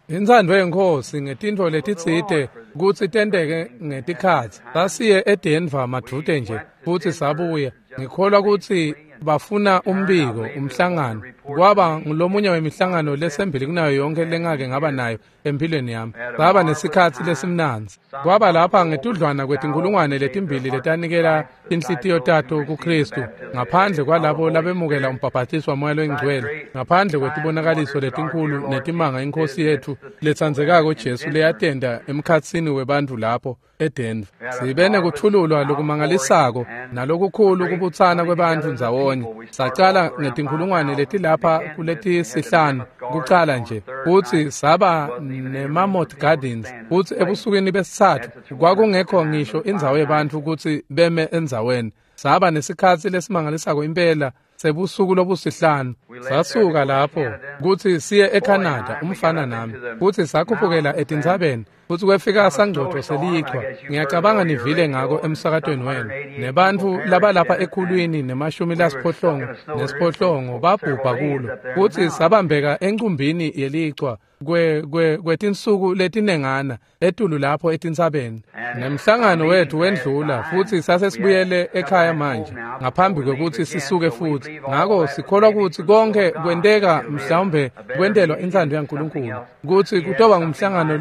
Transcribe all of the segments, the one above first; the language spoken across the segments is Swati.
Intsandvo yeNkhosi ngetintfo letitsite kutsi tenteke ngetikhatsi. Sasiye eDenver madvute nje futsi sabuya. Ngikholwa kutsi bafuna umbiko, umhlangano. Kwaba ngulomunye wemihlangano lesembili kunayo yonke lengake ngaba nayo empilweni yami. Saba nesikhatsi lesimnandzi. Kwaba lapha ngetudlwana kwetinkulungwane letimbili letanikela tinhlitiyo tato kuKristu, ngaphandle kwalabo labemukela umbhabhatiso waMoya loyiNgcwele, ngaphandle kwetibonakaliso letinkhulu netimanga iNkhosi yetfu letsandzekako Jesu leyatenta emkhatsini webantfu lapho eDenver. Sibe nekuthululwa lokumangalisako nalokukhulu kubutsana kwebantfu ndzawonye. Sacala ngetinkulungwane letilapha kuletisihlanu kucala nje, futsi saba neMammoth Gardens, futsi ebusukwini besitsatfu kwakungekho ngisho indzawo yebantfu kutsi beme endzaweni. Saba nesikhatsi lesimangalisako impela sebusuku lobusihlanu. Sasuka lapho kutsi siye eCanada, umfana nami, futsi sakhuphukela etintsabeni, futsi kwefika sangcotfo selichwa. Ngiyacabanga nivile ngako emsakatweni wenu. Nebantfu labalapha ekhulwini ne-68 babhubha kulo, futsi sabambeka encumbini yelichwa kwetinsuku letinengana etulu lapho etintsabeni. Nemhlangano wethu wendlula, futsi sasesibuyele ekhaya manje ngaphambi kwekutsi sisuke futsi. Ngako sikholwa kutsi konke kwenteka mhlawumbe kwentelwa intsandvo yaNkulunkulu, kutsi kutoba ngumhlangano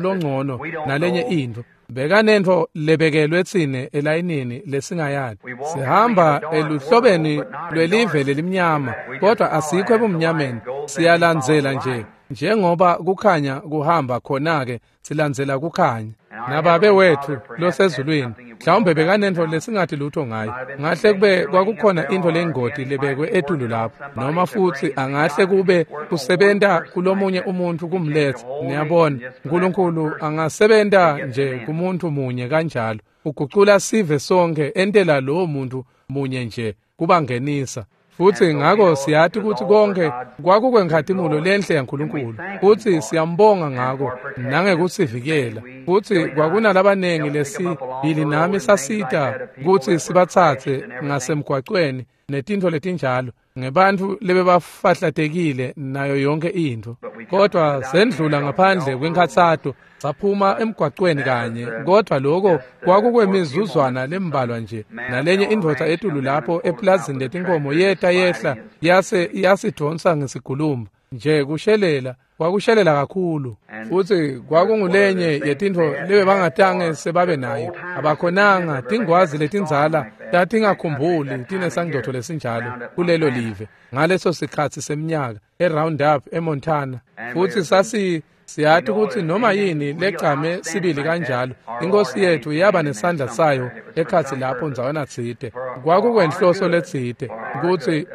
longcono nalenye intfo. Bekanentfo lebekelwe tsine elayinini lesingayati. Sihamba eluhlobeni lwelive lelimnyama, kodwa asikho ebumnyameni. Siyalandzela nje njengoba kukhanya kuhamba khona-ke, silandzela kukhanya. Nababe wethu losezulwini mhlawumbe bekanentfo lesingathi lutho ngayo. Ngahle kube kwakukhona intfo lengoti lebekwe etulu lapho, noma futsi angahle kube kusebenta kulomunye umuntfu kumletsa. Niyabona, Nkulunkulu angasebenta nje kumuntfu munye kanjalo, ugucula sive sonke entela lowo muntfu munye nje kubangenisa. Futsi ngako siyati kutsi konke kwakukwenkhatimulo lenhle yaNkulunkulu, futsi siyambonga ngako nangekusivikela. Futsi kwakunalabanengi lesibili nami sasita kutsi sibatsatse ngasemgwacweni netintfo letinjalo, ngebantfu lebebafahlatekile nayo yonke intfo. Kodwa sendlula ngaphandle kwenkhatsato, saphuma emgwacweni kanye, kodwa lokho kwakukwemizuzwana lembalwa nje. Nalenye indvodza etulu lapho eplazini letinkomo yeta yehla yase yasidvonsa ngesigulumba nje, kushelela, kwakushelela kakhulu. Futsi kwakungulenye yetintfo lebebangatange sebabe nayo. Abakhonanga, tingwazi letindzala tatingakhumbuli tinesangcotfo lesinjalo kulelo live ngaleso sikhatsi semnyaka eRoundup eMontana. Futsi siyati kutsi noma yini legcame sibili kanjalo, iNkhosi yetfu yaba nesandla sayo ekhatsi lapho ndzawana tsite. Kwakukwenhloso letsite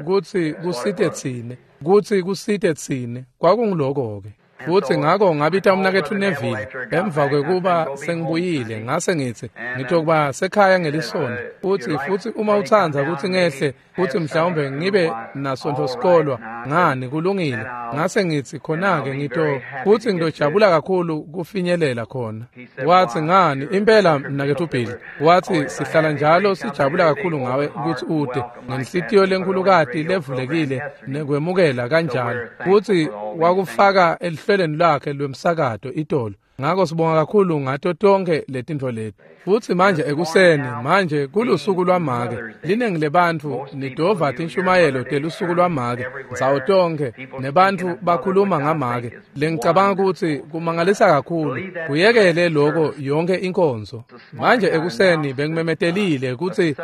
kutsi kusite tsine, kutsi kusite tsine. Kwakunguloko-ke. Futsi ngako ngabita umnaketfu Neville emva kwekuba sengibuyile, ngase ngitsi ngitokuba sekhaya ngelisonto, futsi uma utsandza kutsi ngehle futsi mhlawumbe ngibe nasontfo sikolwa, ngani kulungile. Ngase ngitsi khona-ke futsi ngitojabula kakhulu kufinyelela khona. Watsi ngani impela mnaketfu Bill, watsi sihlala njalo sijabula kakhulu ngawe kutsi ute ngenhlitiyo lenkhulukati levulekile nekwemukela kanjalo. Futsi wakufaka elihlelweni lwakhe lwemsakato itolo. Ngako sibonga kakhulu ngato tonke letintfo leti. Futsi manje ekuseni, manje kulusuku lwamake, linengi lebantfu nidova tinshumayelo telusuku lwamake ndzawo tonke, nebantfu bakhuluma ngamake. Lengicabanga kutsi kumangalisa kakhulu, kuyekele loko yonke inkonzo. Manje ekuseni bengimemetelile kutsi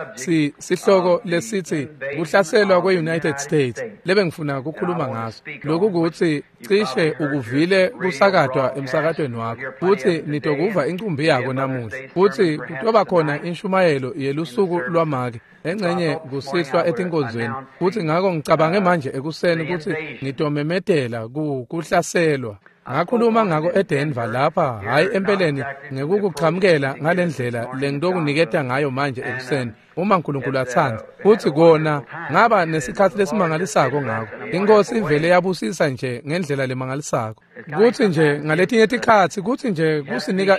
sihloko lesitsi kuhlaselwa kwe-United States lebengifuna kukhuluma ngaso. Loku kutsi cishe ukuvile kusakatwa emsakatweni wakho, futsi nitokuva incumbi yako namuhla. Futsi kutoba khona inshumayelo yelusuku lwamake engcenye kusihlwa etinkonzweni. Futsi ngako ngicabange manje ekuseni kutsi ngitomemetela kuhlaselwa. Ngakhuluma ngako eDenver lapha, hhayi empeleni ngekukuchamukela ngalendlela lengitokuniketa ngayo manje ekuseni, uma Nkulunkulu atsandza. Futsi kona ngaba nesikhatsi lesimangalisako ngako. Inkosi ivele yabusisa nje ngendlela lemangalisako. Kutsi nje ngaletinye tikhatsi kutsi nje kusinika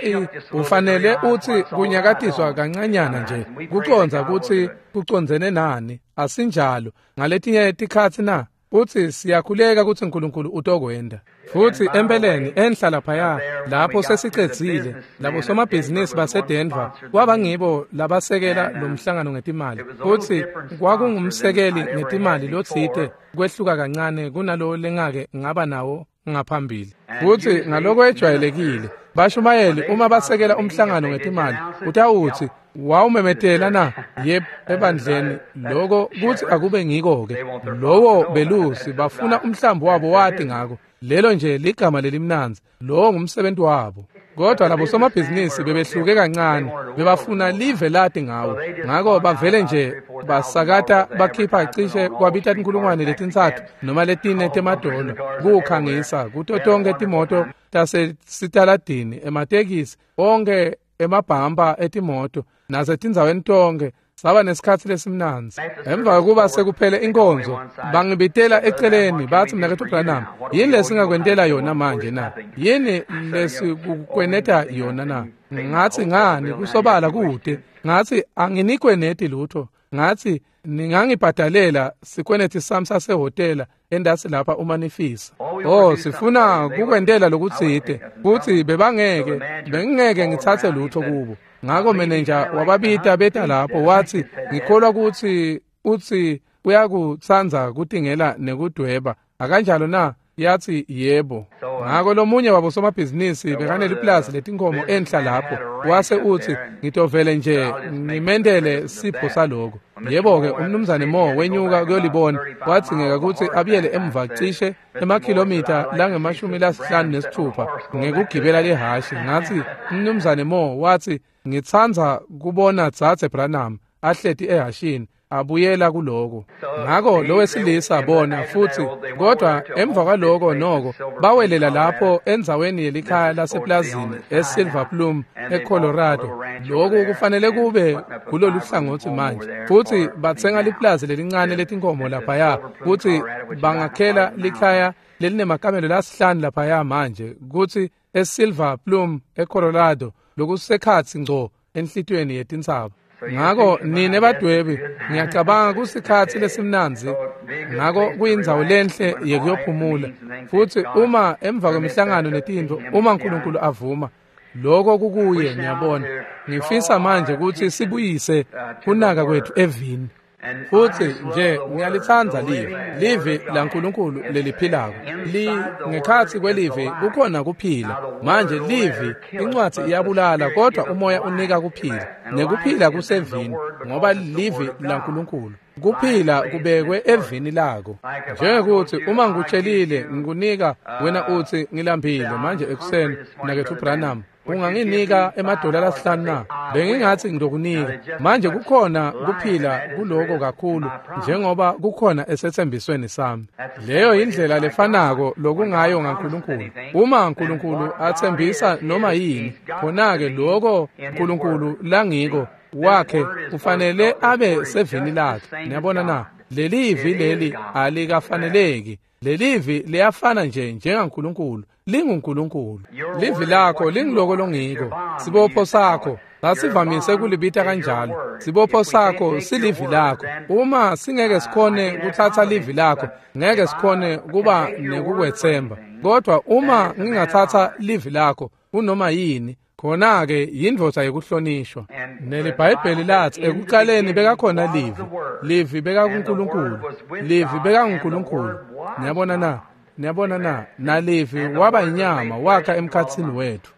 ufanele utsi kunyakatiswa kancanyana nje kucondza kutsi kucondzene nani. Asinjalo ngaletinye tikhatsi na? Futsi siyakhuleka kutsi uNkulunkulu utokwenta. Futsi empeleni enhla laphaya lapho sesicedzile labo somabhizinisi baseDenver kwabangibo labasekela lo mhlangano ngetimali. Futsi kwakungumsekeli ngetimali lotsite kwehluka kancane kunalo lengake ngaba nawo ngaphambili. Futsi ngaloko ejwayelekile bashumayeli uma basekela umhlangano ngetimali utawutsi wawumemetela na? Yebo, ebandleni lokho kuthi akube ngiko-ke. Lowo belusi bafuna umhlambi wabo wati ngako. Lelo nje ligama lelimnandzi, lowo ngumsebenzi wabo. Kodwa labo somabhizinisi bebehluke kancane, bebafuna live lati ngawo. Ngako bavele nje basakata bakhipha cishe kwabita 3,000 noma 4 temadola kukhangisa kuto tonke timoto tasesitaladini, ematekisi, onke emabhampa etimoto nasetindzaweni tonke. Saba nesikhatsi lesimnandzi. Emva kokuba sekuphele inkonzo, bangibitela eceleni batsi, Mnaketfu Branham, yini lesingakwentela yona manje na? Yini lesikukweneta yona na? Ngatsi, ngani kusobala kute. Ngatsi, anginikweneti lutho. Ngatsi, ningangibhadalela sikweneti sami sasehhotela endasi lapha uma nifisa. Oh, sifuna kukwentela lokutsite. Kutsi bebangeke, bengingeke ngitsatse lutho kubo. Ngako menenja wababita beta lapho watsi, ngikholwa kutsi utsi uyakutsandza kutingela nekudweba. Akanjalo na? Yatsi yebo. Ngako lomunye wabo somabhizinisi bekaneliplazi letinkhomo enhla lapho. Wase utsi, ngitovele nje ngimendele sipho saloko. Yebo-ke, umnumzane Mo wenyuka kuyolibona. Wadzingeka kutsi abuyele emva cishe emakhilomitha lange-56 ngekugibela lihhashi. Ngatsi, umnumzane Mo watsi, ngitsandza kubona Dzadze Branham ahleti ehhashini abuyela kuloko. Ngako lowesilisa bona futsi, kodwa emva kwaloko noko bawelela lapho endzaweni yelikhaya laseplazini eSilver Plume eColorado. Lokhu kufanele kube kulolu hlangotsi manje. Futsi batsenga liplazi lelincane letinkomo laphaya kutsi bangakhela likhaya lelinemakamelo lasihlanu laphaya manje kutsi eSilver Plume eColorado, lokusekhatsi ngco enhlitiyweni yetintsaba. Ngako nine badwebi, ngiyacabanga kusikhatsi lesimnandzi. Ngako kuyindzawo lenhle yekuyophumula. Futsi uma emva kwemihlangano netintfo, uma uNkulunkulu avuma, lokho kukuye, niyabona. Ngifisa manje kutsi sibuyise kunaka kwethu evini. Futsi nje ngiyalitsandza livi, livi laNkulunkulu leliphilako. Ngekhatsi kwelivi kukhona kuphila. Manje livi, incwadzi iyabulala, kodwa umoya unika kuphila. Nekuphila kusevini, ngoba livi laNkulunkulu. Kuphila kubekwe evini lako. Njengekuthi uma ngikutshelile ngikunika wena utsi ngilambile manje ekuseni, Mnaketfu Branham, unganginika $5 na? Bengingathi ngitokunika. Manje kukhona kuphila kuloko kakhulu njengoba kukhona esethembisweni sami. Leyo indlela lefanako lokungayo ngaNkulunkulu. Uma uNkulunkulu athembisa noma yini, khona-ke lokho uNkulunkulu langiko wakhe kufanele abe sevini lakhe. Niyabona na? Lelivi leli alikafaneleki. Lelivi liyafana nje njengaNkulunkulu, linguNkulunkulu. Livi lakho lingiloko longiko. Sibopho sakho sasivamise kulibita kanjalo. Sibopho sakho silivi lakho. Uma singeke sikhone kuthatha livi lakho, ngeke sikhone kuba nekukwethemba. Kodwa uma ngingathatha livi lakho kunoma yini, khona-ke yindvodza yekuhlonishwa. NeliBhayibheli lathi ekuqaleni bekakhona livi. Livi bekakuNkulunkulu. Livi bekanguNkulunkulu. Niyabona na? Niyabona na? Nalivi waba inyama wakha emkhatsini wethu.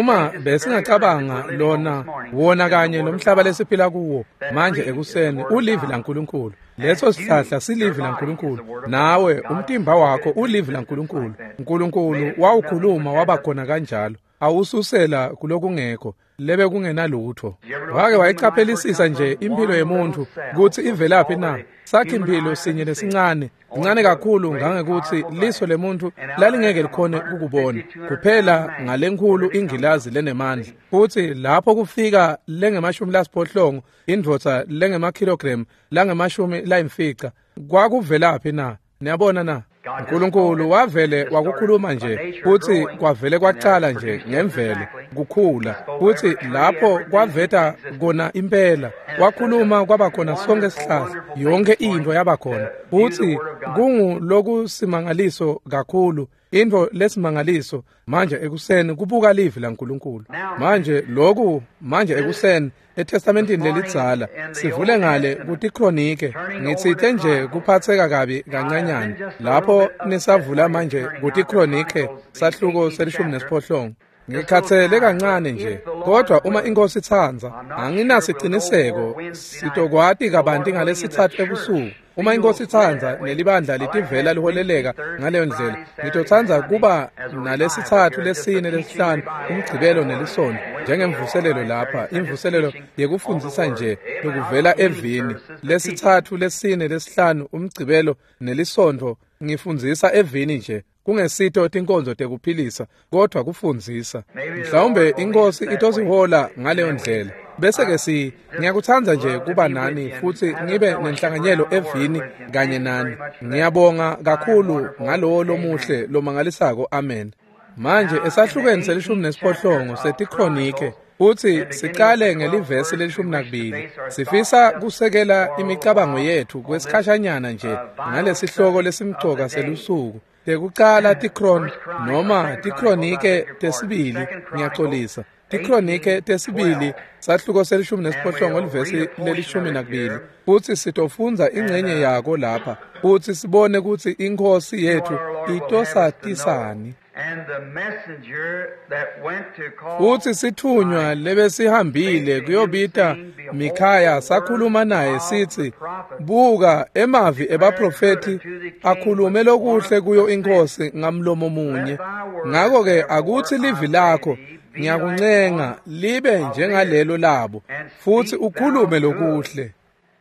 Uma besingacabanga lona wona kanye nomhlaba lesiphila kuwo manje ekuseni ulivi laNkulunkulu. Leso sihlahla silivi laNkulunkulu. Nawe umtimba wakho ulivi laNkulunkulu. uNkulunkulu wawukhuluma waba khona kanjalo. Awususela kulokungekho lebe kungenalutho. Wake wayiqaphelisisa nje impilo yemuntu kutsi ivelaphi na? Sakhi impilo sinye lesincane, ncane kakhulu ngangekuthi liso lemuntu lalingeke likhone ukubona kuphela ngalenkhulu ingilazi lenemandla. Futhi lapho kufika lengama-80 indvodza lengemakilogram langama-50 kwakuvelaphi na? Niyabona na? uNkulunkulu wavele wakukhuluma nje, futhi kwavele kwaqala nje ngemvelo. kukhula. Futsi lapho kwaveta kona impela, wakhuluma kwaba khona sonke sihlahla, yonke intfo yaba khona. Futsi kungulokusimangaliso kakhulu, intfo lesimangaliso manje ekuseni kubuka livi laNkulunkulu. Manje loku manje ekuseni eTestamentini lelidzala sivule ngale kutiKronike, ngitsite nje kuphatseka kabi kancanyana lapho nisavula manje kutiKronike sahluko se-18. Ngikhathele kancane nje, kodwa uma inkosi itsandza, anginasiciniseko sitokwati kabanti ngalesithathu ebusuku. Uma inkosi itsandza nelibandla litivela liholeleka ngaleyo ndlela, ngitotsandza kuba nalesithathu, lesine, lesihlanu, umgcibelo nelisonto njengemvuselelo lapha, imvuselelo yekufundzisa nje lokuvela evini. Lesithathu, lesine, lesihlanu, umgcibelo nelisonto ngifundzisa evini nje, kungesito tinkonzo tekuphilisa kodwa kufundzisa. Mhlawumbe inkosi itosihola ngaleyo ndlela. Bese ke ngiyakutsandza nje kuba nani futsi ngibe nenhlanganyelo evini kanye nani. Ngiyabonga kakhulu ngalowo lomuhle lomangalisako. Amen. Manje esahlukweni se-18 setiKronike futsi siqale ngelivesi le-12. Sifisa kusekela imicabango yethu kwesikhashanyana nje ngalesihloko lesimcoka selusuku. Tekucala tiKron noma tiKronike tesibili, ngiyaxolisa, tiKronike tesibili sahluko se-18 livesi le-12. Futsi sitofundza ingcenye yako lapha futsi sibone kutsi inkosi yethu itosatisani. Futsi sithunywa lebesihambile kuyobita Mikhaya sakhuluma naye sithi, buka emavi ebaprofethi akhulume lokuhle kuyo inkosi ngamlomo munye. Ngako-ke akutsi livi lakho ngiyakuncenga libe njengalelo labo, futsi ukhulume lokuhle.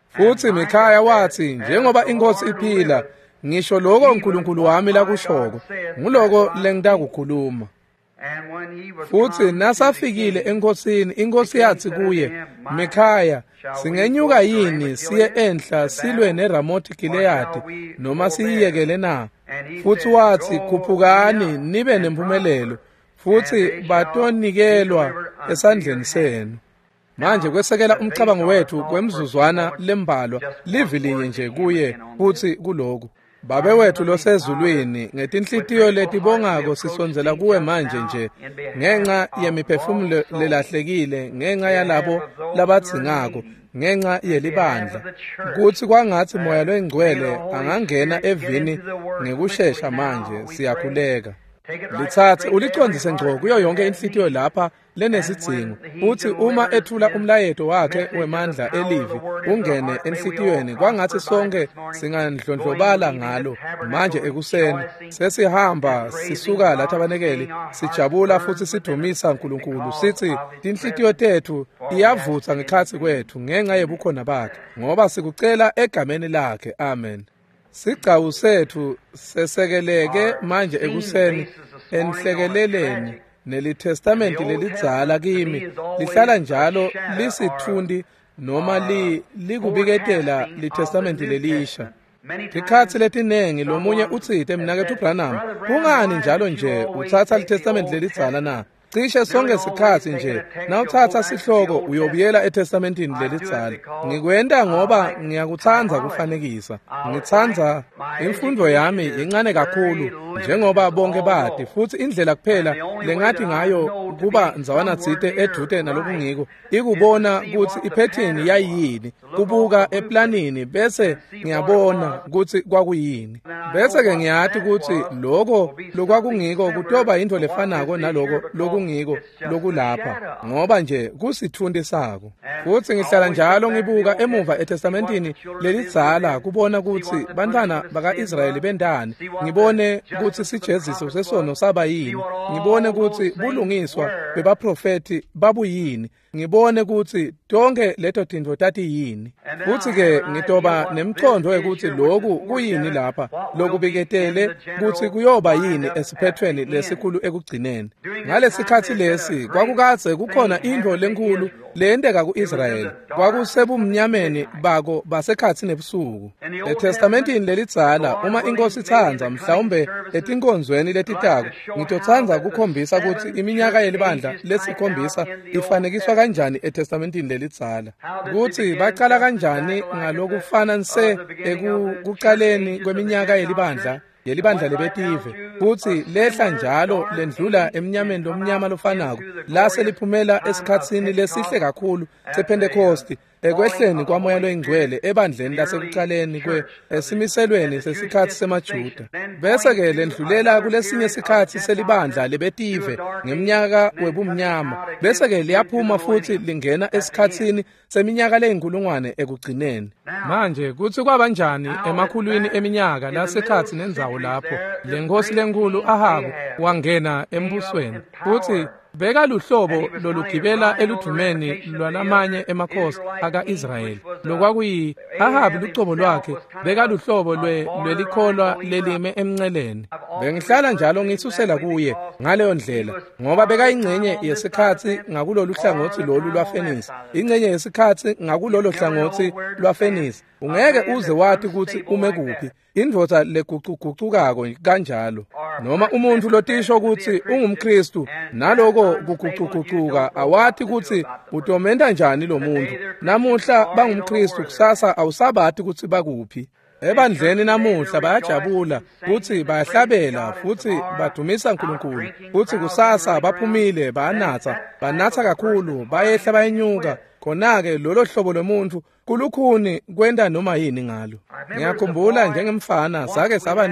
Futsi Mikhaya watsi, njengoba inkosi iphila, ngisho lokho uNkulunkulu wami lakushoko, nguloko lengitakukhuluma. Futsi nasafikile enkosini, inkosi yatsi kuye, Mikhaya, singenyuka yini siye enhla silwe neRamothi Gileyadi noma siyiyekele na? Futsi watsi, khuphukani nibe nempumelelo, futsi batonikelwa esandleni senu. Manje kwesekela umcabango wethu kwemzuzwana lembalwa, livi linye nje kuye futsi kuloku. Babe wethu losezulwini, ngetinhlitiyo letibongako sisondzela kuwe manje nje ngenxa yemiphefumulo lelahlekile, ngenxa yalabo labadzingako, ngenxa yelibandla, kutsi kwangatsi Moya Longcwele angangena evini ngekushesha manje. Siyakhuleka. Litsatse ulicondzise ngco kuyo yonke inhlitiyo lapha lenesidzingo, futsi uma ethula umlayeto wakhe wemandla elivi ungene enhlitiyweni, kwangatsi sonke singandlondlobala ngalo manje ekuseni. Sesihamba sisuka lathabanekeli sijabula futsi sidumisa uNkulunkulu, sithi tinhlitiyo tethu iyavutsa ngekhatsi kwethu ngenxa yebukhona bakhe, ngoba sikucela egameni lakhe. Amen. Sigcawu sethu sesekeleke manje ekuseni enhlekeleleni neliTestamenti lelidzala kimi lihlala njalo lisitfundi noma likubiketela liTestamenti lelisha. Tikhatsi letinengi lomunye utsite, mnaketfu Branham, kungani njalo nje utsatsa liTestamenti lelidzala na? Cishe sonke sikhatsi nje nawutsatsa sihloko uyobuyela eTestamentini lelidzala. Ngikwenta ngoba ngiyakutsandza kufanekisa. Ngitsandza imfundo yami incane kakhulu njengoba bonke bati, futsi indlela kuphela lengathi ngayo kuba ndzawana tsite edvute nalokungiko ikubona kutsi iphethini yayiyini, kubuka eplanini bese ngiyabona kutsi kwakuyini. Bese ke ngiyati kutsi loko lokwakungiko kutoba intfo lefanako naloko lokungiko lokulapha, ngoba nje kusitfunti sako. Futsi ngihlala njalo ngibuka emuva eTestamentini lelidzala kubona kutsi bantfwana baka-Israyeli bentani, ngibone kutsi sijeziso sesono saba yini, ngibone kutsi bulungiswa bebaprofethi babuyini, ngibone kutsi Tonke leto tintfo tatiyini. Futsi-ke ngitoba nemcondvo wekutsi loku kuyini lapha, lokubiketele kutsi kuyoba yini esiphethweni lesikhulu ekugcineni. Ngalesikhatsi lesi kwakukadze kukhona intfo lenkhulu leyenteka ku-Israyeli. Kwakusebumnyameni bako basekhatsi nebusuku. ETestamentini lelidzala, uma iNkosi itsandza, mhlawumbe etinkonzweni letitako, ngitotsandza kukhombisa kutsi iminyaka yelibandla lesikhombisa ifanekiswa kanjani eTestamentini lelidzala. Kutsi bacala kanjani ngalokufana nse ekucaleni kweminyaka yelibandla lebetive, kutsi lehla njalo lendlula emnyameni lomnyama lofanako lase liphumela esikhatsini lesihle kakhulu sePhentekosti, ekwehleni kwaMoya loyiNgcwele ebandleni lasekucaleni esimiselweni sesikhatsi semaJuda. Bese-ke lendlulela kulesinye sikhatsi selibandla lebetive ngemnyaka webumnyama, bese-ke liyaphuma futsi lingena esikhatsini seminyaka leyinkulungwane ekugcineni. Manje kutsi kwabanjani emakhulwini eminyaka lasekhatsi nendzawo lapho lenkosi lenkhulu Ahabu wangena embusweni, futsi bekaluhlobo lolugibela eludvumeni lwalamanye emakhosi aka-Israyeli, lokwakuyi Ahabi lucobo lwakhe bekaluhlobo lwelikholwa lelime emnceleni. Bengihlala njalo ngisusela kuye ngaleyo ndlela, ngoba bekayingcenye yesikhatsi ngakulolu hlangotsi lolu lwaFenisi, ingcenye yesikhatsi ngakulolo hlangotsi lwaFenisi. Ungeke uze wati kutsi ume kuphi. Indvodza legucugucukako kanjalo, noma umuntfu lotisho kutsi ungumKhristu, naloko kugucugucuka awati kutsi utomenta njani lo muntfu. Namuhla bangumKhristu, kusasa awusabati kutsi bakuphi. Ebandleni namuhla bayajabula kutsi bayahlabela futsi badumisa uNkulunkulu, kutsi kusasa baphumile bayanatsa, banatsa kakhulu, bayehla bayenyuka. Khona-ke lolo hlobo lomuntfu kulukhuni kwenta noma yini ngalo. Ngiyakhumbula njengemfana sake saba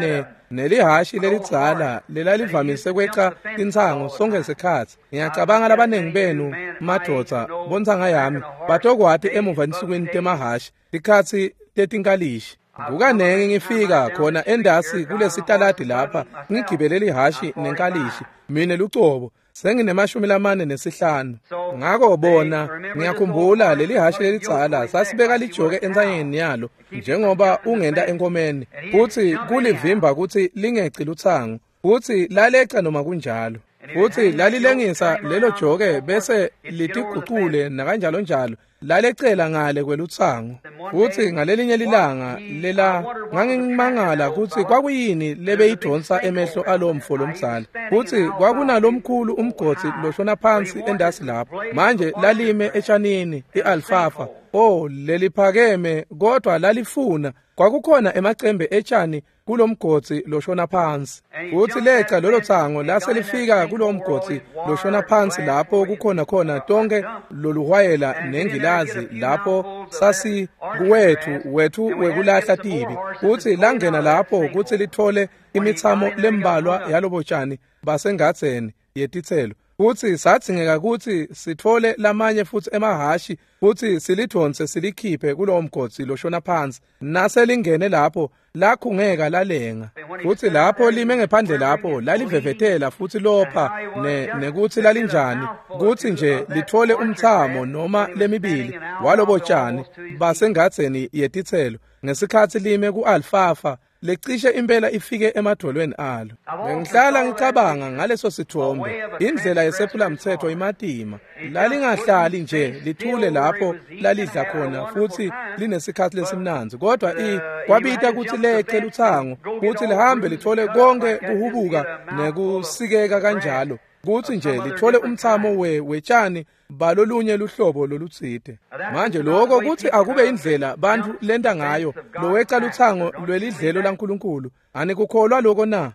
nelihashi lelidzala lelalivamise kweca tintsango sonke sikhatsi. Ngiyacabanga labanengi benu madvodza bontsanga yami batokwati emuva ensukwini temahhashi tikhatsi tetinkalishi. Kukanengi ngifika khona endasi kulesitaladi lapha ngigibele lihashi nenkalishi mine lucobo senginema-45. Ngako bona ngiyakhumbula leli hashi lelidzala sasibeka lijoke entsanyeni yalo njengoba ungenta enkomeni, futsi kulivimba kutsi lingeci lutsango, futsi laleca noma kunjalo. Futsi lalilengisa lelo joke bese litigucule nakanjalo njalo, lalecela ngale kwelutsango. Futsi ngalelinye lilanga lela ngangimangala kutsi kwakuyini lebeyidonsa emehlo alomfo lomdzala. Futsi kwakunalomkhulu umgodzi loshona phansi endasi lapho. Manje lalime etshanini i-alfafa, oh leliphakeme, kodwa lalifuna kwakukhona emacembe etshani kulomgodzi loshona phansi. Futsi leca lolo tsango lase lifika kulomgodzi loshona phansi lapho kukhona khona tonke loluhwayela nengilazi lapho sasi kuwethu wekulahla tibi. Futsi langena lapho kutsi lithole imitsamo lembalwa yalobotshani basengadzeni yetitselo. Futsi sadzingeka kutsi sithole lamanye futsi emahhashi futsi silidvonse silikhiphe kulowo mgodzi loshona phansi. Naselingene lapho lakhungeka lalenga. Futsi lapho lime ngephandle lapho lalivevetela futsi lopha nekutsi lalinjani kutsi nje lithole umtsamo noma lemibili walobotshani basengadzeni yetitselo ngesikhatsi lime ku-alfafa lecishe impela ifike emadvolweni alo. Bengihlala ngicabanga ngaleso sithombe, indlela yesephulamtsetfo imatima. Lalingahlali nje lithule lapho lalidla khona futsi linesikhatsi lesimnandzi, kodwa kwabita kutsi lece lutsango kutsi lihambe lithole konke kuhubuka nekusikeka kanjalo, kutsi nje lithole umtsamo wetshani balolunye luhlobo lolutsite. Manje lokho kutsi akube indlela bantfu lenta ngayo loweca lutsango lwelidlelo laNkulunkulu. Anikukholwa lokho na?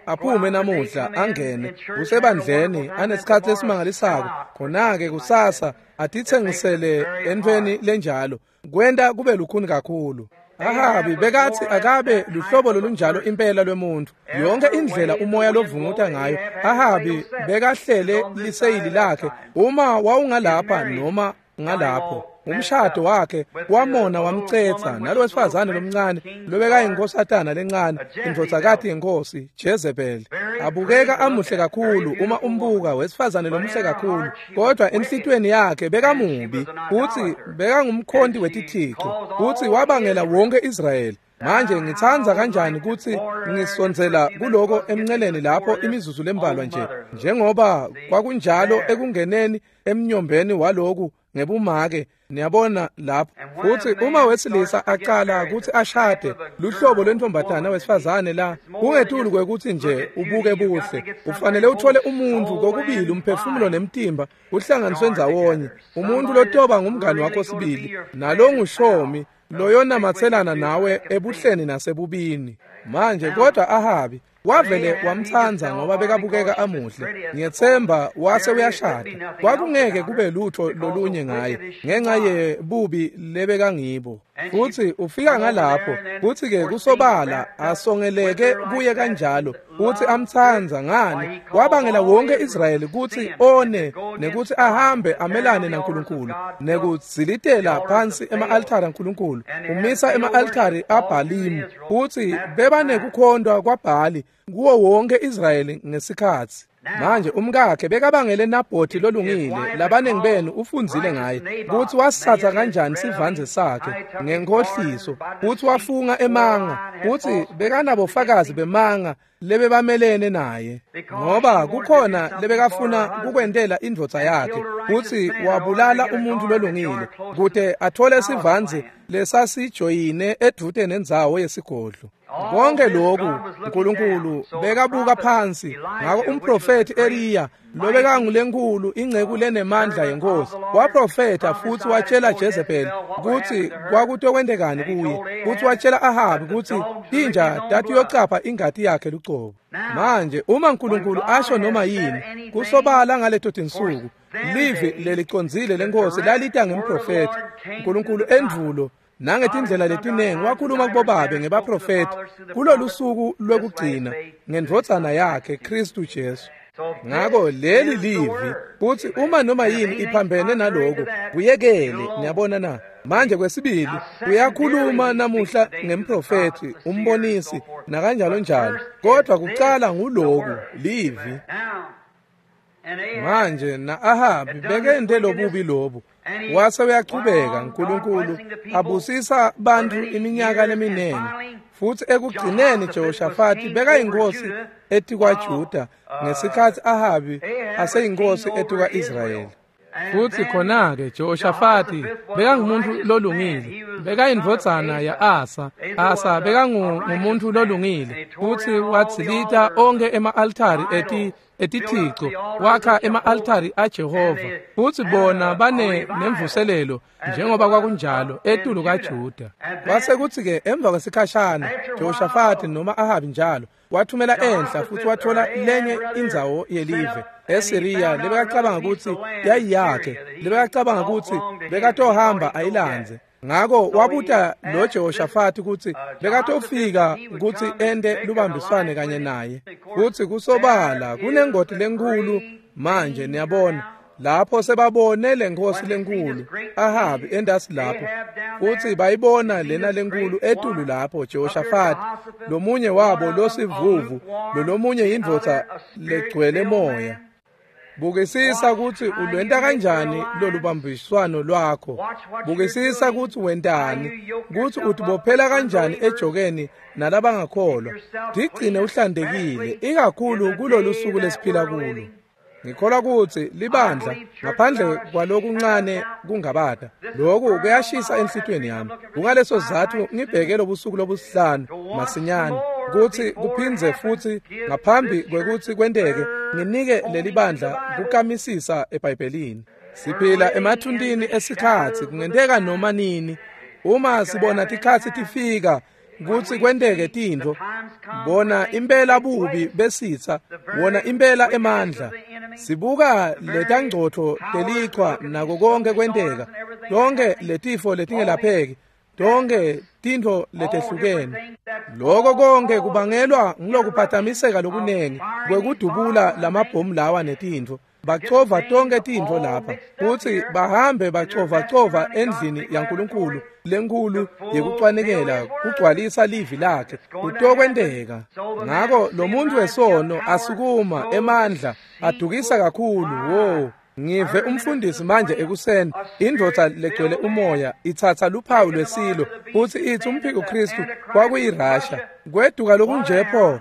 Aphume namuhla angene usebandleni anesikhatsi lesimangalisako, khona-ke kusasa atitsengisele entfweni lenjalo, kwenta kube lukhuni kakhulu. Ahabi bekatsi akabe luhlobo lolunjalo impela lwemuntu. Yonke indlela umoya lovunguta ngayo, Ahabi bekahlele liseyili lakhe. Uma wawungalapha noma ngalapho umshado wakhe wamona wamcetsa nalowesifazane lomncane lobekayinkosatana lencane indvodzakati yenkosi Jezebel abukeka amuhle kakhulu uma umbuka wesifazane lomuhle kakhulu kodwa enhlitiyweni yakhe bekamubi futsi bekangumkhonti wetithixo futsi wabangela wonke Israyeli. Manje ngitsandza kanjani kutsi ngisondzela kuloko emnceleni lapho imizuzu lembalwa nje njengoba kwakunjalo ekungeneni emnyombeni waloku ngebumake niyabona lapho futsi uma wesilisa aqala kutsi ashade luhlobo lwentombatana wesifazane la kungetulu kwekutsi nje ubuke buhle ufanele uthole umuntu kokubili umphefumulo nemtimba uhlanganiswe ndzawonye umuntu lotoba ngumngani wakho sibili nalongushomi loyonamatselana nawe ebuhleni nasebubini. Manje kodwa Ahabi wavele wamtsandza ngoba bekabukeka amuhle ngiyethemba wase uyashada kwakungeke kube lutho lolunye ngaye ngenxa yebubi lebekangibo futsi ufika ngalapho kutsi ke kusobala asongeleke kuye kanjalo futsi amtsandza ngani wabangela wonke Israyeli kutsi one nekutsi ahambe amelane naNkulunkulu nekudzilitela phansi ema-altari aNkulunkulu umisa ema-altari aBhalimu futsi bebanekukhondwa kwaBhali kuwo wonke Israyeli ngesikhatsi. Manje umkakhe bekabangele Nabhothi lolungile labanengi benu ufundzile ngaye kutsi wasithatha kanjani sivandze sakhe ngenkhohliso kutsi wafunga emanga kutsi bekanabofakazi bemanga lebebamelene naye ngoba kukhona lebekafuna kukwentela indvodza yakhe kutsi wabulala umuntu lolungile kute athole sivandze lesasijoyine edvute nendzawo yesigodlo. Konke lokhu uNkulunkulu bekabuka phansi ngako umprofeti Eliya lobekangulenkulu ingceku lenemandla yenkosi waprofetha futsi watshela Jezebel kutsi kwakutokwentekani kuye kutsi watshela Ahabi kutsi tinja tatiyocapha ingati yakhe lucobo. Manje uma uNkulunkulu asho noma yini kusobala ngaleto tinsuku livi lelicondzile lenkosi lalita ngemprofeti uNkulunkulu endvulo nangetindlela letinengi wakhuluma kubobabe ngebaprofeti kulolu suku lwekugcina ngendvodzana yakhe Kristu Jesu. Ngako leli livi kutsi uma noma yini iphambene naloko kuyekele niyabona na. Manje kwesibili uyakhuluma namuhla ngemprofeti umbonisi nakanjalo njalo kodwa kucala nguloku livi. Manje na-Ahabi bekente lobubi lobu wase uyachubeka uNkulunkulu abusisa bantfu iminyaka leminingi futsi ekugcineni Jehoshafati bekayinkosi etikwaJuda ngesikhatsi Ahabi aseyinkosi etikwa-Israyeli. Futsi khona-ke Jehoshafati bekangumuntu lolungile bekayindvodzana ya-Asa. Asa bekangumuntu lolungile futsi wadzilita onkhe ema-altari etithixo wakha ema-altari aJehova futsi bona bane nemvuselelo njengoba kwakunjalo etulu kaJuda. Kwase kutsi-ke emva kwesikhashana Jehoshafati noma Ahabi njalo wathumela enhla futsi wathola lenye indzawo yelive eSiriya lebekacabanga kutsi yayiyakhe lebekacabanga kutsi bekatohamba ayilandze. Ngako wabuta lo Jehoshafati kutsi bekatofika kutsi ente lubambiswane kanye naye kutsi kusobala kunengoti lenkulu. Manje niyabona lapho sebabone lenkosi lenkulu Ahabi endasi lapho futsi bayibona lena lenkulu etulu lapho Jehoshafati lomunye wabo losivuvu lolomunye indvodza legcwele moya. Bukisisa kutsi ulwenta kanjani lolubambiswano lwakho. Bukisisa kutsi wentani, kutsi utibophela kanjani ejokeni nalabangakholwa. Tigcine uhlantekile ikakhulu kulolu suku lesiphila kulo. Ngikholwa kutsi libandla ngaphandle kwalokuncane kungabata lokhu kuyashisa enhlitiyweni yami. Kungaleso sizatfu ngibheke lobusuku lobusihlanu masinyane kutsi kuphindze futsi ngaphambi kwekutsi kwenteke nginike leli bandla kukamisisa eBhayibhelini. Siphila emathuntini esikhatsi kungenteka noma nini uma sibona tikhatsi tifika kutsi kwenteke tintfo bona impela bubi besitsa wona impela emandla. Sibuka letangcotfo telichwa nako konke kwenteka tonke letifo letingelapheki Tonke tintfo letehlukene. Loko konke kubangelwa ngilokuphatamiseka lokunengi kwekudubula lamabhomu lawa netintfo. Bacova tonke tintfo lapha futsi bahambe bacovacova endlini yaNkulunkulu lenkhulu yekucwanikela kugcwalisa livi lakhe. Kutokwenteka. Ngako lo muntu wesono asukuma emandla adukisa kakhulu. Wo, ngive umfundisi manje ekuseni, indvodza legcwele umoya itsatsa luphawu lwesilo futsi itsi umphiko Kristu kwakuyiRussia. Kweduka lokunje pho.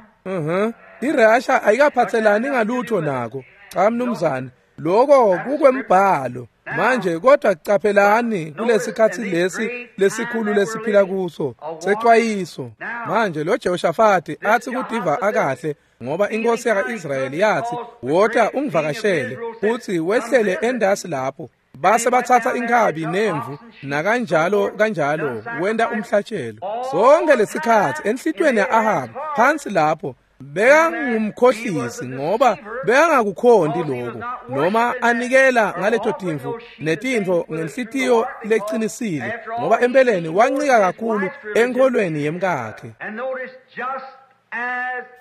IRussia ayikaphatselani ngalutho nako. Cha mnumzane, lokho kukwembhalo. Manje kodwa caphelani kulesikhatsi lesi lesikhulu lesiphila kuso secwayiso. Manje lo Jehoshafati athi kudiva akahle ngoba inkosi yaka-Israyeli yathi wota ungivakashele, futhi wehlele endasi lapho. Base bathatha inkhabi nemvu nakanjalo kanjalo wenda umhlatshelo. Sonke lesikhatsi enhlitiyweni ya-Ahabi phansi lapho bekangumkhohlisi ngoba bekangakukhonti lokho, noma anikela ngaleto timvu netintfo ngenhlitiyo lecinisile, ngoba empeleni wancika kakhulu enkholweni yemkakhe.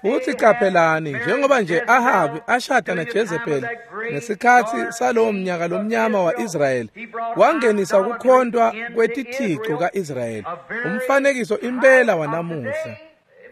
Futhi qaphelani, njengoba nje Ahabi ashada naJezebeli ngesikhatsi salowo mnyaka lomnyama wa-Israyeli, wangenisa ukukhontwa kwetithixo ka-Israyeli, umfanekiso impela wanamuhla.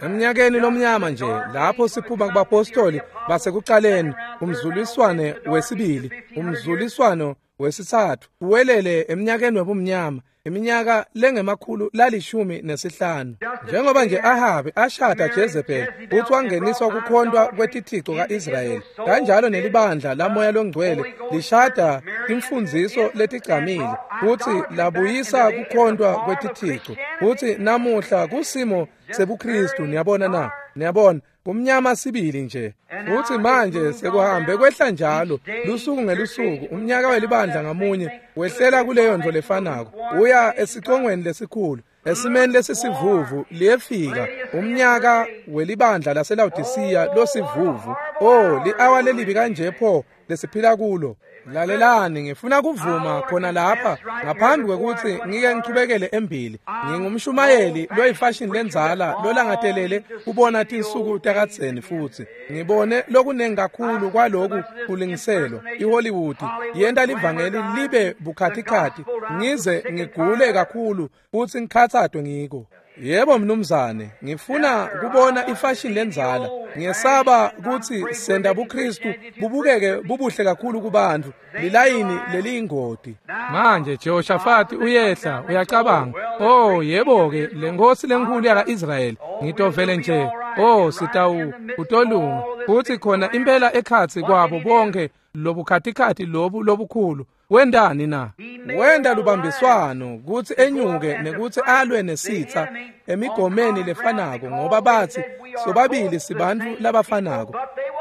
Emnyakeni lomnyama nje lapho siphuma kubapostoli basekuqaleni, umzuliswane wesibili, umzuliswano wesithathu, uwelele eminyakeni wobumnyama, iminyaka lengemakhulu lalishumi nesihlanu. Njengoba nje Ahabi ashada Jezebel futhi wangeniswa kukhontwa kwetithixo ka-Israyeli, kanjalo nelibandla lamoya longcwele lishada timfundziso letigcamile futhi labuyisa kukhontwa kwetithixo. Futhi namuhla kusimo sebuKristu. Niyabona na? Niyabona, kumnyama sibili nje. Futhi manje sekuhambe kwehla njalo lusuku ngelusuku, umnyaka welibandla ngamunye wehlela kuleyo nto lefanako, uya esicongweni lesikhulu, esimeni lesisivuvu. Liyefika umnyaka welibandla laseLawodisiya losivuvu. Oh, li-awa lelibi kanje pho lesiphila kulo. Lalelani, ngifuna kuvuma khona lapha ngaphambi kwekuthi ngike ngichubekele embili. Ngingumshumayeli loyifashini lendzala lolangatelele kubona tinsuku takadzeni, futhi ngibone lokunengi kakhulu kwaloku kulingiselwa. IHollywood yenta livangeli libe bukhatikhathi ngize ngigule kakhulu futhi ngikhathadwe ngiko. Yebo mnumzane, ngifuna kubona ifashini lendzala. Ngiyesaba kutsi senta buKristu bubukeke bubuhle kakhulu kubantu, lilayini leliyingoti. Manje Jehoshafati uyehla uyacabanga, oh yebo-ke, le nkosi lenkhulu yaka-Israyeli, ngitovele nje, oh sitawu utolunga. Futhi khona impela ekhatsi kwabo bonke lobukhatikhathi lobu lobukhulu, wendani na? Wenda lubambiswano kutsi enyuke nekuthi alwe nesitha emigomeni lefanako, ngoba bathi sobabili sibantu labafanako,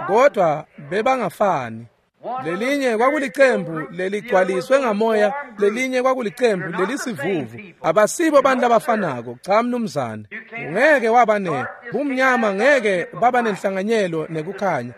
kodwa bebangafani. Lelinye kwakulicembu leligcwaliswe ngamoya, lelinye kwakulicembu lelisivuvu. Abasibo abantu labafanako. Cha mnumzane, ungeke waba ne bumnyama, ngeke baba nenhlanganyelo nekukhanya.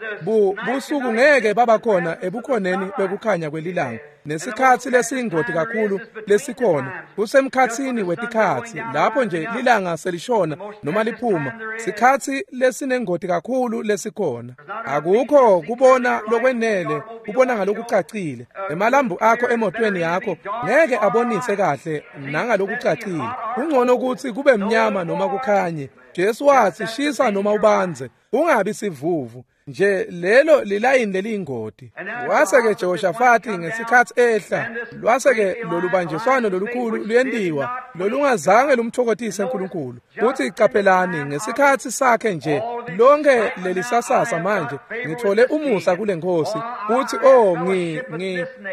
Busuku ngeke baba khona ebukhoneni bekukhanya kwelilanga. Nesikhatsi lesiyingoti kakhulu lesikhona kusemkhatsini wetikhatsi, lapho nje lilanga selishona noma liphuma, sikhatsi lesinengoti kakhulu lesikhona. Akukho kubona lokwenele kubona ngalokucacile. Emalambu akho emotweni yakho ngeke abonise kahle nangalokucacile. Kungcono ukuthi kube mnyama noma kukhanye. Jesu wathi shisa noma ubanze, ungabi sivuvu nje. Lelo lilayini leliyingoti. Wase-ke Jehoshafati ngesikhatsi ehla, lwase-ke lolubanjiswano lolukhulu luyentiwa lolungazange lumthokotise uNkulunkulu. Futhi qaphelani ngesikhatsi sakhe nje lonke lelisasasa, manje ngithole umusa kule nkosi, futhi oh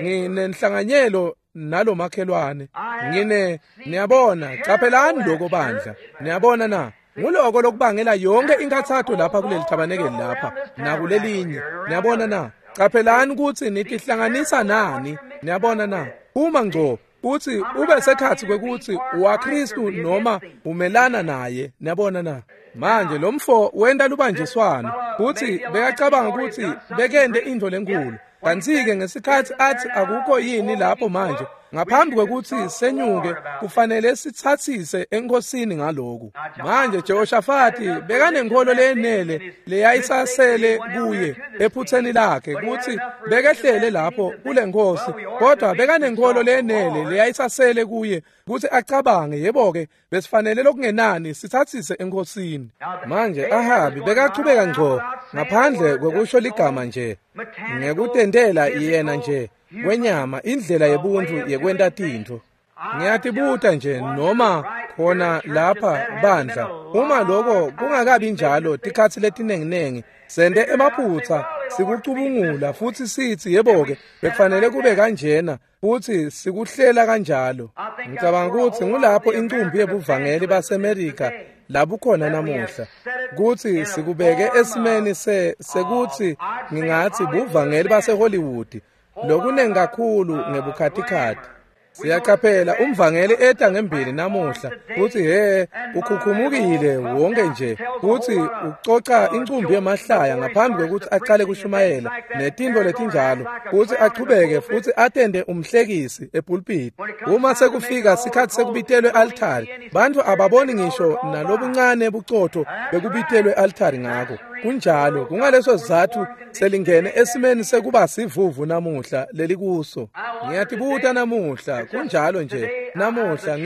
nginenhlanganyelo nalomakhelwane ngine. Niyabona, qaphelani lokho bandla. Niyabona na? Nguloko lokubangela yonke inkathatho lapha kuleli thabanekeli lapha nakulelinye. Niyabona na? Qaphelani ukuthi nitihlanganisa nani. Niyabona na? Uma ngco uthi ube sekhathi kwekuthi uwaKristu noma umelana naye. Niyabona na? Manje lo mfo wenta lubanjiswano, kuthi bekacabanga ukuthi bekende into lenkulu. Kantsi-ke ngesikhatsi atsi akukho yini lapho manje, ngaphambi kwekutsi senyuke kufanele sitsatsise enkosini ngaloku. Manje Jehoshafati bekanenkholo leyenele leyayisasele kuye ephutseni lakhe kutsi bekehlele lapho kule nkosi, kodwa bekanenkholo leyenele leyayisasele kuye kutsi acabange, yebo-ke besifanele lokungenani sitsatsise enkosini. Manje Ahabi bekachubeka ngco ngaphandle kwekusho ligama nje, ngekutentela yena nje kwenyama indlela yebuntfu yekwenta tintfo. Ngiyatibuta nje noma khona lapha bandla, uma lokho kungakabi njalo tikhatsi letinenginengi sente emaphutsa sikucubungula futsi sitsi yebo-ke bekufanele kube kanjena futsi sikuhlela kanjalo. Ngicabanga kutsi ngulapho incumbi yebuvangeli baseMerika labukhona namuhla, kutsi sikubeke esimeni sekutsi ngingatsi buvangeli baseHollywood lokunengi kakhulu ngebukhatikhathi. Siyaqaphela umvangeli eta ngembili namuhla kutsi he ukhukhumukile wonke nje kutsi ucoca incumbi yemahlaya ngaphambi kwekutsi aqale kushumayela netintfo letinjalo, kutsi achubeke futsi atende umhlekisi epulpiti. Uma sekufika sikhatsi sekubitelwe altari, bantfu ababoni ngisho nalobuncane bucotho bekubitelwe altari ngako. Kunjalo, kungaleso sizatfu selingene esimeni sekuba sivuvu namuhla lelikuso. Ngiyatibuta namuhla, kunjalo nje namuhla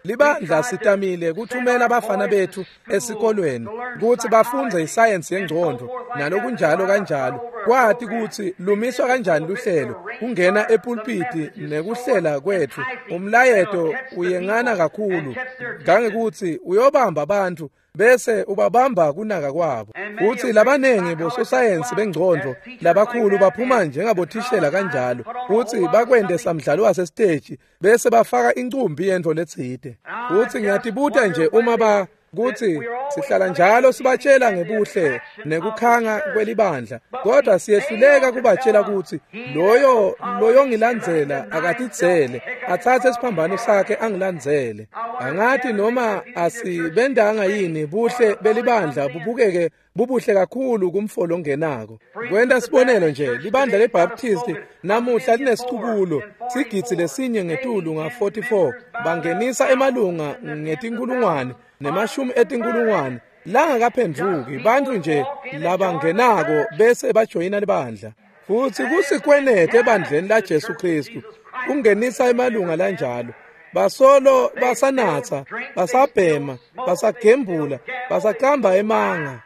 libandla sitamile kuthumela abafana bethu esikolweni kutsi bafundze isayensi yengcondvo nalokunjalo kanjalo, kwati kutsi lumiswa kanjani luhlelo kungena epulpiti nekuhlela kwetfu. Umlayeto uyengana kakhulu ngangekutsi uyobamba bantfu bese ubabamba kunaka kwabo. Futsi labanengi bososayensi bengcondvo labakhulu baphuma njengabothishela kanjalo, futsi bakwente samdlalo wasesiteji bese bafaka incumbi yentfo letsite. Futsi ngiyatibuta nje uma kutsi sihlala njalo sibatshela ngebuhle nekukhanga kwelibandla, kodwa siyehluleka kubatshela kutsi loyo loyongilandzela akatidzele atsatse isiphambano sakhe angilandzele. Angathi noma asibendanga yini buhle belibandla bubukeke bubuhle kakhulu kumfo longenako. Kwenta sibonelo nje, libandla leBaptist namuhla linesicubulo sigidzi lesinye ngetulu nga-44, bangenisa emalunga ngetinkulungwane nemashumi etinkulungwane langakaphendvuki, bantfu nje labangenako bese bajoyina libandla. Futsi kusikwenete ebandleni laJesu Kristu kungenisa emalunga lanjalo. Basolo basanatsa, basabhema, basagembula, basaqamba emanga.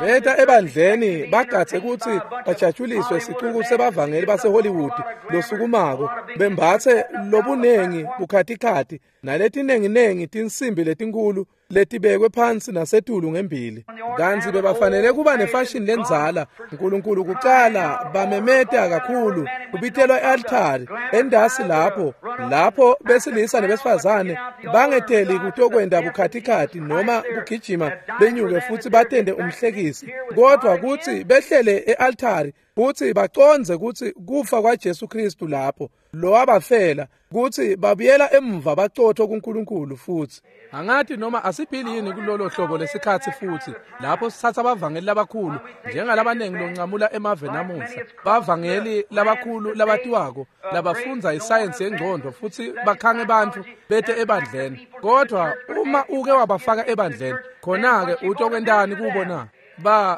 Beta ebandleni bagatse kutsi bajatshuliswe sicuku sebavangeli baseHollywood losukumako, bembatse lobunengi bukhatikhathi naletinenginengi tinsimbi letinkulu letibekwe phansi nasetulu ngembili. Kantsi bebafanele kuba nefashini lendzala. Nkulunkulu kucala bamemeta kakhulu kubitelwa e-altari endasi lapho besilisa nebesifazane bangeteli kutokwenta bukhatikhathi noma kugijima benyuke futsi batende umhlekisi, kodwa kutsi behlele e-altari kutsi bacondze kutsi kufa kwaJesu Kristu lapho lowabafela, kutsi babuyela emva bacotho kuNkulunkulu. Futsi angathi noma asibhili yini kulolo hlobo lesikhatsi futhi lapho sithatha abavangeli labakhulu njengalabanengi loncamula emave namuhla, bavangeli labakhulu labatiwako labafundza isayensi yengcondvo futsi bakhange bantfu bete ebandleni, kodwa uma uke wabafaka ebandleni khona-ke utokwentani kubo na?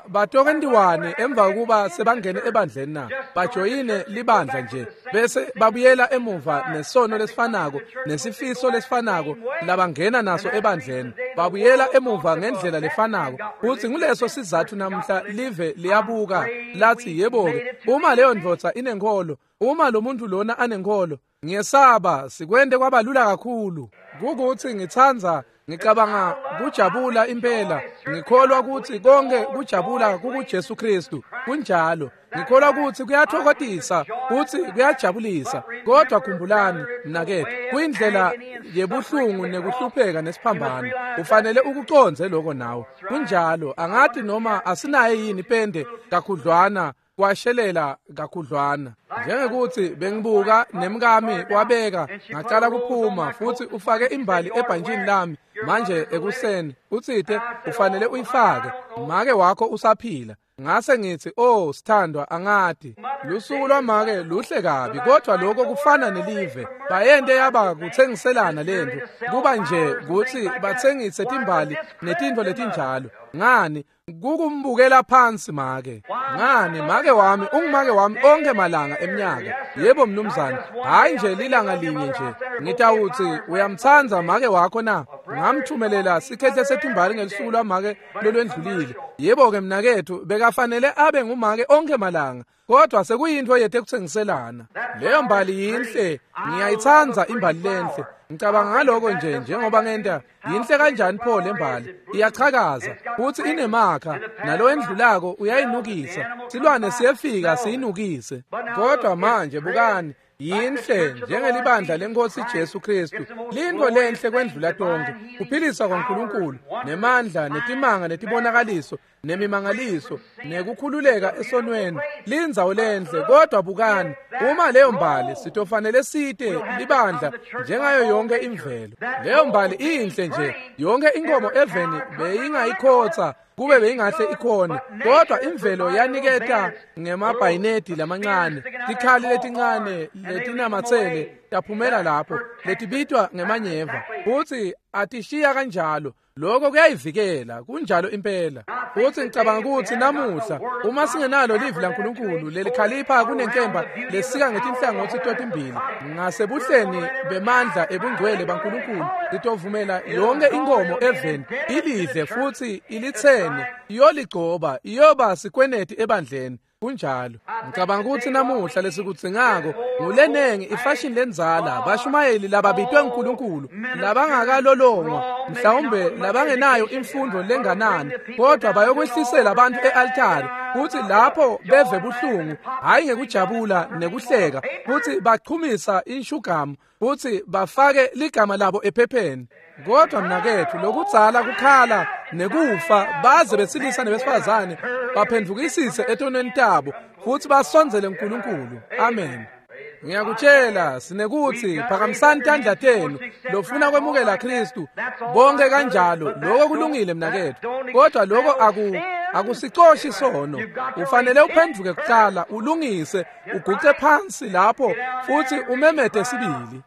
Batokentiwani emva kokuba sebangene ebandleni na? Bajoyine libandla nje bese babuyela emuva nesono lesifanako nesifiso lesifanako labangena naso ebandleni, babuyela emuva ngendlela lefanako. Futsi nguleso sizatfu namuhla live liyabuka lathi yebo-ke, uma leyo ndvodza inenkholo, uma lo muntu lona anenkholo, ngiyesaba sikwente kwabalula kakhulu. Kukuthi ngitsandza ngicabanga kujabula impela, ngikholwa kutsi konke kujabula kukuJesu Kristu. Kunjalo, ngikholwa kutsi kuyathokozisa futsi kuyajabulisa, kodwa khumbulani mnaketfu, kuyindlela yebuhlungu nekuhlupheka nesiphambano. Ufanele ukucondze lokho nawe. Kunjalo, angathi noma asinaye yini pende kakhudlwana kwashelela kakhudlwana. Njengekuthi bengibuka nemkami wabeka ngacala kuphuma futsi ufake imbali ebhantshini lami manje ekuseni, utsite ufanele uyifake, make wakho usaphila. Ngase ngithi, "Oh sithandwa, angati. Lusuku lwamake luhle kabi, kodwa lokho kufana nelive. Bayente yaba kuthengiselana lento. Kuba nje kuthi bathengise timbali netintfo letinjalo. Ngani kukumbukela phansi make. Ngani make wami ungumake wami onke malanga eminyaka. Yebo mnumzane, hayi nje lilanga linye nje. Ngitawuthi uyamtsandza make wakho na? Ngamthumelela sikhehle setimbali ngelusuku lwamake lolwendlulile. Yebo ke mnakethu, bekafanele abe ngumake onke malanga. Kodwa sekuyintfo yethu ekuthengiselana. Leyo mbali yinhle, ngiyayitsandza imbali lenhle. Ngicabanga ngaloko nje njengoba ngenta. Yinhle kanjani pho le mbali? Iyachakaza futhi inemakha, nalo endlulako uyayinukisa. Silwane siyefika siyinukise. Kodwa manje bukani, yinhle njengelibandla lenkosi Jesu Kristu. Lintfo lenhle kwendlula tonke, kuphilisa kwaNkulunkulu, nemandla, netimanga, netibonakaliso, nemimangaliso, nekukhululeka esonweni. Lindzawo lenhle, kodwa bukani, uma leyo mbali sitofanele site libandla njengayo yonke imvelo. Leyo mbali inhle nje, yonke inkomo eveni beyingayikhotsa kube beyingahle ikhone, kodwa imvelo yaniketa ngemabhayinedi lamancane, tikhali letincane letinamatsele taphumela lapho, letibitwa ngemanyeva, futhi atishiya kanjalo. Lokho kuyayivikela, kunjalo impela. Futhi ngicabanga ukuthi namuhla uma singenalo livi laNkulunkulu lelikhalipha kunenkemba lesika ngetinhlangothi totimbili ngasebuhleni bemandla ebungcwele baNkulunkulu, litovumela yonke inkomo eveni ilidle futhi ilithene, iyoligcoba, iyoba sikweneti ebandleni. Kunjalo. Ngicabanga ukuthi namuhla lesikudzingako ngulenengi ifashion lendzala, bashumayeli lababitwe nguNkulunkulu, labangakalolongwa, mhlawumbe labangenayo imfundo lenganani, kodwa bayokwehlisela abantu e-altari, futhi lapho beve buhlungu, hhayi ngekujabula nekuhleka, futhi bachumisa inshugamu, futhi bafake ligama labo ephepheni. Kodwa mnakethu, lokudzala kukhala nekufa, baze besilisa nebesifazane baphendvukisise etonweni tabo futhi basondzele uNkulunkulu. Amen. Ngiyakutshela, sinekuthi phakamisani tandla tenu lofuna kwemukela Kristu bonke kanjalo. Lokho kulungile mnakethu, kodwa lokho akusicoshi sono. Ufanele uphenduke kuqala, ulungise, uguce phansi lapho futhi umemete sibili.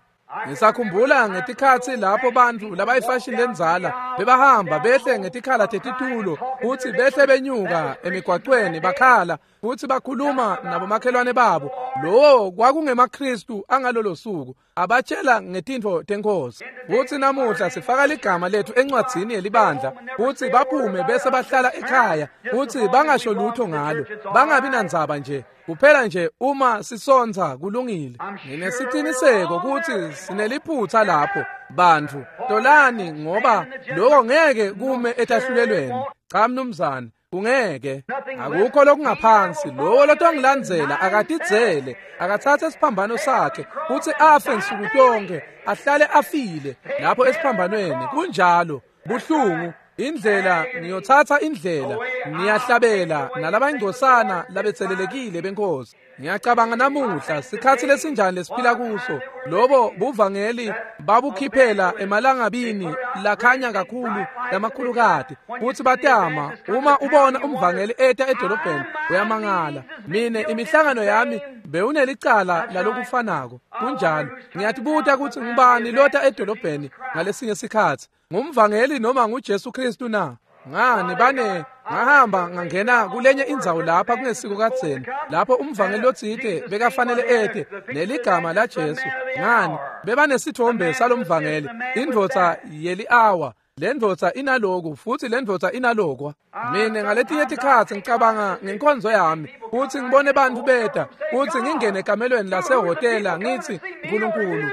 Ngisakhumbula ngetikhatsi lapho bantfu labayifashini lendzala bebahamba behle ngetikhala tetitulo futhi behle benyuka emigwacweni bakhala futhi bakhuluma nabomakhelwane babo. Lowo kwakungemaKristu angalolo suku, abatshela ngetintfo tenkosi. Futhi namuhla sifaka ligama lethu encwadzini yelibandla futhi baphume bese bahlala ekhaya futhi bangasho lutho ngalo, bangabi nandzaba nje. Kuphela nje uma sisontsa kulungile. Nginesiciniseko ukuthi sineliphutha lapho bantfu. Tolani, ngoba lokho ngeke kume etahlulelweni. Cha mnumzane, kungeke. Akukho lokungaphansi. Lowo lotongilandzela akatidzele, akatsatse isiphambano sakhe futhi afe nsuku tonke, ahlale afile lapho esiphambanweni. Kunjalo, buhlungu. Indlela ngiyothatha indlela, niyahlabela nalabangcosana labetselelekile benkosi. Ngiyacabanga namuhla sikhathi lesinjani lesiphila kuso. Lobo buvangeli babukhiphela emalangabini lakhanya kakhulu lamakhulukati, futhi batama. Uma ubona umvangeli eta edolobheni uyamangala. Mine imihlangano yami bewunelicala lalokufanako. Kunjalo. Ngiyatibuta ukuthi ngubani lota edolobheni ngalesinye sikhathi, ngumvangeli noma nguJesu Kristu na? Ngani bane ngahamba ngangena kulenye indzawo lapha kungesiko kadzeni, lapho umvangeli lotsite bekafanele ete neligama la Jesu. Ngani bebanesithombe salomvangeli, indvodza yeli-awa, lendvodza inaloku futhi lendvodza inalokwa. Mine ngaletinye tikhatsi ngicabanga ngenkonzo yami futhi ngibone bantfu beta futhi ngingene ekamelweni lasehhotela ngithi, Nkulunkulu,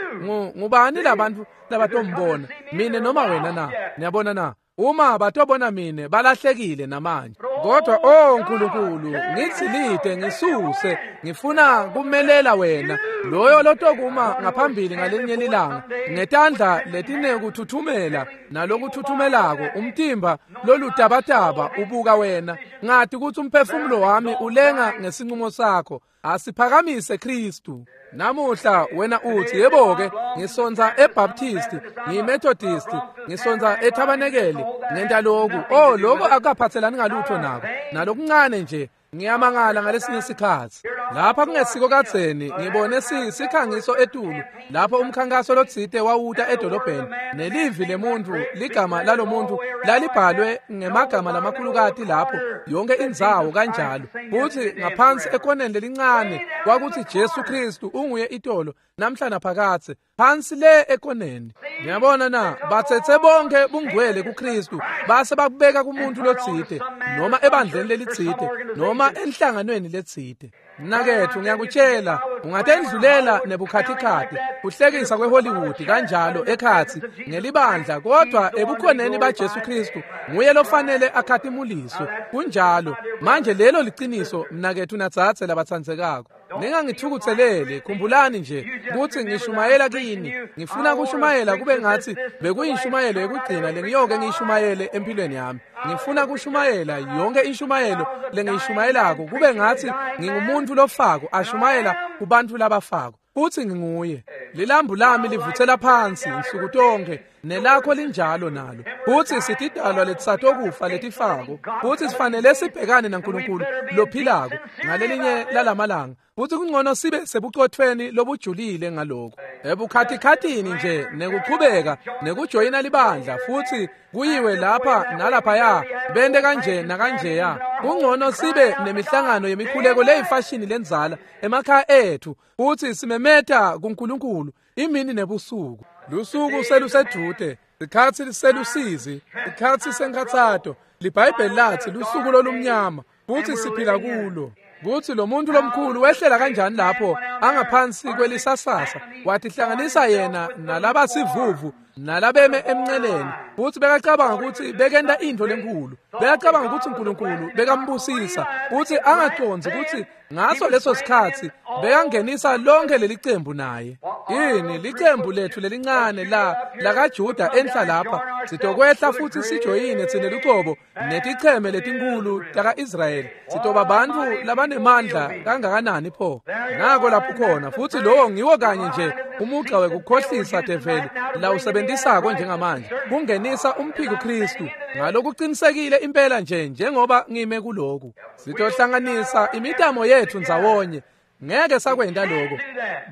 ngubani labantfu labatombona, mine noma wena na? Niyabona na? Uma batobona mine balahlekile namanje. Kodwa oh Nkulunkulu, ngithi lide ngisuse, ngifuna kumelela wena, loyo lotokuma ngaphambili ngalinye lilanga ngetandla letinekuthuthumela nalokuthuthumelako, umtimba lolutabataba ubuka wena. Ngati ukuthi umphefumulo wami ulenga ngesinqumo sakho. Asiphakamise Kristu. Namuhla wena uthi, yebo-ke, ngisonza eBaptist, ngiyiMethodist, ngisonza eTabanekeli, ngenta lokhu. Oh, lokho akukaphathelani ngalutho nako. nako nalokuncane nje. Ngiyamangala ngalesinye isikhatsi lapha kungesiko kadzeni ngibone sikhangiso etulu lapho umkhankaso lotsite wawuta edolobheni nelivi lemuntu ligama lalomuntu lalibhalwe ngemagama lamakhulukati lapho yonke indzawo kanjalo, futhi ngaphansi ekoneni lelincane kwakuthi Jesu Kristu unguye itolo namhla naphakathe, phansi le ekoneni. Ngiyabona na batsetse bonke bungcwele kuKristu base bakubeka kumuntu lotsite noma ebandleni lelitsite noma enhlanganweni letsite. Mnaketfu, ngiyakutshela, ungatendlulela nebukhatikhathi kuhlekisa kweHollywood kanjalo ekhatsi ngelibandla, kodwa ebukhoneni baJesu Kristu nguye lofanele akhatimuliswe. Kunjalo. Manje lelo liciniso, mnaketfu nadzadze labatsandzekako. Ningangithukutseleli, khumbulani nje kutsi ngishumayela kini. Ngifuna kushumayela kube ngatsi bekuyishumayelo yekugcina lengiyoke ngiyishumayele empilweni yami. Ngifuna kushumayela yonke inshumayelo lengiyishumayelako kube ngatsi ngingumuntu lofako ashumayela kubantu labafako. Futhi nginguye. Lilambu lami livuthela phansi insuku tonke, nelakho linjalo nalo. Futhi sitidalwa letisatokufa letifako, futhi sifanele sibhekane naNkulunkulu lophilako ngalelinye lalamalanga. Futhi kungcono sibe sebucothweni lobujulile ngalokho. Ebukhatikhathini nje nekuchubeka nekujoyina libandla futhi kuyiwe lapha nalaphaya bente kanje nakanjeya. Kungcono sibe nemihlangano yemikhuleko leyifashini lenzala emakhaya ethu futhi simemeta kuNkulunkulu imini nebusuku. Lusuku selusedute, sikhatsi selusizi, sikhatsi senkhatsato. LiBhayibheli lathi lusuku lolumnyama futhi siphila kulo. Kuthi lo muntu lomkhulu wehlela kanjani lapho angaphansi kwelisasasa, watihlanganisa yena nalabasivuvu nalabeme emnceleni, futhi bekacabanga ukuthi bekenta intfo lenkulu, bekacabanga ukuthi uNkulunkulu bekambusisa, futhi angacondzi ukuthi ngaso leso sikhatsi bekangenisa lonke leli cembu naye. Yini licembu lethu lelincane la lakaJuda enhla lapha, sitokwehla futhi sijoyine tsine lucobo neticheme letinkulu taka-Israyeli, sitoba bantfu labanemandla kangakanani pho. Nako lapho khona, futhi lowo ngiwo kanye nje umugqa wekukhohlisa develi lawusebentisako njengamanje kungenisa umphiko Kristu ngalokuqinisekile impela nje njengoba ngime kuloku. Sitohlanganisa imitamo yethu ndzawonye. Ngeke sakwenta lokho.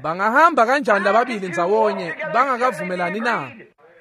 Bangahamba kanjani lababili ndzawonye bangakavumelani na?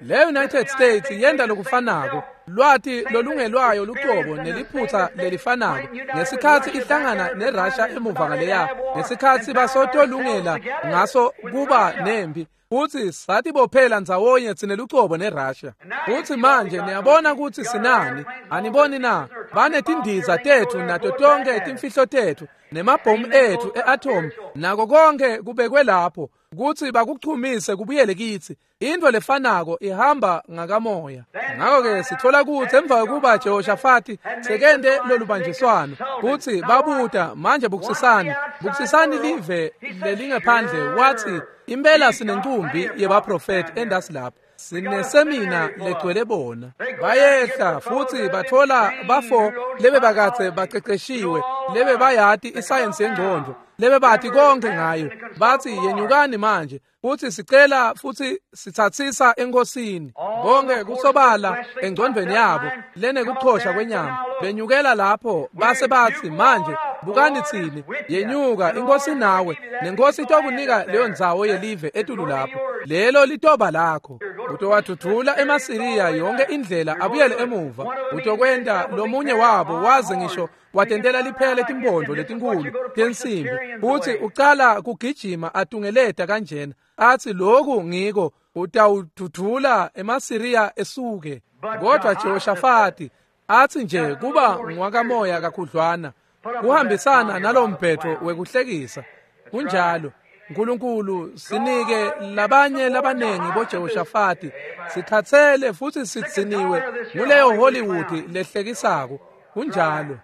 Le United States yenta lokufanako, lwati lolungelwayo lucobo neliphutsa lelifanako ngesikhatsi ihlangana neRussia emuva ngaleya, ngesikhatsi basotolungela ngaso kuba nempi, futhi satibophela ndzawonye tsine lucobo neRussia. Futhi manje niyabona ukuthi sinani, aniboni na? Banetindiza tethu nato tonke timfihlo tethu nemabhomu ethu e-atom nako konke kubekwe lapho kutsi bakuchumise kubuyele kitsi. Intfo lefanako ihamba ngakamoya. Ngakho-ke sitfola kutsi emva kwekuba Jehoshafati sekente lolubanjiswano kutsi babuta manje bukisisani, bukisisani live lelingephandle, wathi impela sinencumbi yebaprofeti endasi lapha, sinesemina legcwele bona. Bayehla futhi batfola bafo lebe bakatse baqeqeshiwe, lebe bayati isayensi yengcondvo, lebe bati konke ngayo. Bathi yenyukani manje futhi sicela futhi sithathisa enkosini. Bonke kusobala engcondvweni yabo lenekuchosha kwenyama benyukela lapho base bathi manje bukani tsine, yenyuka inkosi nawe, nenkosi itokunika leyo ndzawo yelive etulu lapho, lelo litoba lakho. Utowadudula emaSiriya yonke indlela abuyele emuva. Utokwenta lomunye wabo waze ngisho watentela liphela letimpondo letinkulu tensimbi, futhi ucala kugijima atungeleta kanjena athi lokhu ngiko, utawududula emaSiriya esuke. Kodwa Jehoshafati athi nje kuba ngwakamoya kakhudlwana kuhambisana nalombhetho wekuhlekisa. Kunjalo. Nkulunkulu sinike labanye labanengi boJehoshafati, sikhatsele futhi sidziniwe nguleyo Hollywood lehlekisako. Kunjalo.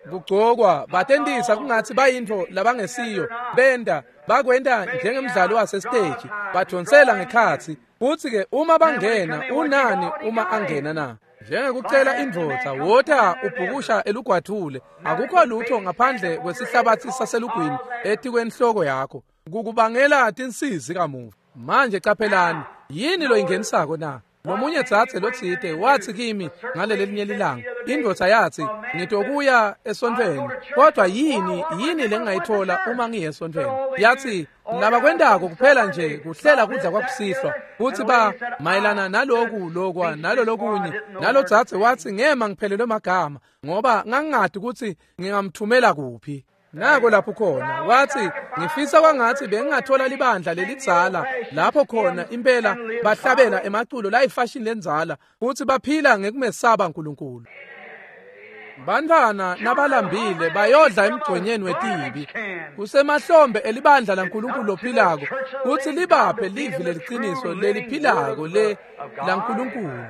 Kugcokwa batentisa kungatsi bayintfo labangesiyo, benta bakwenta njengemdlalo wasesiteji, badonsela ngekhatsi. Futsi-ke uma bangena, unani uma angena na? Njengekucela indvodza wota ubhukusha elugwadvule, akukho lutho ngaphandle kwesihlabatsi saselugwini etikwenhloko yakho, kukubangela tinsizi kamuva. Manje caphelani, yini loyingenisako na? Lomunye dzadze lotsite watsi kimi ngalelelinye lilanga, indvodza yatsi, ngitokuya esontfweni, kodwa yini lengingayithola uma ngiye esontfweni? Yatsi, labakwentako kuphela nje kuhlela kudla kwakusihlwa, kutsi ba mayelana naloku lokwa nalolokunye. Nalodzadze watsi, ngema ngiphelelwe magama ngoba ngangingati kutsi ngingamthumela kuphi. Nako lapho khona watsi, ngifisa kwangatsi bengingathola libandla lelidzala lapho khona impela bahlabela emaculo layifashini lendzala futsi baphila ngekumesaba uNkulunkulu. Bantfwana nabalambile bayodla emgconyeni wetibi. Kusemahlombe elibandla laNkulunkulu lophilako kutsi libaphe livi leliciniso leliphilako le laNkulunkulu.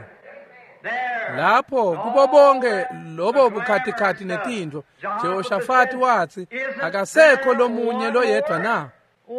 Lapho kubo bonke lobo bukhatikhathi netintfo, Jehoshafati watsi, akasekho lomunye loyedwa na?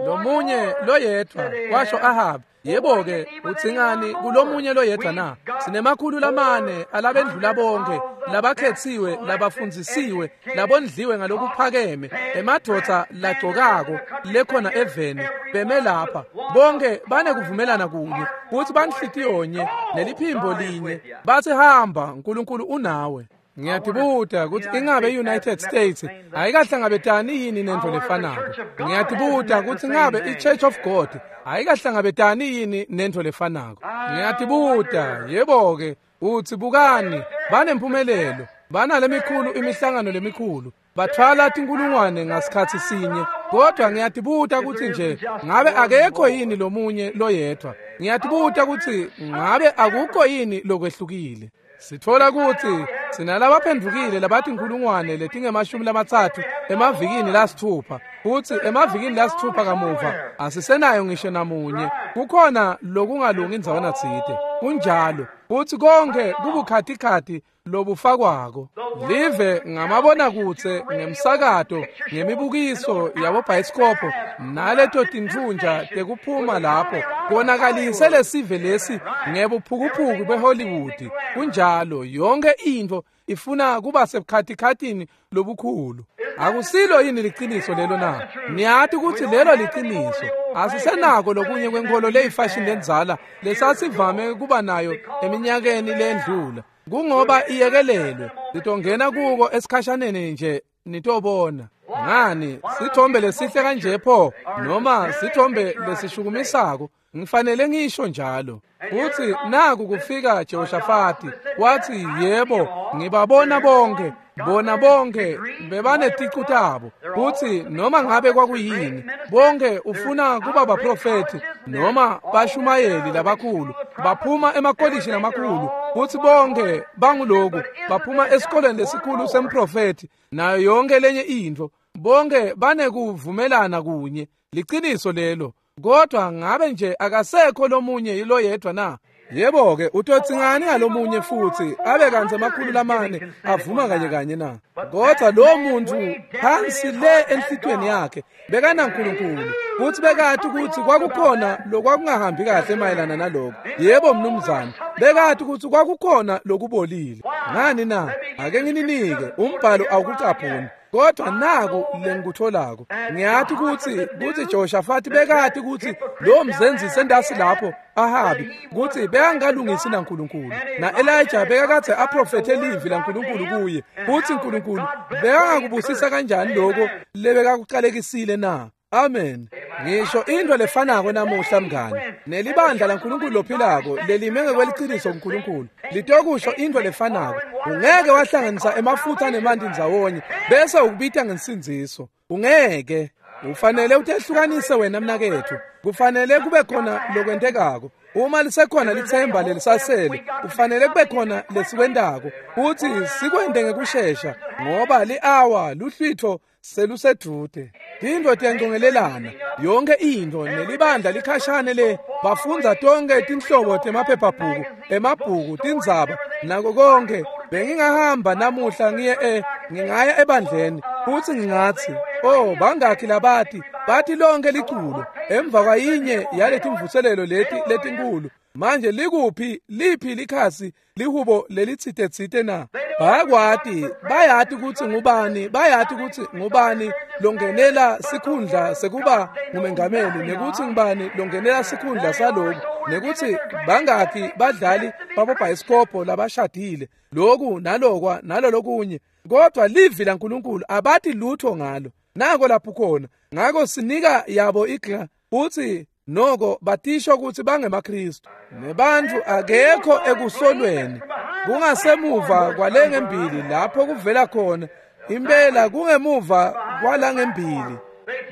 Lomunye loyedwa, washo Ahabi. Yebo-ke, udzingani kulomunye loyedwa na? Sinemakhulu lamane alabendlula bonke, labakhetsiwe, labafundzisiwe, labondliwe ngalokuphakeme, emadvodza lagcokako lekhona eveni, beme lapha. Bonke banekuvumelana kunye, futsi banhlitiyonye, neliphimbo linye. Batsi hamba, uNkulunkulu unawe. Ngiyatibuta kutsi ingabe i-United States ayikahlangabetani yini nentfo lefanako. Ngiyatibuta kutsi ingabe i-Church of God ayikahlangabetani yini nentfo lefanako. Ngiyatibuta, yebo-ke, utsi bukani, banempumelelo, banalemikhulu imihlangano lemikhulu, bathwala tinkulungwane ngasikhatsi sinye, kodwa ngiyatibuta kutsi nje ngabe akekho yini lomunye loyedwa. Ngiyatibuta kutsi ngabe akukho yini lokwehlukile. Sitfola kutsi sinalabaphendvukile labatinkulungwane letingemashumi 30 emavikini lasitfupha, futsi emavikini lasitfupha kamuva asisenayo ngisho namunye. Kukhona lokungalungi indzawana tsite. Kunjalo, futsi konke kubukhatikhathi lobufakwako. Live ngamabonakudze, ngemsakato, ngemibukiso yabobhayisikobho naleto tintfunja tekuphuma lapho konakalise lesive lesi ngebuphukuphuku beHollywood. Kunjalo, yonke intfo ifuna kuba sebukhatikhathini lobukhulu. Akusilo yini liciniso lelo na? Niyati kutsi lelo liciniso. Asisenako lokunye kwenkholo leyifashini lendzala lesasivame kuba nayo eminyakeni lendlula. Kungoba iyekelelwe, nitongena kuko esikhashaneni nje nitobona. Ngani, sithombe lesihle kanje pho, noma sithombe lesishukumisako, ngifanele ngisho njalo. Futsi naku kufika Jehoshafati, watsi, yebo, ngibabona bonke, bona bonke bebaneticu tabo. Futsi noma ngabe kwakuyini, bonke ufuna kuba baprofethi noma bashumayeli labakhulu, baphuma emakolishi lamakhulu, futsi bonke banguloku, baphuma esikoleni lesikhulu semprofethi nayo yonke lenye intfo. Bonke banekuvumelana kunye, liciniso lelo. Kodwa ngabe nje akasekho lomunye loyedwa na? Yebo-ke, utotsingani ngalomunye futsi abe kantsi 400 avuma kanye kanye na? Kodwa lo muntu phansi le enhlitiyweni yakhe bekanaNkulunkulu, futsi bekati kutsi kwakukhona lokwakungahambi kahle mayelana naloko. Yebo mnumzane, bekati kutsi kwakukhona lokubolile. Ngani na? Ake ngininike umbhalo awukucaphuni. Kodwa naku lengikutholako, ngiyati kutsi Jehoshafati bekati kutsi lo mzenzisi endasi lapho Ahabi kutsi bekangalungisi naNkulunkulu, na Elijah bekakadze aprofethe livi laNkulunkulu kuye, kutsi uNkulunkulu bekangakubusisa kanjani lokho lebekakuqalekisile na? Amen. Ngisho into lefanako namuhla mngani, nelibandla laNkulunkulu lophilako lelime ngekweliciniso kuNkulunkulu litokusho into lefanako. Ungeke wahlanganisa emafutha nemanti ndzawonye bese ukubita ngensindziso. Ungeke. Ufanele utehlukanise wena mnaketfu. Kufanele kube khona lokwentekako. Uma lisekhona lithemba lelisasele, kufanele kube khona lesikwentako, futsi sikwente ngekushesha, ngoba li-awa luhlwitho selusedvute. Tintfo tiyancongelelana, yonke intfo, nelibandla likhashane le, bafundza tonke tinhlobo temaphephabhuku, emabhuku, tindzaba, nako konke. Bengingahamba namuhla ngiye ngingaya ebandleni, futsi ngingatsi, oh, bangakhi labati, bathi lonke liculo, emva kwayinye yaletimvuselelo leti letinkulu. Manje likuphi liphi likhasi lihubo lelitsite na? Bayakwati, bayati kutsi ngubani, bayati kutsi ngubani longenela sikhundla sekuba ngumengameli, nekutsi ngubani longenela sikhundla saloku, nekutsi bangakhi badlali babobhayisikobho labashadile, loku nalokwa nalolokunye. Kodwa livi laNkulunkulu abati lutho ngalo. Nako lapho khona. Ngako sinika yabo igla futsi noko batisho ukuthi bangemaKristu. Nebantfu akekho ekusolweni. Kungasemuva kwalengembili lapho kuvela khona impela, kungemuva kwalangembili.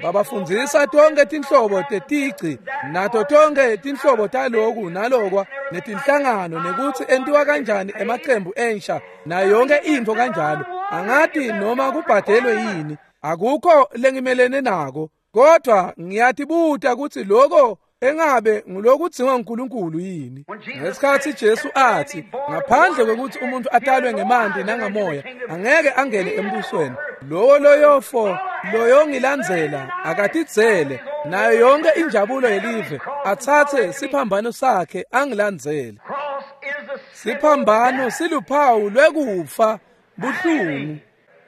Babafundzisa tonke tinhlobo tetici nato tonke tinhlobo taloku nalokwa netinhlangano, nekutsi entiwa kanjani emacembu ensha nayo yonke intfo kanjalo. Angati noma kubhadelwe yini, akukho lengimelene nako, kodwa ngiyatibuta kutsi loko engabe ngulokudzingwa nguNkulunkulu yini. Ngesikhatsi Jesu athi ngaphandle kwekutsi umuntu atalwe ngemanti nangamoya angeke angene embusweni, lowo loyofo loyongilandzela akatidzele nayo yonke injabulo yelive, atsatse siphambano sakhe angilandzele. Siphambano siluphawu lwekufa buhlungu.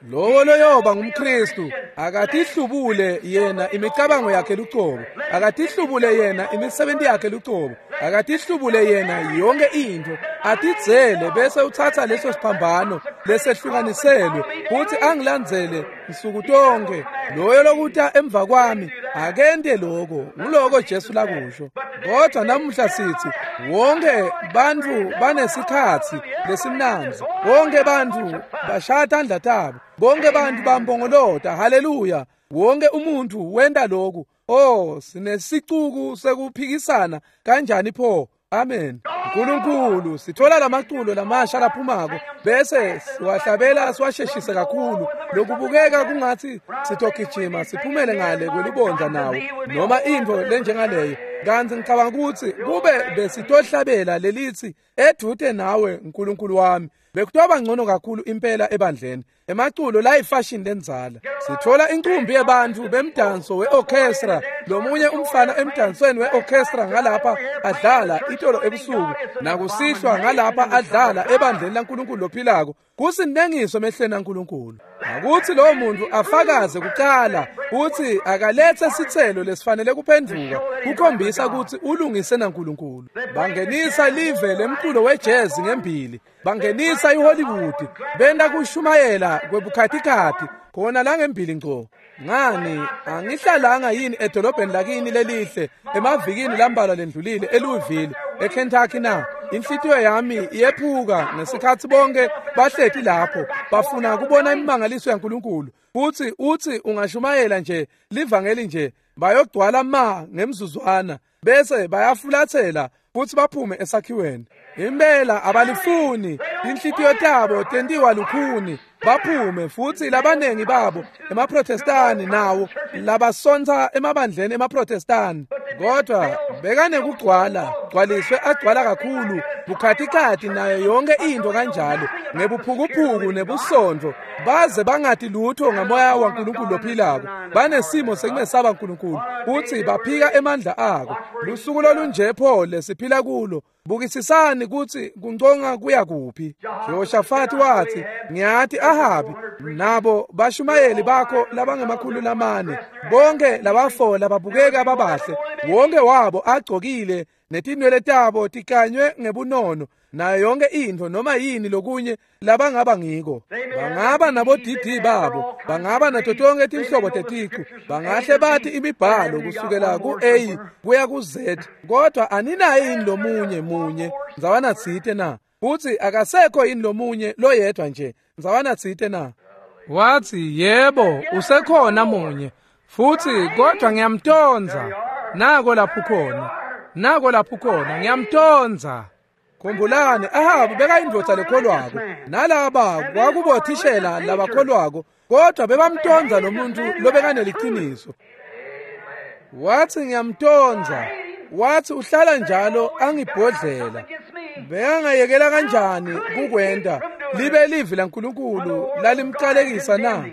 Lowo loyoba ngumKristu akatihlubule yena imicabango yakhe lucobo, akatihlubule yena imisebenzi yakhe lucobo, akatihlubule yena yonke intfo, atidzele bese utsatsa leso siphambano lesehlukaniselwe futhi angilandzele nsuku tonke. Loyo lokuta emva kwami akente lokho. Nguloko Jesu lakusho. Kodwa namuhla sithi wonke bantfu banesikhatsi lesimnandzi, bonke bantfu bashaya tandla tabo, bonke bantfu bambongolota haleluya, wonke umuntu wenta lokhu. Oh, sinesicuku sekuphikisana kanjani pho. Amen. uNkulunkulu, sithola lamaculo lamasha laphumako bese siwahlabela siwasheshise kakhulu, lokubukeka kungathi sitogijima siphumele ngale kwelubondza nawo noma intfo lenjengaleyo. Kanti ngicabanga ukuthi kube besitohlabela lelithi edvute nawe Nkulunkulu wami, bekutoba ngcono kakhulu impela ebandleni. Emaculo la ifashion lenzala. Sithola inqumbi yabantu bemdanso weorchestra, lomunye umfana emdansweni weorchestra ngalapha adlala itolo ebusuku, nakusihlwa ngalapha adlala ebandleni laNkulunkulu lophilako. Kusinengiso emehlweni aNkulunkulu. Akuthi lowo muntu afakaze kuqala uthi akalethe sitselo lesifanele kuphenduka, kukhombisa ukuthi ulungise naNkulunkulu. Bangenisa live lemculo wejazz ngembili, bangenisa iHollywood, benda kushumayela kwebukhatikhathi khona la ngembili ngco. Ngani angihlalanga yini edolobheni lakini lelihle emavikini lambalwa lendlulile eLouisville eKentucky na? Inhlitiyo yami iyephuka ngesikhatsi bonke bahleti lapho bafuna kubona imimangaliso yaNkulunkulu. Futhi uthi ungashumayela nje livangeli nje, bayogcwala ma ngemzuzwana bese bayafulathela futhi baphume esakhiweni. Impela abalifuni, inhlitiyo tabo tentiwa lukhuni, baphume. Futhi labanengi babo emaProtestani nawo labasontsa emabandleni emaProtestani, kodwa bekanekugcwala gcwaliswe agcwala kakhulu bukhatikhathi nayo yonke into kanjalo, ngebuphukuphuku nebusontfo, baze bangati lutho ngamoya waNkulunkulu lophilako. Banesimo sekumesaba uNkulunkulu futhi baphika emandla ako. Lusuku lolunje pho lesiphila kulo. Bukisisani kutsi kunconga kuya kuphi. Jehoshafati wathi, ngiyati Ahabi nabo bashumayeli bakho labangemakhulu lamane, bonke labafola babukeka babahle, wonke wabo agcokile netinwele tabo tikanywe ngebunono nayo yonke intfo noma yini lokunye labangaba ngiko. Bangaba nabo DD babo, bangaba nato tonke tinhlobo teticu, bangahle bathi imibhalo kusukela ku-A kuya ku-Z, kodwa aninaye yini lomunye munye ndzawana tsite na? Futsi akasekho yini lomunye loyedwa nje ndzawana tsite na? Wathi yebo, usekhona munye futhi, kodwa ngiyamtonza. Nako lapho khona, nako lapho khona, ngiyamtonza. Khumbulani, Ahabu bekayindvodza lekholwako, nalaba kwakubothishela labakholwako, kodwa bebamtonza lo muntu lobekaneliciniso. Wathi ngiyamtonza. Wathi uhlala njalo angibhodlela. Bekangayekela kanjani kukwenta libe livi laNkulunkulu lalimqalekisa na?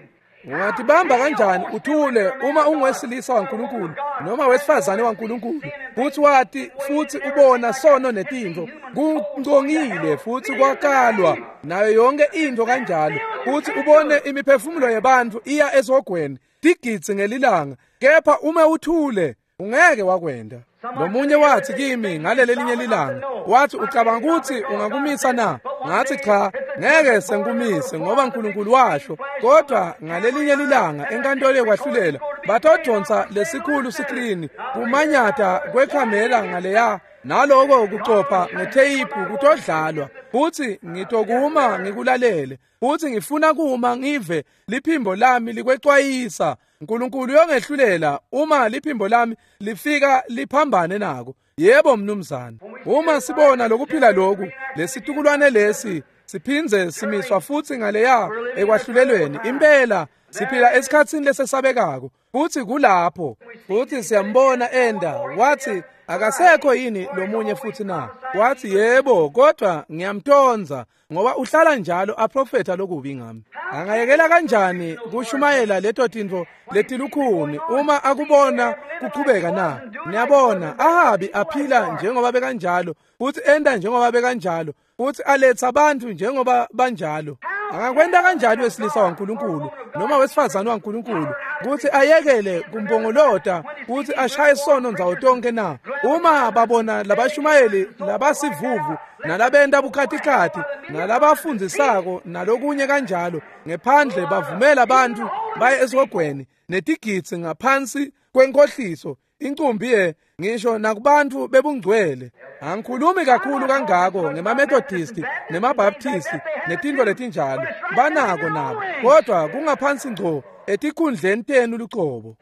Ungatibamba kanjani uthule uma ungowesilisa waNkulunkulu noma wesifazane waNkulunkulu, futhi wati futhi ubona sono netintfo kungcongile futhi kwakalwa nayo yonke into kanjalo, futhi ubone imiphefumulo yebantfu iya esogweni tigidzi ngelilanga, kepha uma uthule ungeke wakwenda. Lomunye wathi kimi ngaleli linye lilanga, wathi ucabanga ukuthi ungakumisa na? Ngathi cha, ngeke sengikumise ngoba uNkulunkulu washo. Kodwa ngalelinye lilanga enkantolo yokwahlulela batodonsa lesikhulu sikrini kumanyata kwekhamera ngaleya, naloko kucopha ngetheyiphu kutodlalwa, futhi ngitokuma ngikulalele, futhi ngifuna kuma ngive liphimbo lami likwexwayisa. uNkulunkulu uyongehlulela uma liphimbo lami lifika liphambane nako. Yebo mnumzane. Uma sibona lokuphila lokhu, lesitukulwane lesi siphindze simiswa futhi ngaleya ekwahlulelweni, impela siphila esikhatsini lesesabekako, futhi kulapho futhi siyambona enda. Wathi akasekho yini lomunye futhi na? Wathi yebo, kodwa ngiyamtonza ngoba uhlala njalo aprofetha lokubi ngami. Angayekela kanjani kushumayela leto tintfo letilukhuni uma akubona kuqhubeka na? Niyabona, Ahabi aphila njengoba bekanjalo, futhi enda njengoba bekanjalo, futhi aletha abantu njengoba banjalo. Angakwenta kanjani wesilisa waNkulunkulu noma wesifazane waNkulunkulu ukuthi ayekele kumpongolota futhi ashaye sono ndzawo tonke na? Uma babona labashumayeli labasivuvu nalabenta bukhatikhathi nalabafundzisako nalokunye kanjalo ngephandle, bavumela abantu baye esihogweni netigidzi ngaphansi kwenkohliso incumbi ye ngisho nakubantu bebungcwele. Angikhulumi kakhulu kangako ngemaMethodisti nemaBaptisti netintfo letinjalo, banako nabo, kodwa kungaphansi ngco etikhundleni tenu lucobo.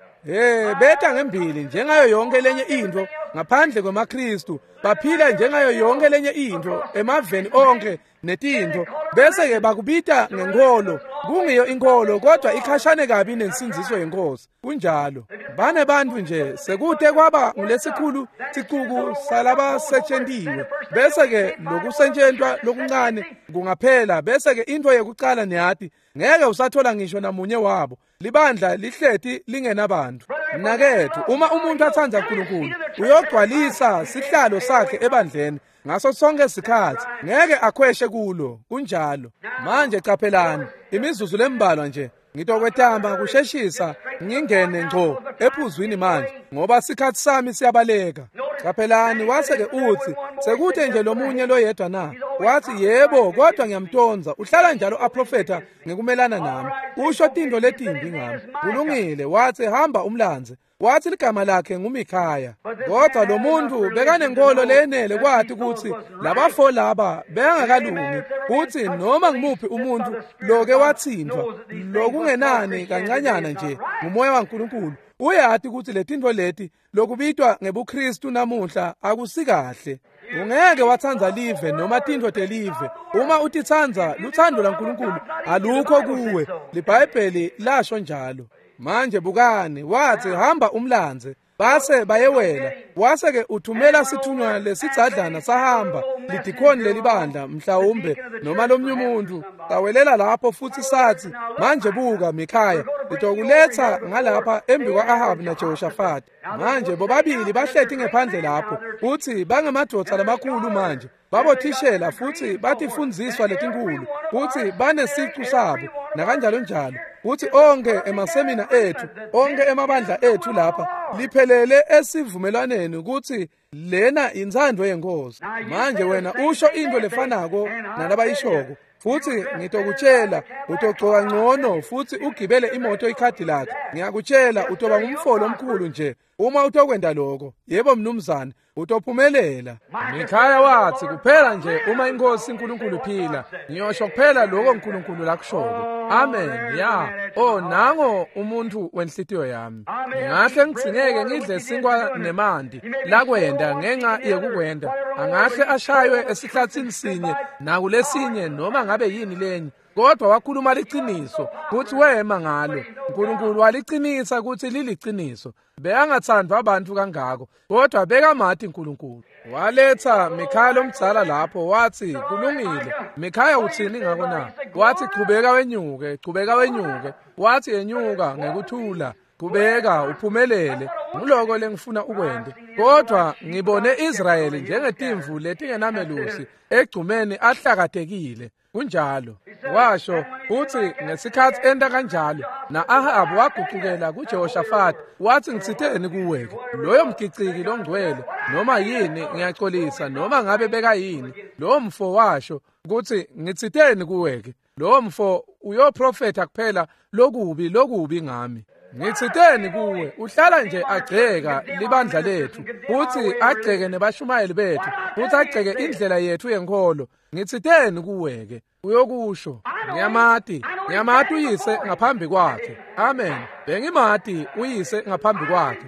Beta ngembili njengayo yonke lenye intfo ngaphandle kwemaKristu, baphila njengayo yonke lenye intfo emaveni onke netintfo, bese-ke bakubita ngenkolo. Kungiyo inkolo, kodwa ikhashane kabi nensindziso yenkosi. Kunjalo. Banebantfu nje sekute kwaba ngulesikhulu sicuku salabasetshentiwe, bese-ke lokusetshentwa lokuncane kungaphela, bese-ke intfo yekucala niyati ngeke usathola ngisho namunye wabo. Libandla lihleti lingenabantu. Mnaketfu, uma umuntu atsandza uNkulunkulu uyogcwalisa sihlalo sakhe ebandleni ngaso sonke sikhatsi, ngeke akhweshe kulo. Kunjalo. Manje caphelani, imizuzu lembalwa nje ngitokwetamba kusheshisa ngingene ngco ephuzwini manje ngoba sikhatsi sami siyabaleka. Caphelani, wase-ke utsi sekuthe nje lomunye loyedwa na? Wathi yebo, kodwa ngiyamtonza, uhlala njalo aprofetha ngekumelana nami, usho tintfo letimbi ngami. Kulungile. Wathi hamba umlandze. Wathi ligama lakhe nguMikhaya. Kodwa lo muntu bekanenkolo leyenele kwati ukuthi labafo laba bengakalungi, futhi noma ngimuphi umuntu loke wathintwa lokungenani kancanyana nje ngumoya waNkulunkulu uyati ukuthi letintfo leti lokubitwa ngebuKristu namuhla akusikahle. Ungeke watsandza live noma tintfo telive. Uma utitsandza, lutsandvo laNkulunkulu alukho kuwe. LiBhayibheli lasho njalo. Manje bukani, wathi hamba umlandze, base bayewela. Wase-ke uthumela sithunywa lesidzadlana sahamba, lidikhoni lelibandla mhlawumbe noma lomnye umuntu, sawelela lapho futhi sathi manje buka Mikhaya, ngitokuletha ngalapha embi kwa-Ahabi naJehoshafati. Manje bobabili bahleti ngephandle lapho, futhi bangemadvodza lamakhulu manje, babothishela futhi batifundziswa letinkulu, futhi banesicu sabo nakanjalo njalo. Futhi onke emasemina ethu, onke emabandla ethu lapha liphelele esivumelwaneni ukuthi lena intsandvo yenkosi. Manje wena usho into lefanako nalabayishoko, futhi ngitokutshela utogcoka ngcono futhi ugibele imoto iCadillac. Ngiyakutshela utoba ngumfolo omkhulu nje uma utokwenda lokho. Yebo mnumzane, utophumelela. Mikhaya wathi kuphela nje uma inkosi uNkulunkulu iphila, ngiyosho kuphela lokho uNkulunkulu lakushoko. Amen. Ya. Oh, nango umuntu wenhlitiyo yami. Ngingahle ngigcineke ngidle sinkwa nemanti lakwenda ngenxa yekukwenda. Angahle ashaywe esihlathini sinye nakulesinye noma ngabe yini lenye. Kodwa wakhuluma liciniso kutsi wema ngalo. Nkulunkulu walicinisa kutsi liliciniso. Bekangatsandvwa abantu kangako, kodwa bekamati Nkulunkulu. Waletha Mikhaya lomdzala lapho, wathi kulungile. Mikhaya utsini ngako na? Wathi chubeka wenyuke, chubeka wenyuke. Wathi yenyuka ngekuthula, kubeka uphumelele. Nguloko lengifuna ukwente. Kodwa ngibone Israyeli njengetimvu letingenamelusi egcumeni ahlakatekile. Kunjalo. Washo uthi ngesikhathi enta kanjalo na-Ahabu wagucukela kuJehoshafati wathi ngitsiteni kuwe-ke loyo mgiciki longcwele noma yini ngiyaxolisa noma ngabe bekayini lowo mfo washo kutsi ngitsiteni kuwe-ke lowo mfo uyoprofetha kuphela lokubi lokubi ngami. Ngitsiteni kuwe uhlala nje agceka libandla lethu futhi agceke nebashumayeli bethu futhi agceke indlela yethu yenkholo. Ngitsiteni kuwe-ke uyokusho ngiyamati ngiyamati uyise ngaphambi kwakhe. Amen. Bengimati uyise ngaphambi kwakhe.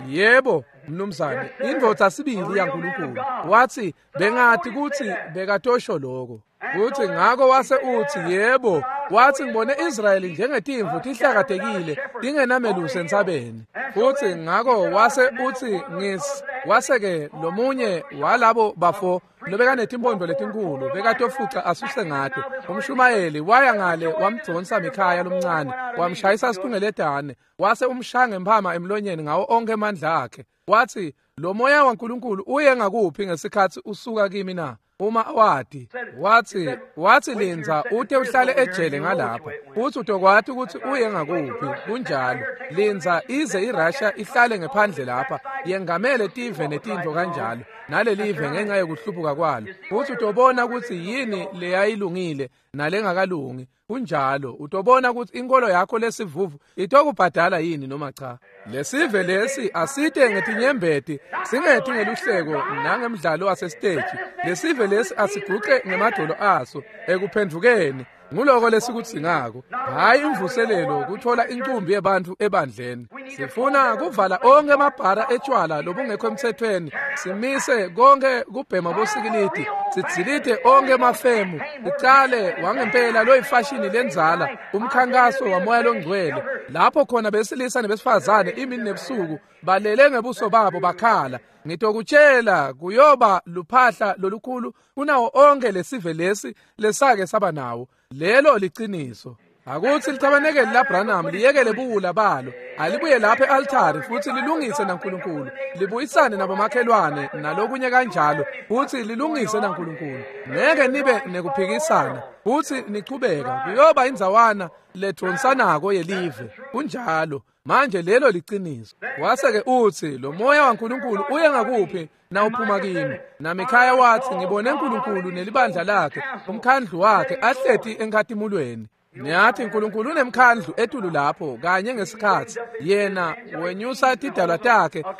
Yebo mnumzane, indvodza sibili yaNkulunkulu. Wathi bengati kutsi bekatosho lokho. Uthi ngako wase uthi yebo, wathi ngibone Israyeli njengetimvu tihlakatekile tingenamelusi entsabeni. Futhi ngako wase uthi ngis wase-ke lomunye walabo bafo lobekanetimpondo letinkulu bekatofuca asuse ngato. Umshumayeli waya ngale wamdonsa Mikhaya lomncane wamshayisa situngeletane wase umshaya ngemphama emlonyeni ngawo onke amandla akhe. Wathi lo moya waNkulunkulu uye ngakuphi ngesikhathi usuka kimi na? Uma wati wathi lindza ute uhlale ejele ngalapha uthi utokwati ukuthi uye ngakuphi. Kunjalo, lindza ize iRussia ihlale ngephandle lapha yengamele tive netintfo kanjalo nalelive ngenxa yokuhlubuka kwalo, uthi utobona ukuthi yini leyayilungile nalengakalungi. Kunjalo, utobona ukuthi inkolo yakho lesivuvu itokubhadala yini noma cha. Lesive lesi asite ngetinyembeti singethi ngeluhleko nangemdlalo wasesiteji. Lesive lesi asiguqe ngemadolo aso ekuphendvukeni. Nguloko lesikudzingako, hhayi imvuselelo kuthola incumbi yebantu ebandleni. Sifuna kuvala onke amabhara etshwala lobungekho emthethweni, simise konke kubhema bosikilidi, sidzilide onke emafemu, sicale wangempela loyifashini lenzala, umkhankaso wamoya longcwele, lapho khona besilisa nebesifazane imini nebusuku balele ngebuso babo bakhala. Ngitokutshela kuyoba luphahla lolukhulu kunawo onke lesive lesi lesake saba nawo. Lelo liciniso. Akuthi lithabanekeli laBranham liyekele buwula balo, alibuye lapha e-altari futhi lilungise naNkulunkulu, libuyisane nabomakhelwane nalokunye kanjalo, futhi lilungise naNkulunkulu. Ngeke nibe nekuphikisana futhi nichubeka, kuyoba indzawana ledonsanako yelive. Kunjalo. Manje lelo liciniso. Wase-ke uthi lo moya waNkulunkulu uye ngakuphi nawuphuma kimi? NaMikhaya wathi ngibone uNkulunkulu nelibandla lakhe, umkhandlu wakhe ahleti enkhatimulweni. Niyathi uNkulunkulu unemkhandlu etulu lapho kanye ngesikhathi yena wenyusa tidalwa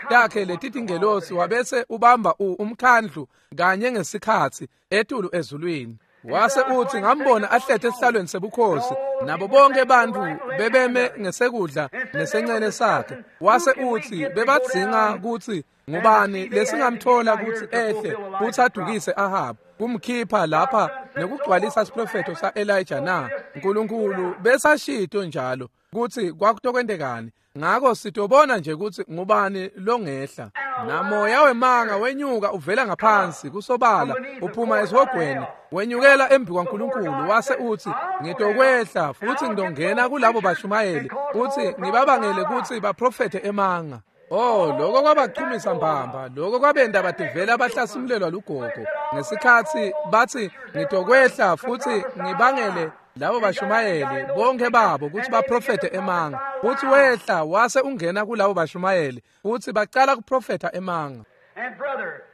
takhe letitingelosi wabese ubamba umkhandlu kanye ngesikhathi etulu ezulwini. Wase uthi ngambona ahlete esihlalweni sebukhosi nabo bonke abantu bebeme ngesekudla nesencele sakhe. Wase uthi bebadzinga ukuthi ngubani lesingamthola ukuthi ehle futhi adukise Ahabu kumkhipha lapha nekugcwalisa isiprofetho sa-Elijah na? uNkulunkulu besashito njalo ukuthi kwakutokwentekani. Ngako sitobona nje ukuthi ngubani longehla. Namoya wemanga wenyuka uvela ngaphansi kusobala uphuma esihogweni wenyukela embi kwaNkulunkulu. Wase uthi ngitokwehla futhi ngidongena kulabo bashumayeli futhi ngibabangele ukuthi baprofethe emanga. Oh, lokho kwabachumisa mbamba, lokho kwabenda bativela bahlasimulelwa lugogo ngesikhathi bathi ngitokwehla futhi ngibangele labo bashumayeli bonke babo ukuthi baprofethe emanga. Futhi wehla wase ungena kulabo bashumayeli futhi bacala kuprofetha emanga.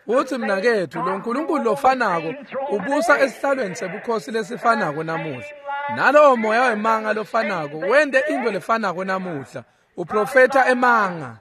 Uthi mnakethu lo nkulunkulu lofanako ubusa esihlalweni sebukhosi lesifanako namuhla. Nalowo moya wemanga lofanako wente into lefanako namuhla, uprofetha emanga.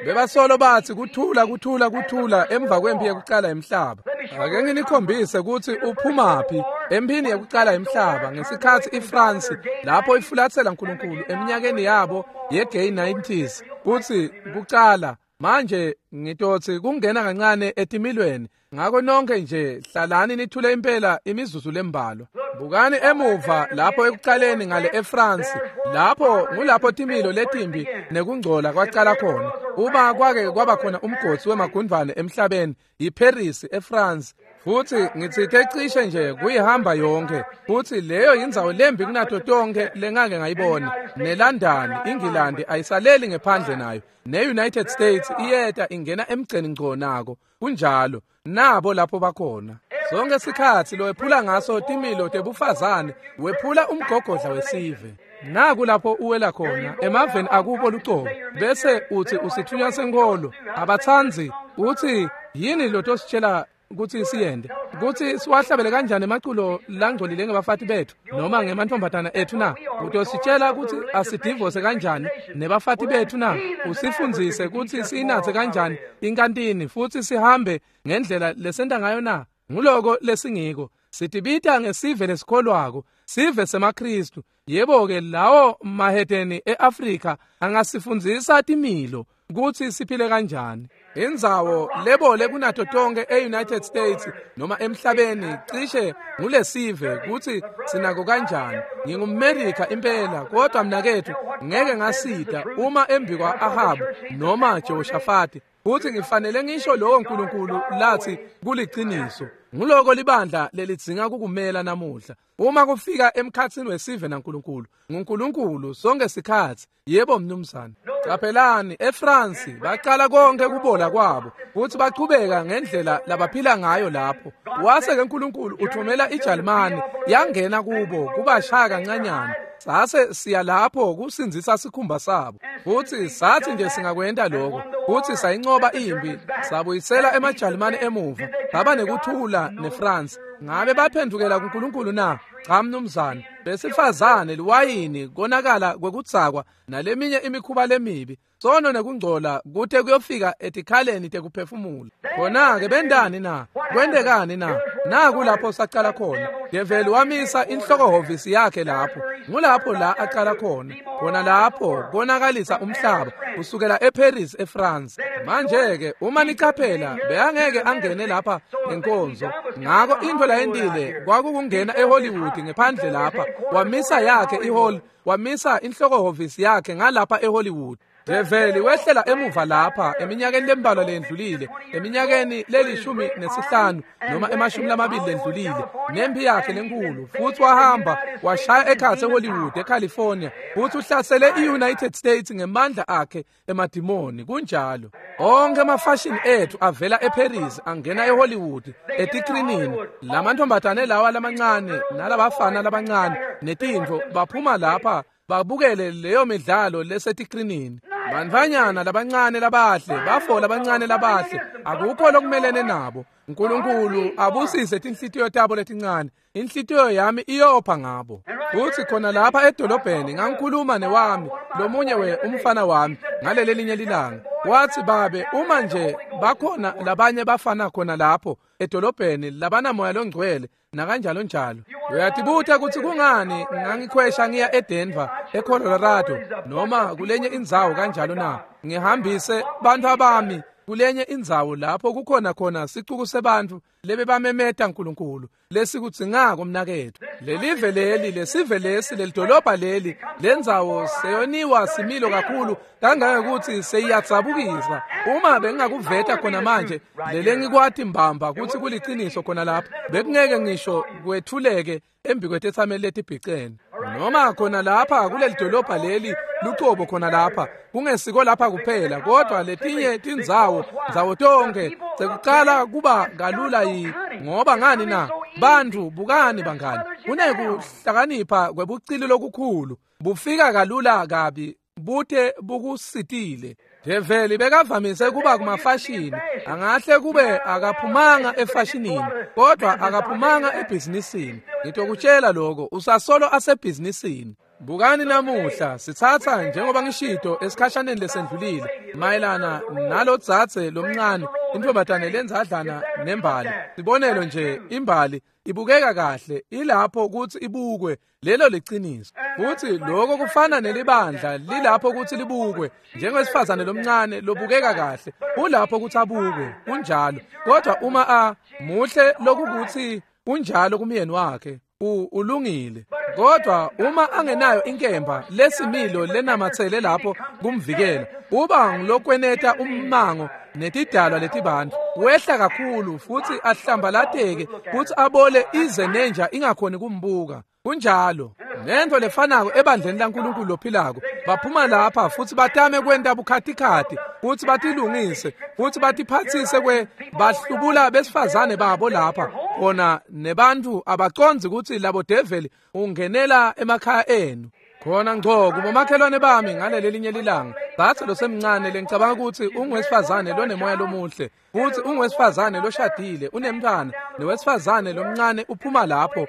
Bebasolo bathi kuthula kuthula kuthula emva kwempi yekucala emhlaba. Ake nginikhombise ukuthi uphumaphi empini yekucala emhlaba ngesikhathi iFrance lapho ifulathela uNkulunkulu eminyakeni yabo ye-gay 90s kuthi kucala. Manje ngitothi kungena kancane etimilweni, ngakho nonke nje hlalani nithule impela imizuzu lembalwa. Bukani emuva lapho ekucaleni ngale eFrance, lapho ngulapho timilo letimbi nekungcola kwacala khona. Uma kwake kwaba khona umgodi wemagundvwane emhlabeni, yiParis eFrance. Futhi ngitsite cishe nje kuyihamba yonke, futhi leyo yindzawo lembi kunato tonke lengake ngayibona. NeLondon, iNgilandi ayisaleli ngephandle nayo. Ne-United States iyeta ingena emgceni ngco nako. Kunjalo, nabo lapho bakhona. Sonke sikhatsi lowephula ngaso timilo tebufazane, wephula umgogodla wesive. Naku lapho uwela khona emaveni akubo lucobo, bese uthi usithunywa senkholo. Abatsandzi uthi yini lotositshela kutsi siyende, kutsi siwahlabele kanjani emaculo langcolile ngebafati bethu noma ngemantombazana ethu na? Utositshela kutsi asidivose kanjani nebafati bethu na? Usifundzise kutsi siyinatse kanjani inkantini futsi sihambe ngendlela lesenta ngayo na? Nguloko lesingiko. Sitibita ngesive lesikholwako, sive semaKristu. Yebo-ke, lawo mahedeni e-Afrika angasifundzisa timilo kutsi siphile kanjani. Indzawo lebole kunato tonke e-United States noma emhlabeni cishe ngulesive kutsi sinako kanjani. NgingumMerika impela, kodwa mnaketfu ngeke ngasida uma embi kwa-Ahabu noma Jehoshafati. Futhi ngifanele ngisho lowo Nkulunkulu lathi kuliciniso. Nguloko libandla lelidzinga kukumela namuhla. Uma kufika emkhatsini wesive naNkulunkulu, nguNkulunkulu sonke sikhatsi. Yebo mnumzane. Caphelani, eFrance bacala konke kubola kwabo futhi bachubeka ngendlela labaphila ngayo lapho. Wase-ke Nkulunkulu uthumela iJalimane yangena kubo kubashaya kancanyana. Sase siya lapho kusindzisa sikhumba sabo. Futhi sathi nje singakwenta lokho, futhi sayincoba impi, sabuyisela emaJalimane emuva, saba nekuthula neFrance. Ngabe baphendukela kuNkulunkulu na? Cha mnumzane. Besifazane, liwayini, konakala kwekudzakwa naleminye imikhuba lemibi, sono nekungcola kute kuyofika etikhaleni tekuphefumula. Khona-ke bendani na? Kwentekani na? Naku lapho sacala khona. Develi wamisa inhlokohhovisi yakhe lapho. Ngulapho la acala khona. Khona lapho konakalisa umhlaba kusukela eParis eFrance. Manje-ke uma nicaphela, bekangeke angene lapha ngenkonzo. Ngako intfo layentile kwakukungena eHollywood ngephandle lapha. Wamisa yakhe ihall, wamisa inhlokohhovisi yakhe ngalapha eHollywood. Develi wehlela emuva lapha eminyakeni lembalwa lendlulile, eminyakeni le-15 noma ema-20 lendlulile, nempi yakhe lenkulu, futhi wahamba washaya ekhatsi eHollywood eCalifornia, futhi uhlasele i-United States ngemandla akhe emadimoni. Kunjalo. Onke amafashini ethu avela eParis angena eHollywood etikrinini. Lamantombazane lawa lamancane nalabafana labancane netintfo baphuma lapha babukele leyo midlalo lesetikrinini. Bantfwanyana labancane labahle, bafo labancane labahle, akukho lokumelene nabo. Nkulunkulu abusise tinhlitiyo tabo letincane. Inhlitiyo yami iyopha ngabo. Futhi khona lapha edolobheni ngangikhuluma newami, lomunye we umfana wami ngaleli linye lilanga. Wathi, babe, uma nje bakhona labanye bafana khona lapho edolobheni labanamoya longcwele nakanjalo njalo. Uyatibuta ukuthi kungani ngangikhwesha ngiya eDenver, eColorado noma kulenye indzawo kanjalo na? Ngihambise bantu abami kulenye indzawo lapho kukhona khona sicuku sebantfu lebebamemeta Nkulunkulu lesikudzingako mnaketfu. Lelive leli, lesive lesi, lelidolobha leli, lendzawo seyoniwa similo kakhulu kangangekuthi seyiyadzabukisa. Uma bengingakuveta khona manje lelengikwati mbamba kutsi kuliciniso khona lapha, bekungeke ngisho kwethuleke embikwetetsameli letibhicene. Noma khona lapha kuleli dolobha leli lucobo khona lapha, kungesiko lapha kuphela, kodwa letinye tindzawo, ndzawo tonke sekucala kuba kalula yi. Ngoba ngani na? Bantu bukani bangani, kunekuhlakanipha kwebucili lokukhulu, bufika kalula kabi bute bukusitile. Develi bekavamise kuba kumafashini, angahle kube akaphumanga efashinini, kodwa akaphumanga ebhizinisini. Ngitokutshela lokho, usasolo asebhizinisini. Bukani namuhla sitsatsa njengoba ngishito esikhashaneni lesendlulile mayelana nalodzadze lomncane, intombazane lenzadlana nembali. Sibonelo nje, imbali ibukeka kahle ilapho kutsi ibukwe, lelo liciniso. Futhi lokho kufana nelibandla lilapho kutsi libukwe, njengowesifazane lomncane lobukeka kahle ulapho kutsi abukwe, kunjalo. Kodwa uma a muhle lokukuthi kunjalo kumyeni wakhe, Ulungile. Kodwa uma angenayo inkemba lesimilo lenamatsele lapho kumvikela, uba ngilokweneta ummango netidalwa letibantu. Wehla kakhulu futhi ahlambalateke futhi abole ize nenja ingakhoni kumbuka. Kunjalo. Nento lefanako ebandleni laNkulunkulu lophilako. Baphuma lapha futhi batame kwenta bukhatikhathi futhi batilungise futhi batiphathise kwe bahlubula besifazane babo lapha. Khona nebantu abacondzi ukuthi labo develi ungenela emakhaya enu. Khona ngco kubomakhelwane bami ngaleli linye lilanga dzadze losemncane lengicabanga ukuthi ungwesifazane lonemoya lomuhle futhi ungwesifazane loshadile unemntwana nowesifazane lomncane uphuma lapho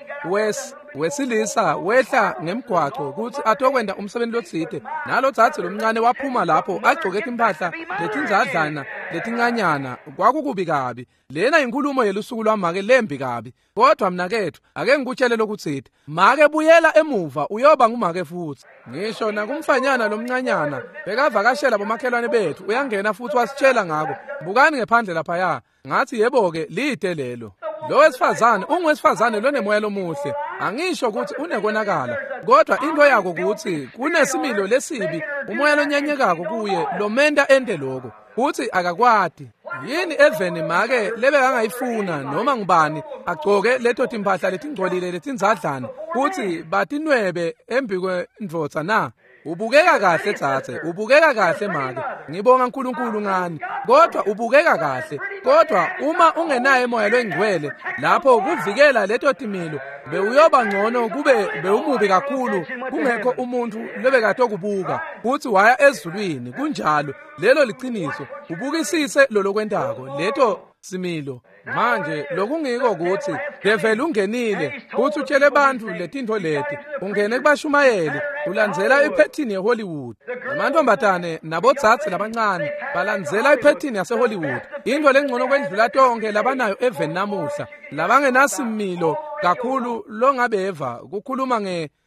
wesilisa wehla ngemgwaco ukuthi atokwenda umsebenzi lotsite nalo dzadze lomncane waphuma lapho agcoke timphahla letindzadlana letincanyana. Kwakukubi kabi. Lena inkhulumo yelusuku lwamake lembi kabi. Kodwa mnakethu ake ngikutshele lokutsite, make buyela emuva uyoba ngumake futhi. Ngisho nakumfanyana lomncanyana bekavakashela bomakhelwane bethu uyangena futhi wasitshela ngako. Bukani ngephandle laphaya. Ngathi yebo-ke lide lelo. Lo wesifazane ungwesifazane lonemoya lomuhle. Angisho ukuthi unekonakala, kodwa into yako ukuthi kunesimilo lesibi umoya lonyanyekako kuye lomenta ente lokho futhi akakwati. Yini eveni make lebekangayifuna noma ngubani agcoke leto timphahla letingcolile letindzadlana futhi batinwebe embikwendvodza na? Ubukeka kahle dzadze, ubukeka kahle make. Ngibonga uNkulunkulu ngani. Kodwa ubukeka kahle. Kodwa uma ungenaye moya longcwele lapho kuvikela leto timilo bewuyoba ngcono kube bewumubi kakhulu kungekho umuntu lobekatokubuka futhi waya ezulwini. Kunjalo, lelo liciniso. Ubukisise lolokwentako leto similo. Manje lokungiko ukuthi develi ungenile futhi utshele bantu letintfo leti. Ungene kubashumayeli ulandzela iphethini yeHollywood. Amantombazane nabodzadze labancane balandzela iphethini yaseHollywood. Into lengcono kwendlula tonke labanayo eveni namuhla labangenasimilo kakhulu longabeva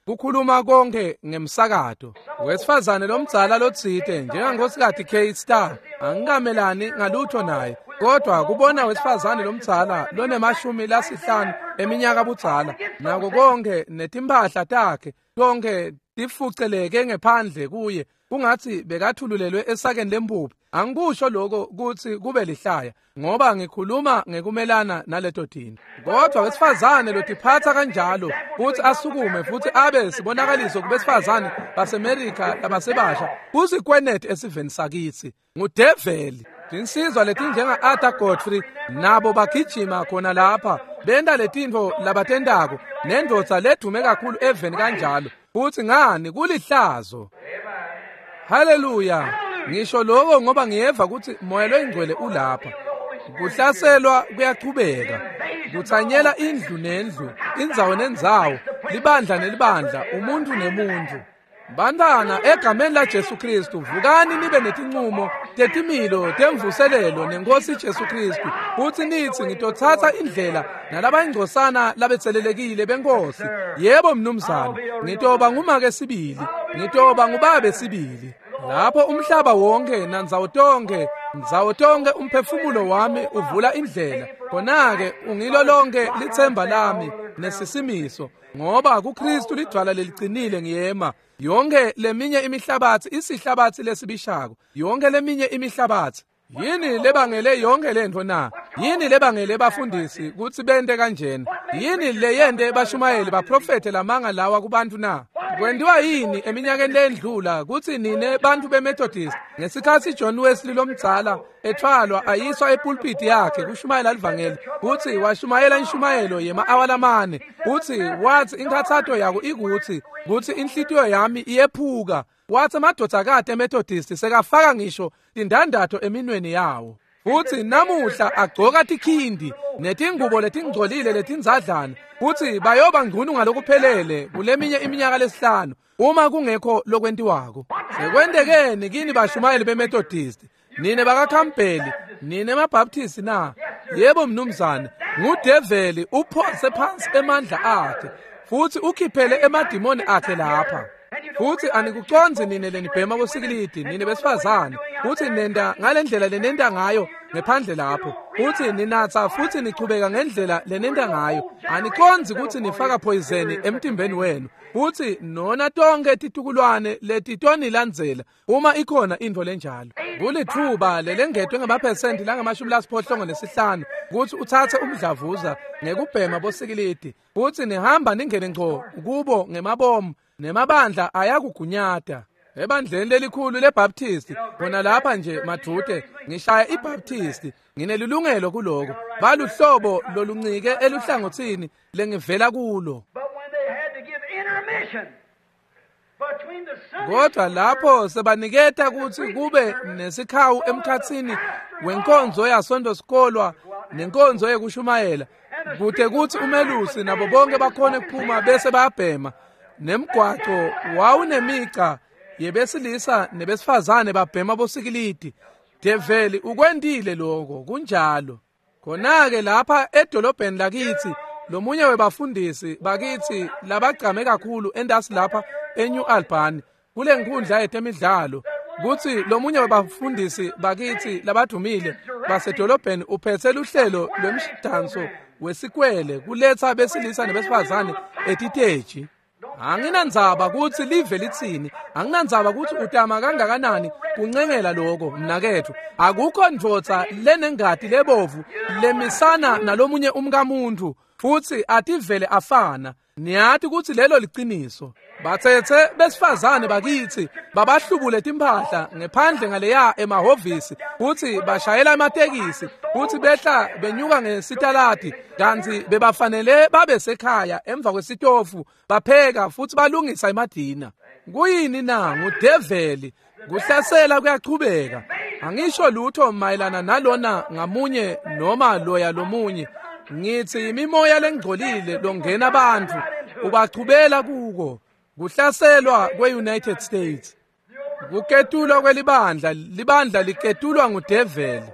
kukhuluma konke ngemsakato. Wesifazane lomdzala lotsite njengangosikati Kate Star angikamelani ngalutho naye, kodwa kubona wesifazane lomdzala lonemashumi 50 eminyaka budzala nako konke netimphahla takhe tonke tifuceleke ngephandle kuye kungathi bekathululelwe esakeni lempuphu. Angikusho lokho kuthi kube lihlaya ngoba ngikhuluma ngekumelana naleto tintfo. Kodwa wesifazane lotiphatha kanjalo futhi asukume futhi abe sibonakaliso kubesifazane baseMerika labasebasha kusikwenete esiveni sakithi ngudeveli. Tinsizwa letinjenga Arthur Godfrey nabo bagijima khona lapha benta letintfo labatentako nendvodza ledume kakhulu eveni kanjalo futhi ngani kulihlazo. Haleluya. Ngisho lokho ngoba ngiyeva ukuthi moya loyingcwele ulapha. Kuhlaselwa kuyachubeka. Kuthanyela indlu nendlu, indzawo nendzawo, libandla nelibandla, umuntu nemuntu. Bantwana egameni la Jesu Kristu vukani nibe netinqumo tetimilo temvuselelo nenkosi Jesu Kristu futhi nithi ngitothatha indlela nalabayingcosana labetselelekile benkosi. Yebo mnumzane, ngitoba ngumake sibili, ngitoba ngubabe sibili. Lapho umhlaba wonke nandzawo tonke, ndzawo tonke umphefumulo wami uvula indlela. Khona-ke ungilo lonke lithemba lami nesisimiso, ngoba kuKristu lidwala leliqinile ngiyema. Yonke leminye imihlabathi isihlabathi lesibishako, yonke leminye imihlabathi. Yini lebangele yonke lento na? Yini lebangele bafundisi kutsi bente kanjena? Yini leyente bashumayeli baprofethe lamanga lawa kubantu na? Kwentiwa yini eminyakeni lendlula kutsi nine bantu beMethodist ngesikhatsi John Wesley lomdzala ethwalwa ayiswa epulpiti yakhe kushumayela livangeli kutsi washumayela inshumayelo yema-awa lamane kutsi wathi inkhatsato yako ikutsi kutsi inhlitiyo yami iyephuka. Wathi amadvodzakati eMethodist sekafaka ngisho tindandatho eminweni yawo. Futhi namuhla agcoka tikhindi netingubo letingcolile letindzadlana futhi bayoba ngcunu ngalokuphelele kuleminye iminyaka lesihlanu uma kungekho lokwentiwako. Sekwentekeni kini bashumayeli beMethodist, nine bakaKhampeli, nine maBaptist na? Yebo mnumzane, ngudeveli uphonse phansi emandla akhe futhi ukhiphele emadimoni akhe lapha. Futsi anikucondzi nine lenibhema bosikilidi, nine besifazane, kutsi nenta ngalendlela lenenta ngayo ngephandle lapho, kutsi ninatsa futsi nichubeka ngendlela lenenta ngayo. Anicondzi kutsi nifaka phoyizeni emtimbeni wenu, futsi nona tonkhe titukulwane letitonilandzela uma ikhona intfo lenjalo. Kulitfuba lelengetwe ngemaphesenti langama-85 kutsi utsatse umdlavuza ngekubhema bosikilidi, futsi nihamba ningene ngco kubo ngemabomu, nemabandla ayakugunyata. Ebandleni lelikhulu leBaptist, khona lapha nje madvute, ngishaya iBaptist, nginelilungelo kuloko. Baluhlobo loluncike eluhlangotsini lengivela kulo. Kodwa lapho sebaniketa kutsi kube nesikhawu emkhatsini wenkonzo yaSonto sikolwa nenkonzo yekushumayela, kute kutsi umelusi nabo bonke bakhone kuphuma bese bayabhema. Nemgwaco wawunemica yebesilisa nebesifazane babhema bosikilidi. Develi ukwentile lokho, kunjalo. Khona-ke lapha edolobheni lakitsi, lomunye webafundisi bakitsi labagcame kakhulu entasi lapha eNew Albany kule nkundla yetemidlalo, kutsi lomunye webafundisi bakitsi labadumile basedolobheni uphetse luhlelo lwemdanso wesikwele kuletsa besilisa nebesifazane etiteji. Anginandzaba kutsi live litsini, anginandzaba kutsi utama kangakanani kuncengela lokho, mnaketfu. Akukho ndvodza lenengati lebovu lemisana nalomunye umkamuntu futsi ativele afana. Niyati kutsi lelo liciniso. Batsetse besifazane bakitsi babahlubule timphahla ngephandle ngaleya emahhovisi, futsi bashayela ematekisi, futsi behla benyuka ngesitaladi, kantsi bebafanele babe sekhaya emva kwesitofu bapheka futsi balungisa emadina. Kuyini na? Ngudeveli. Kuhlasela kuyachubeka. Angisho lutho mayelana nalona ngamunye noma loya lomunye. Ngithi imimoya lengcolile longena abantu ubachubela kuko. Kuhlaselwa kwe-United States, kuketulwa kwelibandla, libandla liketulwa ngudeveli.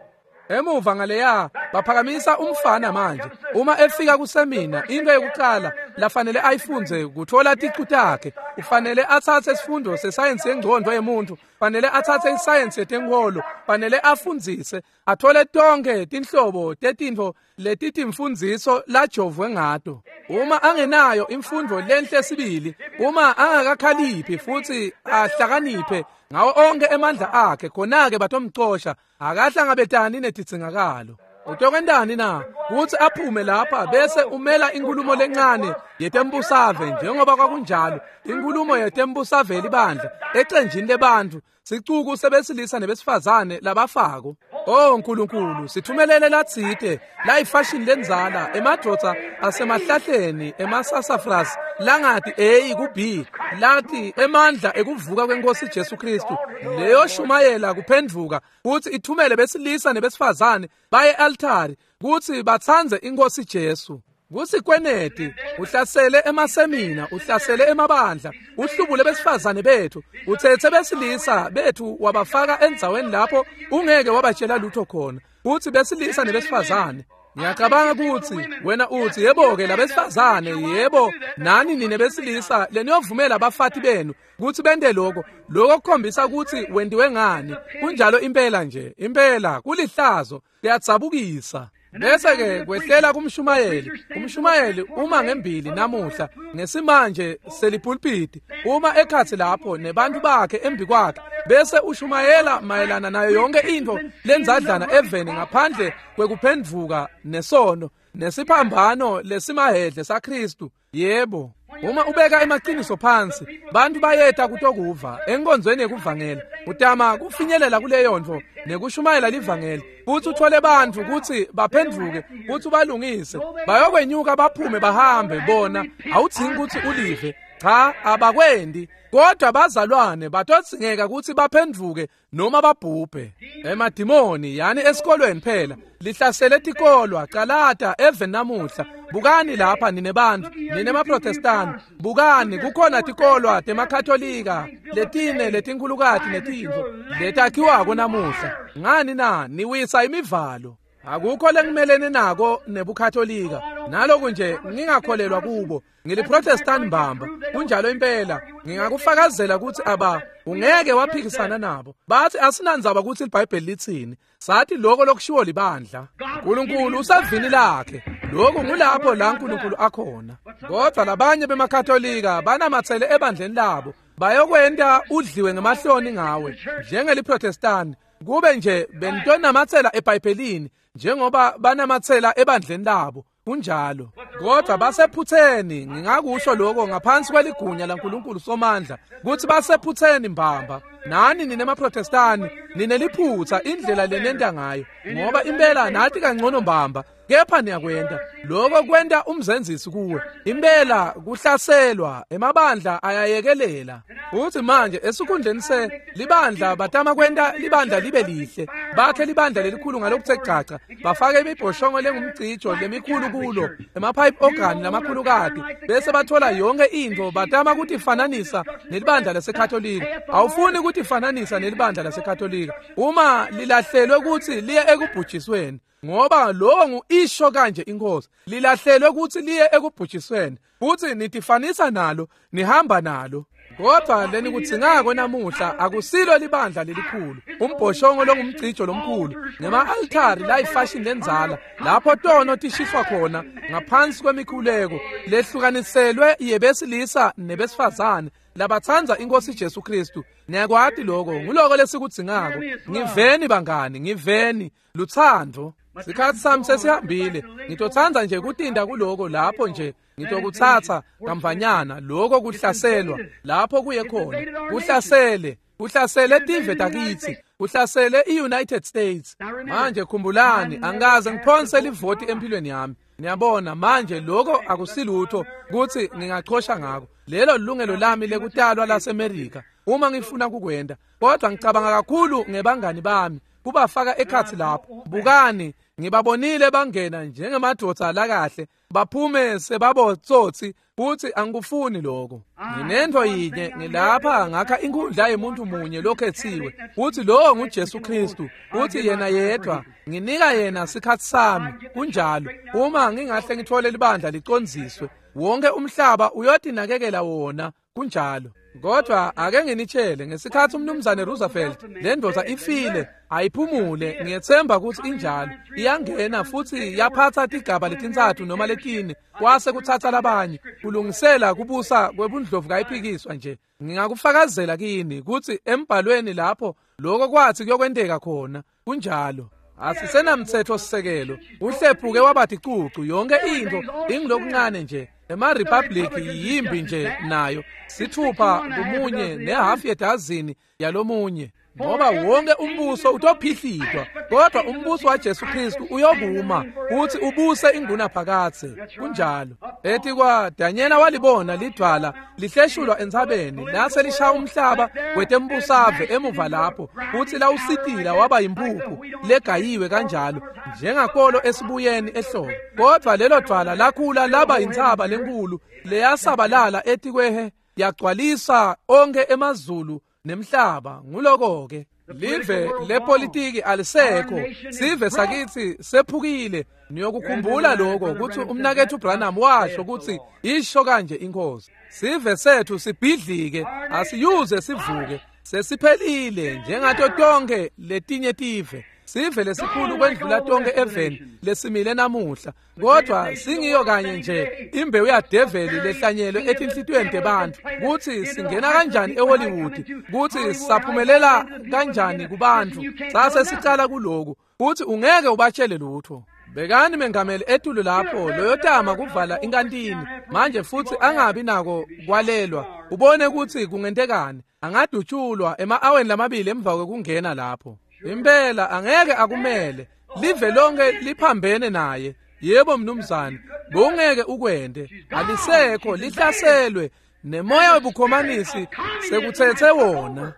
Emuva ngaleya baphakamisa umfana manje. Uma efika kusemina, into yokuqala lafanele ayifunze kuthola ticu takhe. Ufanele atsatse isifundo sesayensi yengcondvo yemuntu, fanele atsatse isayensi yetenkholo, fanele afundzise, athole tonke tinhlobo tetintfo letitimfundziso lajovwe ngato. Uma angenayo imfundo lenhle sibili, uma angakakhaliphi futsi ahlakaniphe ngawo onke emandla akhe, khona-ke batomcosha, akahlangabetani netidzingakalo. Utokwentani na? Kutsi aphume lapha bese umela inkulumo lencane yetembusave, njengoba kwakunjalo inkulumo yetembusave yelibandla ecenjini lebantfu, sicuku sebesilisa nebesifazane labafako. Oh Nkulunkulu, sithumelele latsite layifashini lendzala, emadvodza asemahlahleni emasasafras langati A ku B, lathi emandla ekuvuka kwenkosi Jesu Kristu, leyo shumayela kuphendvuka kutsi ithumele besilisa nebesifazane baye altari kutsi batsandze inkosi Jesu. Kusikweneti uhlasele emasemina, uhlasele emabandla, uhlubule besifazane bethu, utsetse besilisa bethu wabafaka endzaweni lapho ungeke wabatshela lutho khona, kutsi besilisa nebesifazane. Ngiyacabanga kutsi wena utsi, yebo-ke labesifazane, yebo nani nine besilisa leniyovumela abafati benu kutsi bente lokho. Lokho kukhombisa kutsi wentiwe ngani. Kunjalo impela nje, impela kulihlazo, kuyadzabukisa. Bese-ke kwehlela kumshumayeli. Umshumayeli uma ngembili namuhla ngesimanje selipulpiti, uma ekhatsi lapho nebantu bakhe embi kwakhe, bese ushumayela mayelana nayo yonke intfo lendzadlana eveni ngaphandle kwekuphendvuka nesono nesiphambano lesimahedle saKristu. Yebo, uma ubeka emaqiniso phansi, bantu bayeta kutokuva enkonzweni yekuvangela. Utama kufinyelela kuleyo ntfo nekushumayela livangeli, futsi uthole bantfu kutsi baphendvuke, futsi ubalungise, bayokwenyuka baphume bahambe. Bona awudzingi kutsi ulive. Cha, abakwendi. Kodwa bazalwane batodzingeka kutsi baphendvuke noma babhubhe. Emadimoni yani esikolweni phela lihlasele tikolwa. Calata even namuhla. Bukani lapha nine bantfu, nine maProtestani, bukani kukhona tikolwa temaKatolika letine letinkhulukati netintfo letakhiwako namuhla. Ngani na? Niwisa imivalo. Akukho lengimelene nako nebuKatolika, naloku nje ngingakholelwa kubo. NgiliProtestant mbamba, kunjalo impela. Ngingakufakazela ukuthi aba ungeke waphikisana nabo. Bathi asinandzaba ukuthi iBhayibheli lithini, sathi lokho lokushiwo libandla. uNkulunkulu usavini lakhe, lokhu ngulapho la uNkulunkulu akhona. Kodwa labanye bemaKatolika banamathele ebandleni labo, bayokwenta udliwe ngemahloni ngawe njengeliProtestant. Kube nje bentonamathela eBhayibhelini njengoba banamathela ebandleni labo, kunjalo. Kodwa basephutheni, ngingakusho lokho ngaphansi kweligunya laNkulunkulu Somandla, ukuthi basephutheni mbamba. Nani nine maProtestani nineliphutha indlela lenenta ngayo, ngoba impela nathi kangcono mbamba, kepha niyakwenta lokho kwenta umzenzisi kuwe. Impela kuhlaselwa emabandla ayayekelela. Futhi manje esikhundleni se libandla batama kwenta libandla libe lihle, bakhe libandla lelikhulu ngalokuthe gcaca, bafake imibhoshongo lengumcijo lemikhulu kulo, emapipe organ lamakhulukati, bese bathola yonke intfo, batama kutifananisa nelibandla laseKatolika. Awufuni kutifananisa nelibandla laseKatolika uma lilahlelwe ukuthi liye ekubhujisweni, ngoba lowo ngu-isho kanje inkosi, lilahlelwe ukuthi liye ekubhujisweni, futhi nitifanisa nalo, nihamba nalo. Kodwa lenikudzingako namuhla akusilo libandla lelikhulu, umbhoshongo longumcijo lomkhulu, nema-altari layifashini lenzala, lapho tono tishiswa khona ngaphansi kwemikhuleko lehlukaniselwe yebesilisa nebesifazane labatsandza inkosi Jesu Kristu. Niyakwati lokho, nguloko lesikudzingako. Ngiveni bangani, ngiveni lutsandvo. Sikhathi sami sesihambile, ngitotsandza nje kutinda kuloko lapho nje ngitokutsatsa kamvanyana lokho kuhlaselwa lapho kuye khona. Kuhlasele, kuhlasele tive takitsi, kuhlasele i-United States. Manje khumbulani, angikaze ngiphonse livoti empilweni yami. Niyabona manje lokho akusilutho kuthi ngingachosha ngako. Lelo lilungelo lami lekutalwa laseMerika uma ngifuna kukwenta. Kodwa ngicabanga kakhulu ngebangani bami, kubafaka ekhatsi lapho. Bukani, ngibabonile bangena njengemadvodza lakahle, baphume sebabotsotsi, futhi angikufuni lokho. Nginento yinye, ngilapha ngakha inkundla yemuntu munye lokhethiwe, futhi lowo nguJesu Kristu, futhi yena yedwa. Nginika yena sikhathi sami, kunjalo. Uma ngingahle ngithole libandla licondziswe, wonke umhlaba uyotinakekela wona, kunjalo. Kodwa ake nginitshele, ngesikhathi umnumzane Roosevelt, le ndoda ifile, ayiphumule, ngiyethemba ukuthi injalo, iyangena futhi yaphatha tigaba letintsatfu noma letine, kwase kuthatha labanye, kulungisela kubusa kwebundlovu kayiphikiswa nje. Ngingakufakazela kini ukuthi embhalweni lapho lokho kwathi kuyokwenteka khona, kunjalo. Asisenamthetho sisekelo, uhlephuke wabathi cucu, yonke into ingilokuncane nje. Ema-republic yimbi nje nayo, sithupha kumunye nehafu yedazini yalomunye, ngoba wonke umbuso utophihlitwa, kodwa umbuso waJesu Kristu uyokuma futhi ubuse ingunaphakadze, kunjalo. Ethi kwa Danyela walibona lidwala lihleshulwa entsabeni, lase lishaya umhlaba wetembusave emuva lapho, futhi lawusitila waba yimpuphu legayiwe kanjalo njengakolo esibuyeni ehlobo. Kodwa lelo dwala lakhula laba intsaba lenkulu leyasabalala etikwehe, yagcwalisa onke emazulu nemhlaba. Nguloko-ke live lepolitiki alisekho, sive sakithi sephukile. Niyokukhumbula lokho ukuthi umnakethu Branham washo ukuthi isho kanje inkosi, sive sethu sibhidlike, asiyuze sivuke, sesiphelile njengato tonke letinye tive. Sive lesikhulu kwendlula tonke eveni lesimile namuhla, kodwa singiyo kanye nje imbewu yadeveli lehlanyelwe etinhlitiyweni tebantfu. Kuthi singena kanjani eHollywood, kuthi saphumelela kanjani kubantfu, sase sicala kuloku, kuthi ungeke ubatshele lutho. Bekani mengameli etulu lapho loyotama kuvala inkantini manje futhi angabi nako kwalelwa, ubone ukuthi kungentekani. Angadutshulwa ema-aweni lamabili emva kwekungena lapho. Impela angeke akumele, live lonke liphambene naye. Yebo mnumzane, bowungeke ukwente, alisekho, lihlaselwe nemoya webukhomanisi sekuthethe wona.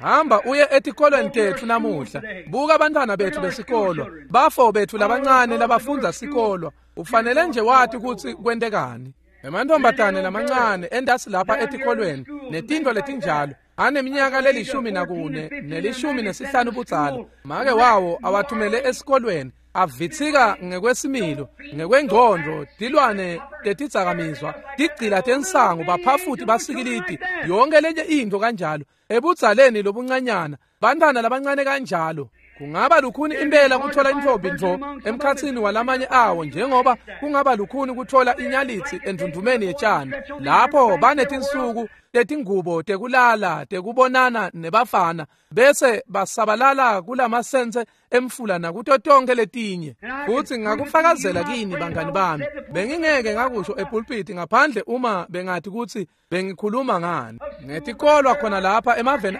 Hamba uye etikolweni tetfu namuhla, buka abantwana bethu besikolwa, bafo bethu labancane labafundza sikolwa. Ufanele nje wati ukuthi kwentekani. Emantombazane lamancane endasi lapha etikolweni netintfo letinjalo, aneminyaka lelishumi nakune nelishumi nesihlanu budzala, make wawo awathumele esikolweni. Avitsika ngekwesimilo, ngekwengqondo, tilwane tetidzakamizwa, tigcila tensangu, baphafuti basikilidi, yonke lenye into kanjalo. Ebudzaleni lobuncanyana, bantwana labancane kanjalo. Kungaba lukhuni impela kuthola intfombi ntfo emkhatsini walamanye awo, njengoba kungaba lukhuni kuthola inyalitsi endvundvumeni yetshani. Lapho banetinsuku tetingubo tekulala tekubonana nebafana, bese basabalala kulamasense emfula nakuto tonke letinye. Futsi ngakufakazela kini bangani bami, bengingeke ngakusho epulpiti ngaphandle uma bengathi kutsi bengikhuluma ngani. Ngetikolwa khona lapha emaveni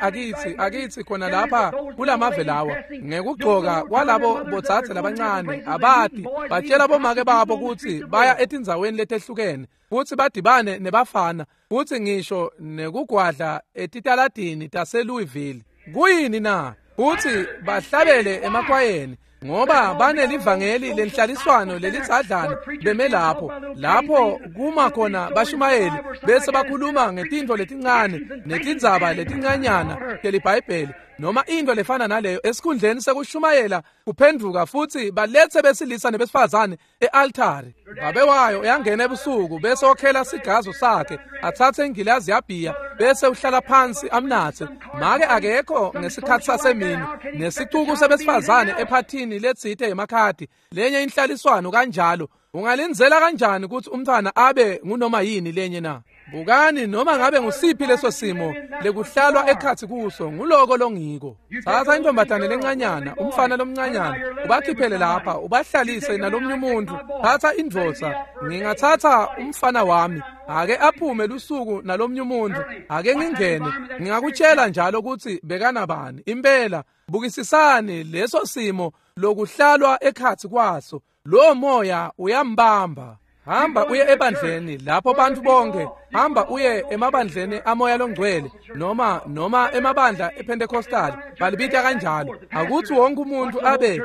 akitsi khona lapha kulamave lawa, ngekugcoka kwalabo bodzadze labancane abati, batshela bomake babo kutsi baya etindzaweni letehlukene futsi badibane nebafana, futsi ngisho nekugwadla etitaladini taseLouisville. Kuyini na? Futsi bahlabele emakwayeni, ngoba banelivangeli lenhlaliswano lelidzadlana beme lapho, lapho kuma khona bashumayeli bese bakhuluma ngetintfo letincane netindzaba letincanyana teliBhayibheli noma into lefana naleyo, esikhundleni sekushumayela kuphendvuka futsi baletse besilisa nebesifazane e-altari. Babe wayo uyangena ebusuku bese okhela sigazo sakhe, atsatse ingilazi yabhiya bese uhlala phansi amnatse. Make akekho ngesikhatsi sasemini, nesicuku sebesifazane ephathini letsite yemakhadi, lenye inhlaliswano kanjalo. Ungalindzela kanjani kutsi umntfwana abe ngunoma yini lenye na? Bukani, noma ngabe ngusiphi leso simo lekuhlalwa ekhatsi kuso, nguloko longiko. Tsatsa intombatane lencanyana, umfana lomncanyana, ubakhiphele lapha, ubahlalise nalomnye umuntu. Tsatsa indvodza, ngingatsatsa umfana wami, ake aphume lusuku nalomnye umuntu, ake ngingene, ngingakutshela njalo kutsi bekanabani. Impela, bukisisani leso simo lokuhlalwa ekhatsi kwaso, lo moya uyambamba. Hamba uye ebandleni lapho bantu bonke, hamba uye emabandleni amoya longcwele noma emabandla ePentecostal, balibita kanjalo. Akuthi wonke umuntu abe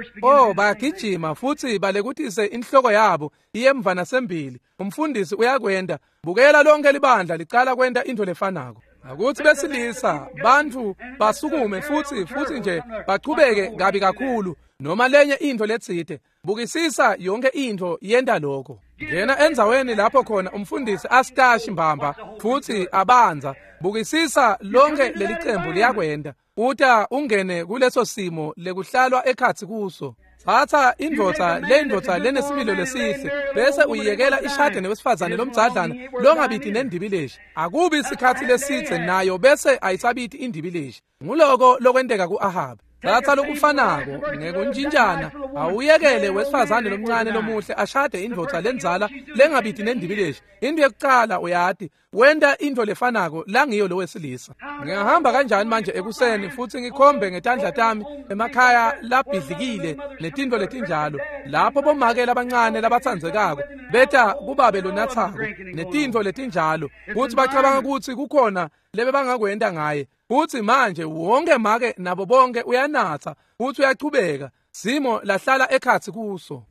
bayagijima futhi balekutise inhloko yabo iye emva nasembili. Umfundisi uyakwenda, bukela lonke libandla licala kwenta into lefanako. Akuthi besilisa bantu basukume futhi nje bachubeke kabi kakhulu noma lenye into letsite. Bukisisa yonke into yenta lokho. Ngena endzaweni lapho khona umfundisi asitashi mbamba futhi abanza. Bukisisa lonke leli cembu liyakwenda. Uta ungene kuleso simo lekuhlalwa ekhatsi kuso. Tsatsa indvodza lendvodza lenesimilo lesihle bese uyiyekela ishade newesifazane lomdzadlana longabiti nendibileshi. Akubi isikhatsi lesidze nayo bese ayisabiti indibileshi. Nguloko lokwenteka ku-Ahabi. Tsatsa lokufanako ngekuntshintshana, awuyekele wesifazane lomncane lomuhle ashade indvodza lendzala lengabiti nendibileshi. Into yekucala uyati, wenta into lefanako langiyo lo wesilisa. Ngingahamba kanjani manje ekuseni futhi ngikhombe ngetandla tami emakhaya labhidlikile netintfo letinjalo, lapho bomake labancane labatsandzekako beta kubabe lonathako netintfo letinjalo, kutsi bacabanga kutsi kukhona lebebangakwenta ngaye. Futsi manje wonke make nabo bonke uyanatsa futsi uyachubeka, simo lahlala ekhatsi kuso.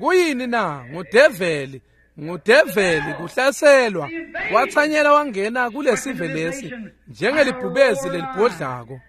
Kuyini na? Ngudeveli. Ngudeveli kuhlaselwa, watsanyela wangena kulesive lesi njengelibhubezi lelibhodlako.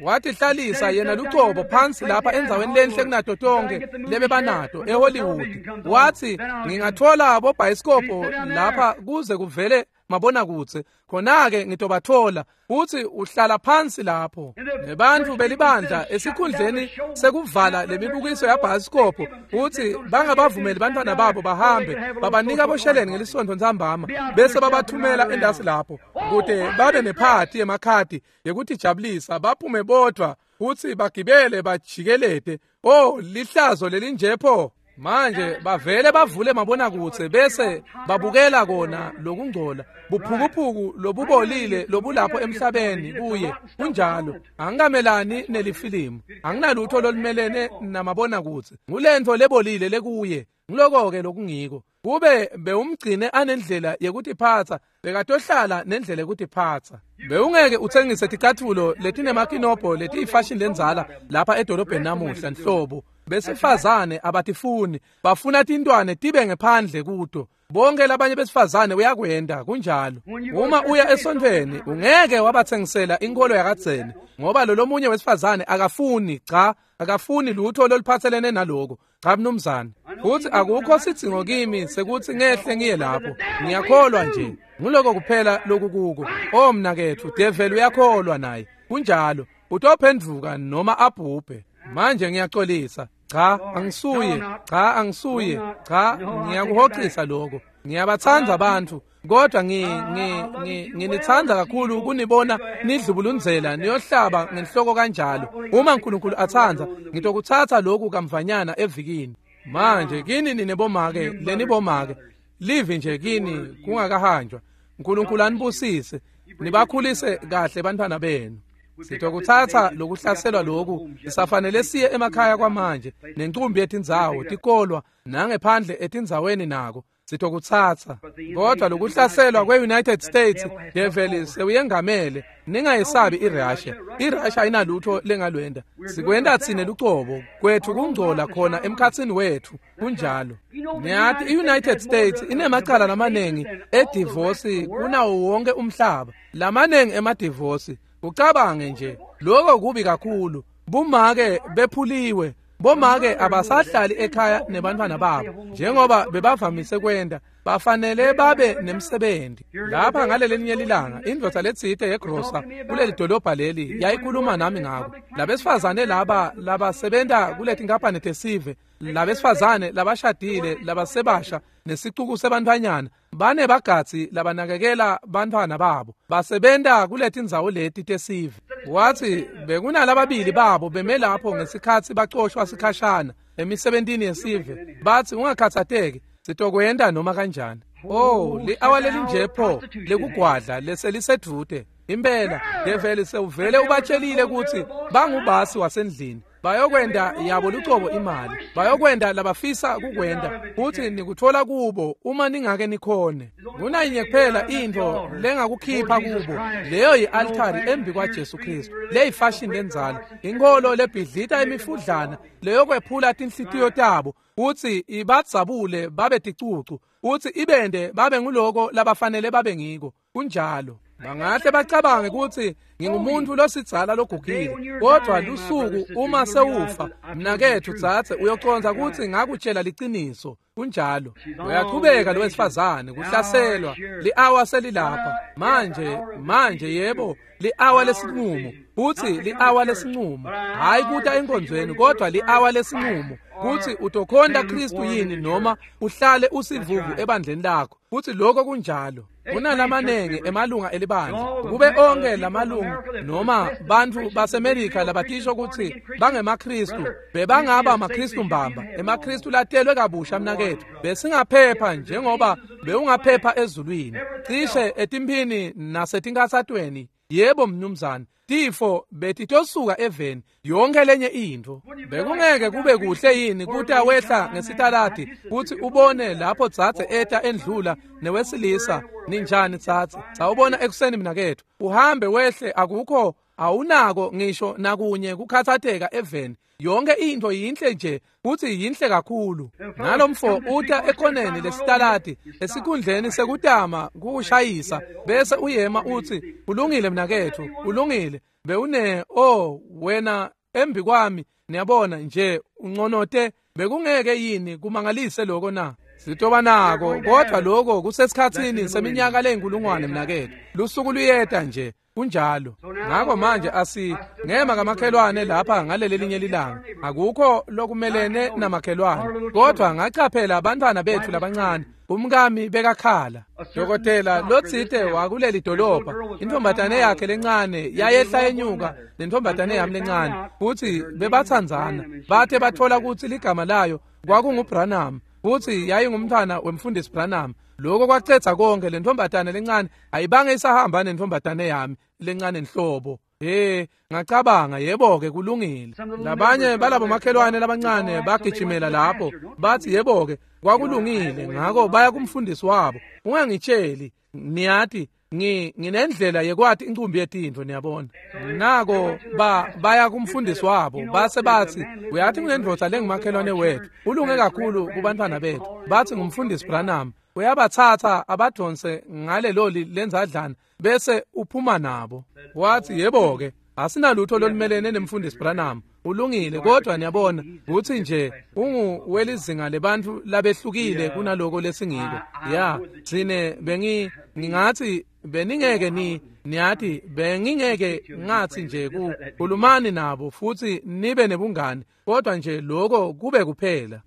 Watihlalisa yena lucobo phansi lapha endzaweni lenhle kunato tonke lebebanato eHollywood. Wathi ngingathola bobhayisikobho lapha kuze kuvele mabonakudze, khona-ke ngitobathola. Futhi uhlala phansi lapho nebantfu belibandla esikhundleni sekuvala lemibukiso yabhayisikobho, futhi bangabavumeli bantwana babo bahambe, babanika bosheleni ngelisontfo ntsambama bese babathumela endasi lapho kute babe nephathi yemakhadi yekutijabulisa, baphume bodvwa futhi bagibele bajikelete. Oh, lihlazo lelinjepho! Manje bavele bavule mabonakudze bese babukela kona lokungcola, buphukuphuku lobubolile lobulapho emhlabeni kuye. Kunjalo, angikamelani nelifilimu, anginalutho lolumelene namabonakudze, ngulentfo lebolile lekuye. Nguloko-ke lokungiko. Kube bewumgcine anendlela yekutiphatsa, bekatohlala nendlela yekutiphatsa. Bewungeke utsengise ticatfulo letinemakinobho letiyifashini lendzala lapha edolobheni namuhla nhlobo. Besifazane abatifuni, bafuna tintwane tibe ngephandle kuto. Bonke labanye besifazane uyakwenda kunjalo. Uma uya esontfweni ungeke wabathengisela inkolo yakadzeni ngoba lo lomunye wesifazane akafuni, cha, akafuni lutho loluphathelene naloko. Cha mnumzane. Futhi akukho sidzingo kimi sekuthi ngehle ngiye lapho. Ngiyakholwa nje. Nguloko kuphela lokukuko. Oh mnaketfu, devil uyakholwa naye. Kunjalo. Utophendvuka noma abhubhe. Manje ngiyaxolisa. Cha, angisuye. Cha, angisuye. Cha, ngiyakuhoxisa lokho. Ngiyabathanda abantu, kodwa nginithanda kakhulu kunibona nidlubulundzela niyohlaba ngenhloko kanjalo. Uma uNkulunkulu athanda, ngitokuthatha lokhu kamvanyana evikini. Manje kini ninebomake, lenibomake. Livi nje kini kungakahanjwa. uNkulunkulu anibusise, nibakhulise kahle bantwana benu. Sitokuthatha lokuhlaselwa lokhu sisafanele siye emakhaya kwamanje nencumbi yetindzawo tikolwa nangephandle etindzaweni nako sitokuthatha. Kodwa lokuhlaselwa kwe-United States devil sewuyengamele. Ningayesabi iRussia. iRussia ayinalutho lengalwenda. Sikwenda tsine lucobo kwethu kungcola khona emkhatsini wethu kunjalo. Niyathi i-United States inemacala lamanengi edivosi kunawo wonke umhlaba. Lamanengi emadivosi. Ucabange nje lokho kubi kakhulu. Bumake bephuliwe. Bomake abasahlali ekhaya nebantwana babo njengoba bebavamise kwenda. Bafanele babe nemsebenzi. Lapha ngalelelinye lilanga indvodza letsite yegrosa kuleli dolobha leli yayikhuluma nami ngako. Labesifazane laba labasebenta kuletinkampani tesive, labesifazane labashadile labasebasha nesicuku sebantfwanyana bane bagadzi labanakekela bantfwana babo basebenta kuletindzawo leti tesive. Wathi bekunalababili babo beme lapho ngesikhatsi bacoshwa sikhashana emisebentini yesive. Bathi ungakhathateki, sitokwenda noma kanjani. Oh, li-awa lelinje pho lekugwadla leselisedvute. Impela develi sewuvele ubatshelile ukuthi bangubasi wasendlini. Bayokwenda yabo lucobo imali. Bayokwenda labafisa kukwenda. Futhi nikuthola kubo uma ningake nikhone. Kunayinye kuphela intfo lengakukhipha kubo. Leyo yi-altari embi kwaJesu Kristu. Leyifashion lenzalo. Inkholo lebhidlita imifudlana leyokwephula tinhlitiyo tabo. Uthi ibadzabule babe ticucu. Uthi ibende babe nguloko labafanele babe ngiko. Kunjalo. Bangahle bacabange ukuthi ngingumuntu losidzala logugile, kodwa lusuku uma sewufa mnaketfu dzadze uyoconza ukuthi ngakutshela liciniso. Kunjalo. Uyachubeka lo wesifazane kuhlaselwa. Li-awa selilapha manje yebo, li-awa lesinqumo. Uthi li-awa lesinqumo, hayi kuta enkonzweni, kodwa li-awa lesinqumo kuthi utokhonta Kristu yini noma uhlale usivuvu ebandleni lakho. Futhi lokho kunjalo. Kunalamanengi emalunga elibandla. Kube onke lamalunga noma bantfu baseMelika labatisho ukuthi bangemaKristu bebangaba amaKristu mbamba, emaKristu latelwe kabusha mnaketfu. Besingaphepha njengoba bewungaphepha ezulwini, cishe etimphini nasetinkatsatweni. Yebo mnumzane, tifo betitosuka eveni yonke lenye intfo. Bekungeke kube kuhle yini kuta wehla ngesitaladi kuthi ubone lapho dzadze eta endlula newesilisa? Ninjani dzadze? Sawubona ekuseni mnaketfu. Uhambe wehle, akukho awunako ngisho nakunye kukhathateka eveni. Yonke intfo yinhle nje futhi yinhle kakhulu. Nalomfo uta ekoneni lesitaladi esikhundleni sekutama kukushayisa bese uyema uthi ulungile mnaketfu, ulungile. Bewune oh wena embi kwami, niyabona nje unconote. Bekungeke yini kumangalise lokho na? Sitoba nako, kodwa lokho kusesikhatsini seminyaka leyinkulungwane mnaketfu. Lusuku luyeta nje. Kunjalo. Ngakho manje ngema kamakhelwane lapha ngaleli linye lilanga. Akukho lokumelene namakhelwane, kodwa ngachaphela abantwana bethu labancane. Umkami bekakhala. Dokotela lotsite wakuleli dolobha, intombatane yakhe lencane yayehla enyuka nentombatane yami lencane, futhi bebathandzana. Bathe bathola ukuthi ligama layo kwakunguBranham, futhi yayingumntwana wemfundisi Branham. Lokho kwacetha konke. Lentombatane lencane ayibange isahamba nentombatane yami lencane nhlobo. Ngacabanga yebo-ke kulungile. Labanye balabo makhelwane labancane bagijimela lapho bathi yebo-ke kwakulungile, ngakho baya kumfundisi wabo. Ungangitsheli, niyati nginendlela yekwati incumbi yetintfo, niyabona. Nako baya kumfundisi wabo base bathi uyathi kunendvodza lengumakhelwane wethu ulunge kakhulu kubantwana bethu. Bathi ngumfundisi Branham. Uyabatsatsa abadonse ngaleloli lenzadlana bese uphuma nabo. Wathi, yebo-ke, asinalutho lolumelene nemfundisi Branham. Ulungile, kodwa niyabona kutsi nje unguwelizinga lebantfu labehlukile kunaloko lesingiko. Ya, tsine ngingathi beningeke niyati bengingeke ngathi nje kukhulumani nabo futhi nibe nebungani, kodwa nje lokho kube kuphela.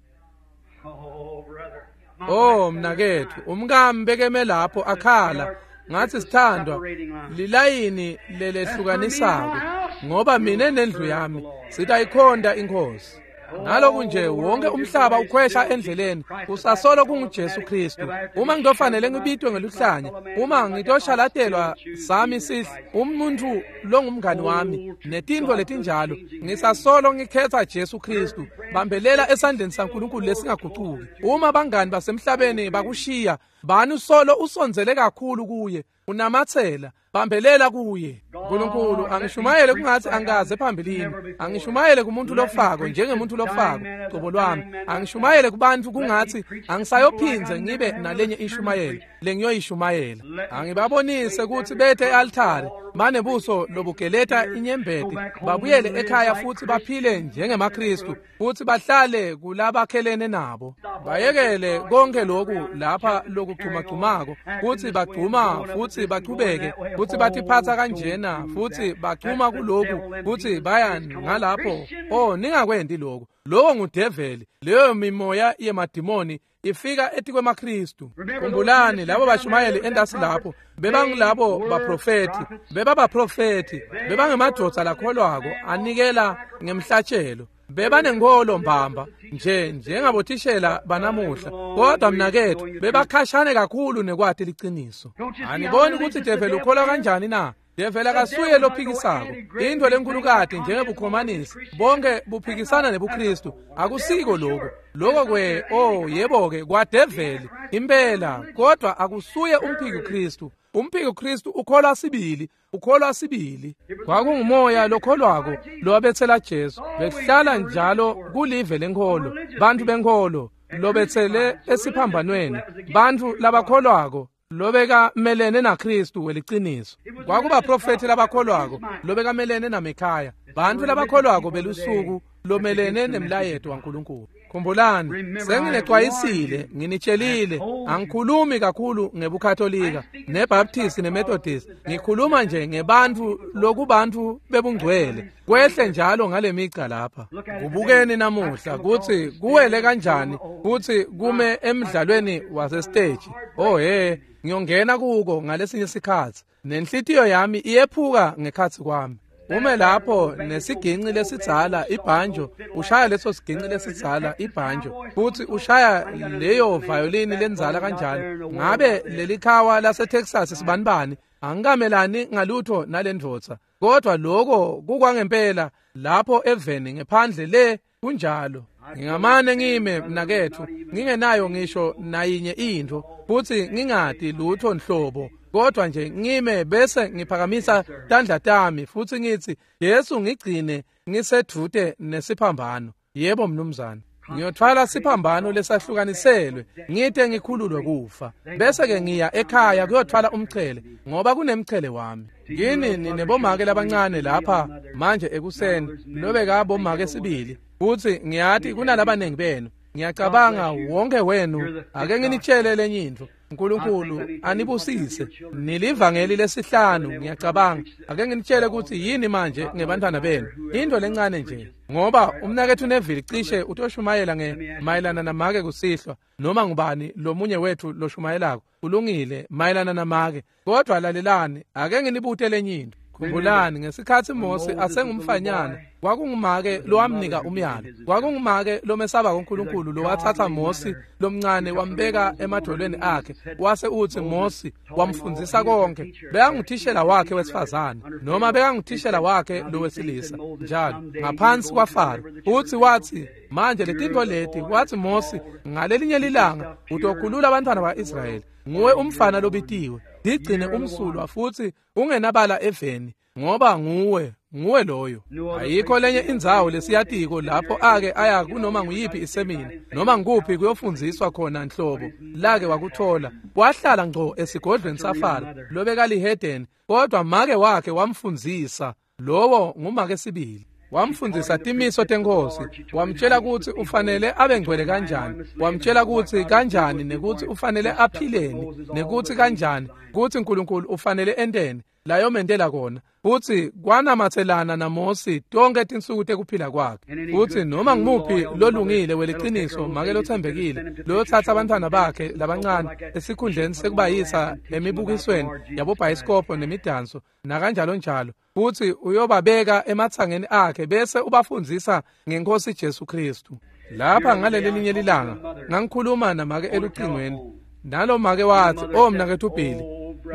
Oh mnaketfu, umkami bekeme lapho akhala. Ngathi, sithandwa, lilayini lelehlukanisako, ngoba mina nendlu yami sitayikhonta iNkhosi. Naloku nje wonke umhlaba ukhwesha endleleni, usasolo kunguJesu Kristu. Uma ngitofanele ngibitwe ngeluhlanya, uma ngitoshalatelwa sami sihle umuntu longumngani wami netintfo letinjalo, ngisasolo ngikhetha Jesu Kristu. Bambelela esandleni saNkulunkulu lesingagucuki. Uma bangani basemhlabeni bakushiya, bani usolo usondzele kakhulu kuye, unamatsela, bambelela kuye. Nkulunkulu, angishumayele kungathi angikaze phambilini. Angishumayele kumuntu lofako njengemuntu lofako cobo lwami. Angishumayele kubantu kungathi angisayophindze ngibe nalenye inshumayelo lengiyoyishumayela. Angibabonise ukuthi bethe e-altare banebuso lobugeleta inyembeti, babuyele ekhaya futhi baphile njengemaKristu, futhi bahlale kulabakhelene nabo. Bayekele konke lokhu lapha lokugcumagcumako, futhi bagcuma futhi bachubeke, futhi batiphatsa kanjena, futhi bagcuma kuloku, futhi baya ngalapho. Oh, ningakwendi lokho. Lowo ngudeveli, leyo mimoya yemadimoni ifika etikwemaKristu. Khumbulani labo bashumayeli entasi lapho, bebangilabo baprofethi, bebabaprofethi, bebangemadvodza lakholwako anikela ngemhlatshelo. Bebanenkholo mbamba nje njengabothishela banamuhla, kodwa mnaketfu bebakhashane kakhulu nekwati liciniso. Aniboni ukuthi develi ukholwa kanjani na? Develi akasuye lophikisako. Into lenkulukati njengebukhomanisi, bonke buphikisana nebuKristu. Akusiko lokho. Lokho kwe, oh yebo-ke, kwadeveli impela, kodwa akusuye umphiki Kristu. Umphiki Kristu ukholwa sibili, ukholwa sibili. Kwakungumoya lokholwako lowabetsela Jesu. Bekuhlala njalo kulive lenkholo, bantu benkholo lobetsele esiphambanweni, bantu labakholwako lobekamelene naKristu weliciniso. Kwakubaprofethi labakholwako lobekamelene naMikhaya, bantu labakholwako belusuku lomelene nemlayeto waNkulunkulu. Khumbulani, senginecwayisile, nginitshelile, angikhulumi kakhulu ngebuKatolika, neBaptist neMethodist. Ngikhuluma nje ngebantfu lokubantfu bebungcwele. Kwehle njalo ngalemica lapha. Kubukeni namuhla kutsi kuwele kanjani kutsi kume emdlalweni wasesiteji. Oh he, ngiyongena kuko ngalesinye sikhatsi. Nenhlitiyo yami iyephuka ngekhatsi kwami. Ume lapho nesiginci lesidzala ibhanjo, ushaya leso siginci lesidzala ibhanjo, futhi ushaya leyo violini lenzala kanjalo. Ngabe lelikhawa laseTexas sibanibani? Angikamelani ngalutho nalendvodza, kodwa lokho kukwangempela lapho eveni ngephandle le kunjalo. Ngingamane ngime mnaketfu ngingenayo ngisho nayinye intfo, futhi ngingati lutho nhlobo, kodwa nje ngime bese ngiphakamisa tandla tami futhi ngithi, Yesu ngigcine ngisedvute nesiphambano. Yebo mnumzane, ngiyothwala siphambano lesahlukaniselwe ngite ngikhululwe kufa, bese ke ngiya ekhaya kuyothwala umchele, ngoba kunemchele wami. Yini ninebomake labancane lapha manje ekuseni, lobeka bomake sibili, futhi ngiyati kunalabanengi benu. Ngiyacabanga wonke wenu. Ake nginitshele lenye intfo. uNkulunkulu anibusise. Nilivangeli lesihlanu ngiyacabanga. Ake nginitshele ukuthi yini manje ngebantwana benu. Into lencane nje, ngoba umnaketfu Neville cishe utoshumayela ngemayelana namake kusihlwa, noma ngubani lomunye wethu loshumayelako ulungile mayelana namake. Kodwa lalelani, ake nginibute lenye into. Khumbulani ngesikhatsi Mose asengumfanyana, kwakungumake lowamnika umyalo. Kwakungumake lomesaba kuNkulunkulu lowathatha Mose lomncane wambeka emadolweni akhe, wase utsi Mose wamfundzisa konke. Bekanguthishela wakhe wesifazane, noma bekanguthishela wakhe lowesilisa njalo ngaphansi kwaFaro. Utsi wathi, manje letintfo leti, wathi Mose, ngalelinye lilanga utokhulula abantwana ba-Israyeli. Nguwe umfana lobitiwe, digcine umsulwa futhi ungenabala eveni, ngoba nguwe Nguwe loyo. Ayikho lenye indzawo lesiyatiko lapho ake aya kunoma nguyiphi isemina noma nguphi kuyofundziswa khona nhlobo lake wakuthola. Wahlala ngco esigodlweni saFaro lobekalihedeni, kodwa make wakhe wamfundzisa. Lowo ngumake sibili. Wamfundzisa timiso tenkosi, wamtshela kutsi ufanele abe ngcwele kanjani, wamtshela kutsi kanjani nekutsi ufanele aphileni, nekutsi kanjani kutsi uNkulunkulu ufanele enteni layomentela kona. Futsi kwanamatselana naMosi tonke tinsuku tekuphila kwakhe. Futsi noma ngumuphi lolungile weliciniso make lothembekile loyotsatsa abantwana bakhe labancane esikhundleni sekubayisa emibukisweni yabobhayisikobho nemidanso nakanjalo njalo, futsi uyobabeka ematsangeni akhe bese ubafundzisa ngenkosi Jesu Kristu. Lapha ngaleli linye lilanga ngangikhuluma namake elucingweni, nalo make wathi, "Oh mnaketfu Billy,"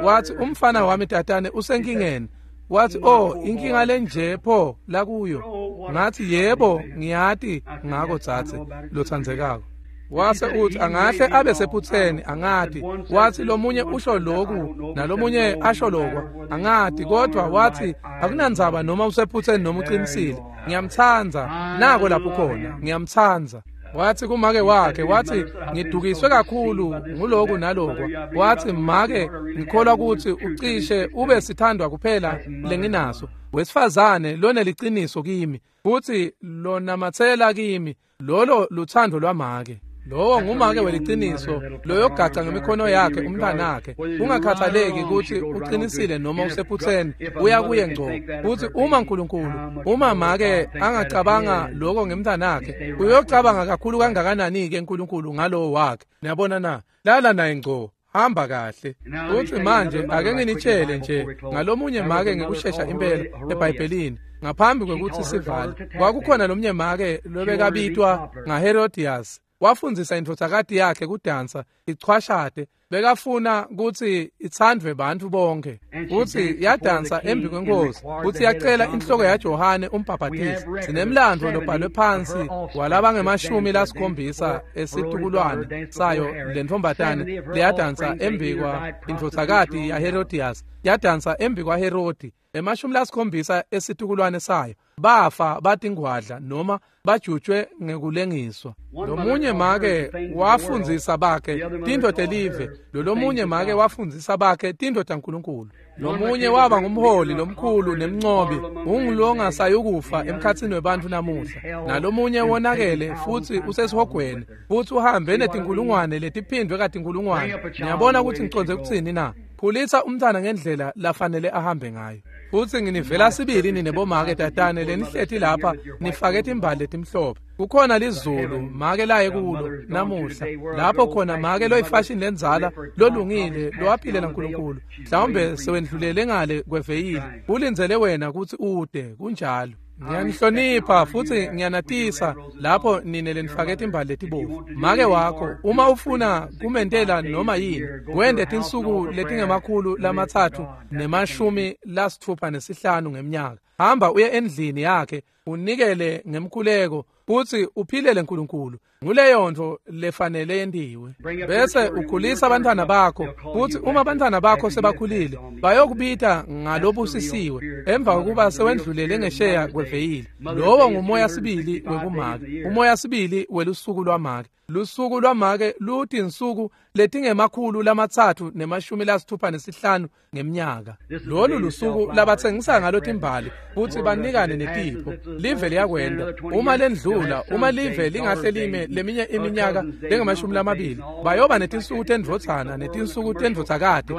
wathi, "umfana wami tatane usenkingeni." Wathi, "Oh, inkinga lenje pho lakuyo." Ngathi, "Yebo, ngiyati ngako dzadze lotsandzekako." Wase uthi, "Angahle abe sephutseni, angati." Wathi, "Lomunye usho loku nalomunye asho lokwa, angati, kodwa wathi akunandzaba noma usephutseni noma uqinisile, ngiyamtsandza. Nako lapho khona, ngiyamtsandza." Wathi kumake wakhe, wathi, "Ngidukiswe kakhulu nguloku nalokwa." Wathi, "Make, ngikholwa kutsi ucishe ube sithandwa kuphela lenginaso, wesifazane loneliciniso kimi futsi lonamatsela kimi. Lolo luthando lwamake." Lowo ngumake weliciniso loyogaca ngemikhono yakhe umntwanakhe, kungakhathaleki kutsi uqinisile noma usephutseni, uya kuye ngco. Futsi uma uNkulunkulu, uma make angacabanga lokho ngemntwanakhe, uyocabanga kakhulu kangakanani-ke uNkulunkulu ngalowo wakhe. Niyabona na? Lala naye ngco, hamba kahle. Futsi manje ake nginitshele nje ngalomunye make ngekushesha impela eBhayibhelini ngaphambi kwekutsi sivale. Kwakukhona lomnye make lobekabitwa ngaHerodias. Wafundzisa indvodzakati yakhe kudansa ichwashate, bekafuna kutsi itsandvwe bantfu bonke. Futsi yadansa embi kwenkosi, futsi yacela inhloko yaJohane umbhabhatisi. Sinemlandvo lobhalwe phansi walabangemashumi lasikhombisa esitukulwane sayo lentfombatane leyadansa embi kwa indvodzakati yaHerodias, yadansa embi kwaHerodi. 70 esitukulwane sayo bafa batingwadla noma bajutjwe ngekulengiswa. Lomunye make wafundzisa bakhe tintfo telive, lolomunye make wafundzisa bakhe tintfo taNkulunkulu. Lomunye waba ngumholi lomkhulu nemncobi, ungulongasayukufa emkhatsini webantfu namuhla. Nalomunye wonakele futsi usesihogweni, futsi uhambe netinkulungwane letiphindvwe katinkulungwane. Niyabona kutsi ngicondze kutsini na? Khulisa umntwana ngendlela lafanele ahambe ngayo. Futsi nginivela sibili ninebomake tatane lenihleti lapha nifake timbali letimhlophe. Kukhona lizulu make laye kulo namuhla, lapho khona make loyifashini lendzala lolungile lowaphilela uNkulunkulu, mhlawumbe sewendlulele ngale kweveyili, ulindzele wena kutsi ude. Kunjalo. Ngiyanihlonipha futhi ngiyanatisa lapho nine lenifake timbali letibovu. Make wakho uma ufuna kumentela noma yini, wende tinsuku letingama-365 ngeminyaka. Hamba uye endlini yakhe unikele ngemkhuleko futhi uphilele uNkulunkulu. Nguleyo nto lefanele yentiwe. Bese ukhulisa abantwana bakho, futhi uma abantwana bakho sebakhulile bayokubita ngalobusisiwe emva kokuba sewendlulele ngesheya kweveyili. Lowo ngumoya sibili wekumake, umoya sibili welusuku lwamake. Lusuku lwamake lutinsuku letingama-365 ngeminyaka. Lolu lusuku labatsengisa ngalo timbali futhi banikane netipho. Live liyakwenda uma lendlula, uma live lingahle lime leminye iminyaka lengama-20, bayoba netinsuku tendvodzana netinsuku tendvodzakati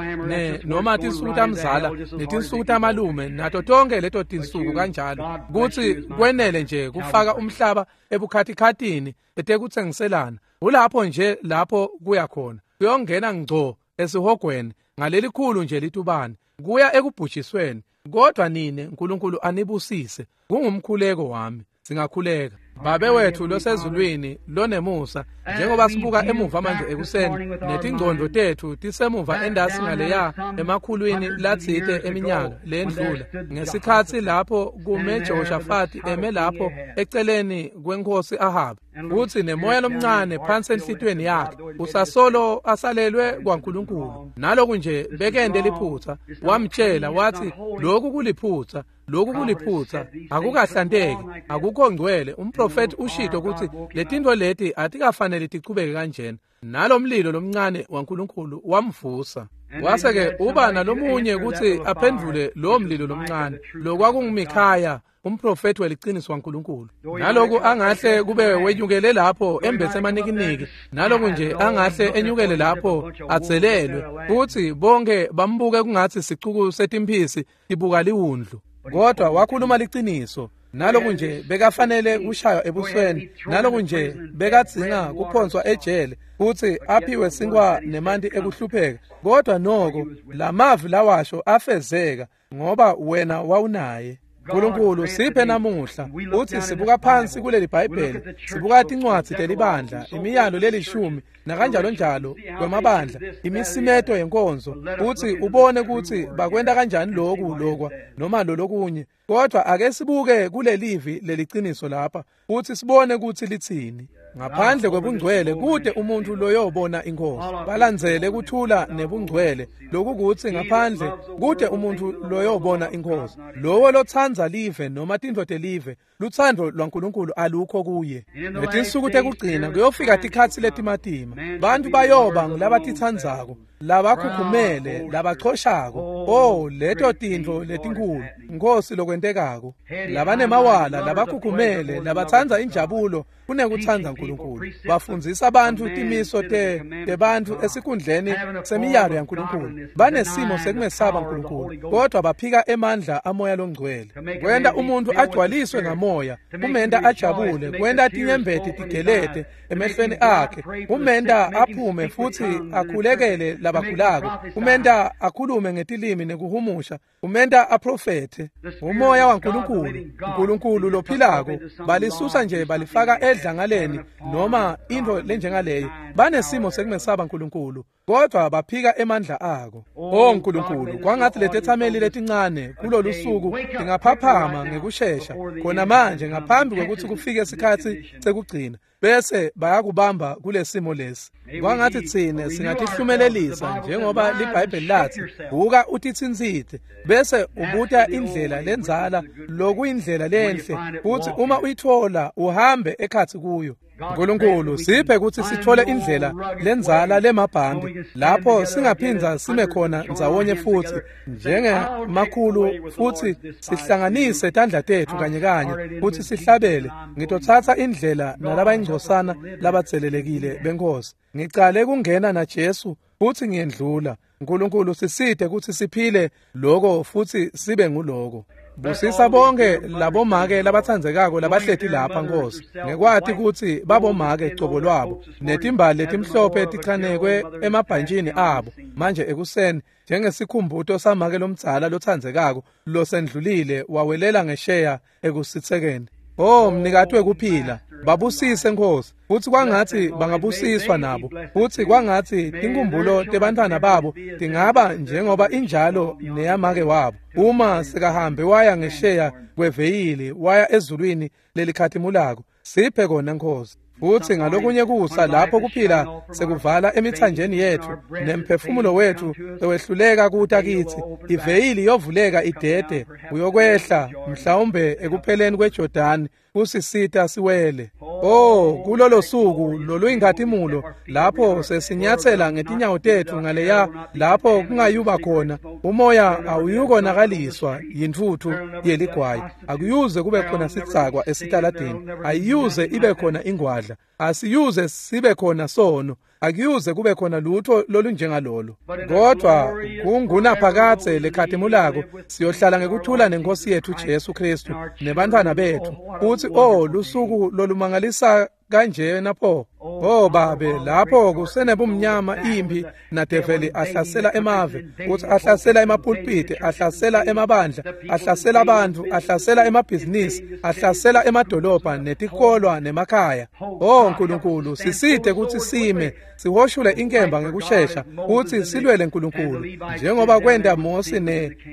noma tinsuku tamzala netinsuku tamalume nato tonke leto tinsuku kanjalo, kutsi kwenele nje kufaka umhlaba ebukhatikhatini etekutsengiselana. Ulapho nje lapho kuya khona, kuyongena ngco esihogweni ngalelikhulu nje litubane, kuya ekubhujisweni. Kodwa nine uNkulunkulu anibusise, kungumkhuleko wami. Singakhuleka. Babe wethu losezulwini lonemusa, njengoba sibuka emuva manje ekuseni netingcondvo tethu tisemuva endasi ngaleya emakhulwini latsite eminyaka lendlula, ngesikhatsi lapho kume Jehoshafati eme lapho eceleni kwenkosi Ahabi, futhi nemoya lomncane phansi enhlitiyweni yakhe usasolo asalelwe kwaNkulunkulu. Naloku nje bekende liphutsa, wamtshela wathi lokhu kuliphutsa, Lokhu kuliphutha, akukahlanteki, akukho ngcwele. Umprofethi ushito ukuthi letintfo leti atikafanele tichubeke kanjena. Nalomlilo lomncane waNkulunkulu wamvusa. Wase-ke uba nalomunye kutsi aphendvule lowo mlilo lomncane, lokwakunguMikhaya, umprofethi weliciniso waNkulunkulu. Naloku angahle kube wenyukele lapho embethe emanikiniki, naloku nje angahle enyukele lapho adzelelwe, futhi bonke bambuke kungathi sicuku setimphisi tibuka liwundlu. Kodwa wakhuluma liciniso. Naloku nje bekafanele kushaywa ebusweni, naloku nje bekadzinga kuphonswa ejele futhi aphiwe sinkwa nemanti ekuhlupheka, kodwa noko lamavi lawasho afezeka ngoba wena wawunaye. Nkulunkulu siphe namuhla uthi sibuka phansi kuleli Bhayibheli, sibuka tincwadzi telibandla, imiyalo lelishumi nakanjalo njalo kwemabandla, imisimeto yenkonzo, uthi ubone ukuthi bakwenta kanjani lokhu lokwa noma lolokunye. Kodwa ake sibuke kulelivi leliciniso lapha uthi sibone ukuthi lithini. Ngaphandle kwebungcwele kude umuntu loyobona inkosi. Balandzele kuthula nebungcwele, lokukuthi ngaphandle kude umuntu loyobona inkosi. Lowo lotsandza live noma tintfo telive, lutsandvo lwaNkulunkulu alukho kuye. Ngetinsuku tekugcina kuyofika tikhatsi letimatima. Bantu bayoba ngulabatitsandzako, labakhukhumele, labachoshako. Oh, leto tintfo letinkhulu, Nkosi, lokwentekako. Labanemawala, labakhukhumele, labatsandza injabulo kunekutsandza uNkulunkulu. Bafundzisa abantu timiso tebantfu esikhundleni semiyalo yaNkulunkulu. Banesimo sekumesaba uNkulunkulu, kodwa baphika emandla amoya longcwele. Kwenta umuntu agcwaliswe ngamoya, kumenta ajabule, kwenta tinyembeti tigelete emehlweni akhe, kumenta aphume futhi akhulekele labagulako, kumenta akhulume ngetilimi nekuhumusha, kumenta aprofethe. Umoya waNkulunkulu, uNkulunkulu lophilako, balisusa nje balifaka edlangaleni noma intfo lenjengaleyo. Banesimo sekumesaba uNkulunkulu, kodwa baphika emandla ako. Oh Nkulunkulu, kwangathi letethameli letincane kulolu suku tingaphaphama ngekushesha khona manje ngaphambi kwekutsi kufike isikhatsi sekugcina, bese bayakubamba kulesimo lesi. Kwangathi tsine singatihlumelelisa njengoba liBhayibheli lathi, buka utitsintsite bese ubuta indlela lendzala, lokuyindlela lenhle, futhi uma uyithola uhambe ekhatsi kuyo. Nkulunkulu siphe kutsi sithole indlela lendzala lemabhambi, lapho singaphindza sime khona ndzawonye futhi njengemakhulu, futhi sihlanganise tandla tetfu kanye kanye futhi sihlabele. Ngitotsatsa indlela nalabayingcosana labatselelekile benkosi. Ngicale kungena naJesu futhi ngiyendlula. Nkulunkulu sisite kutsi siphile loko futhi sibe nguloko. Busisa bonke labomake labatsandzekako labahleti lapha Nkosi, ngekwati kutsi babomake cobo lwabo, netimbali letimhlophe tichanekwe emabhantjini abo manje ekuseni, njengesikhumbuto samake lomdzala lotsandzekako losendlulile wawelela ngesheya ekusitsekeni. Oh mnikati wekuphila, babusise Nkosi, futhi kwangathi bangabusiswa nabo, futhi kwangathi tinkumbulo tebantfwana babo tingaba njengoba injalo neyamake wabo, uma sekahambe waya ngesheya kweveyili waya ezulwini lelikhatimulako. Siphe kona Nkosi. Futhi ngalokunye kusa lapho kuphila sekuvala emithanjeni yethu nemphefumulo wethu sewehluleka kuta kithi, iveyili yovuleka idede uyokwehla mhlawumbe ekupheleni kweJordani kusisita siwele. Oh, kulolo suku loluyinkhatimulo lapho sesinyatsela ngetinyawo tetfu ngaleya lapho kungayuba khona umoya awuyukonakaliswa yintfutfu yeligwayi, akuyuze kube khona sidzakwa esitaladini, ayiyuze ibe khona ingwadla, asiyuze sibe khona sono, akuyuze kube khona lutho lolunjengalolo. Kodwa kungunaphakadze lekhatimulako siyohlala ngekuthula nenkosi yethu Jesu Kristu nebantfwana betfu. Futhi oh, lusuku lolumangalisa kanjena pho. Oh babe, lapho kusenebumnyama impi nadeveli ahlasela emave, uthi ahlasela emapulpiti, ahlasela emabandla, ahlasela abantu, ahlasela emabhizinisi, ahlasela emadolobha netikolwa nemakhaya. Oh Nkulunkulu, sisite kutsi sime sihoshule inkemba ngekushesha kutsi silwele Nkulunkulu, njengoba kwenta Mosi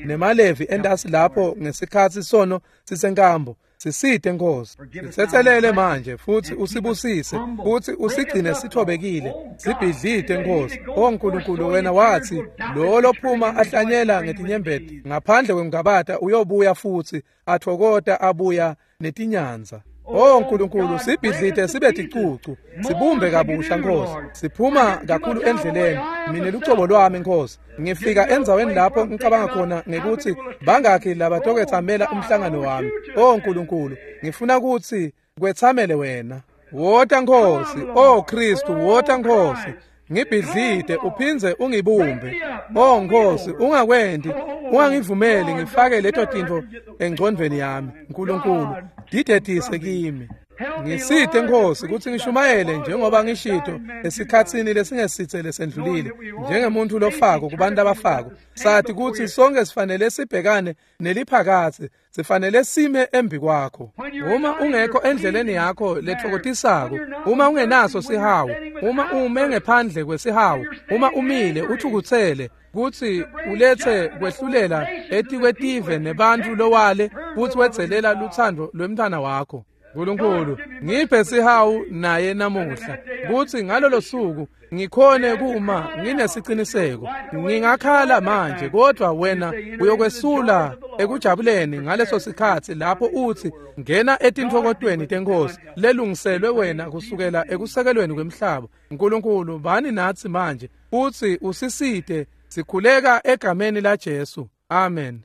nemalevi entasi lapho ngesikhatsi sono sisenkambo. Sisite Nkosi, sitsetselele manje futsi usibusise, futsi usigcine sithobekile, sibhidlite Nkosi. O Nkulunkulu, wena watsi lo lophuma ahlanyela ngetinyembeti ngaphandle kwengabata uyobuya futsi athokota abuya netinyanza. O Nkulunkulu, sibhidlite sibe ticucu, sibumbe kabusha Nkosi. Siphuma kakhulu endleleni, mina lucobo lwami Nkosi. Ngifika endzaweni lapho ngicabanga khona ngekuthi bangakhi labatoketsamela umhlangano wami. O Nkulunkulu, ngifuna ukuthi kwetsamele wena. Wota Nkosi, O Kristu, wota Nkosi. Ngibhidlite uphindze ungibumbe. O Nkosi, ungakwenti, ungangivumeli ngifake leto tintfo engcondvweni yami. Nkulunkulu, didedise kimi. Ngisite Nkosi kutsi ngishumayele njengoba ngishito esikhatsini lesingesitse lesendlulile, njengemuntu lofako kubantu abafako. Sathi kutsi sonke sifanele sibhekane neliphakatsi, sifanele sime embi kwakho. Uma ungekho endleleni yakho lethokotisako, uma ungenaso sihawu, uma ume ngephandle kwesihawu, uma umile uthukutsele kutsi ulethe kwehlulela etikwetive nebantfu lowale futsi wedzelela lutsandvo lwemntfwana wakho. Nkulunkulu, ngiphe sihawu naye namuhla, kutsi ngalolo suku ngikhone kuma nginesiciniseko. Ngingakhala manje, kodwa wena uyokwesula ekujabuleni ngaleso sikhatsi lapho utsi ngena etintfokotweni tenkosi lelungiselwe wena kusukela ekusekelweni kwemhlaba. Nkulunkulu, bani natsi manje futsi usisite, sikhuleka egameni la Jesu. Amen.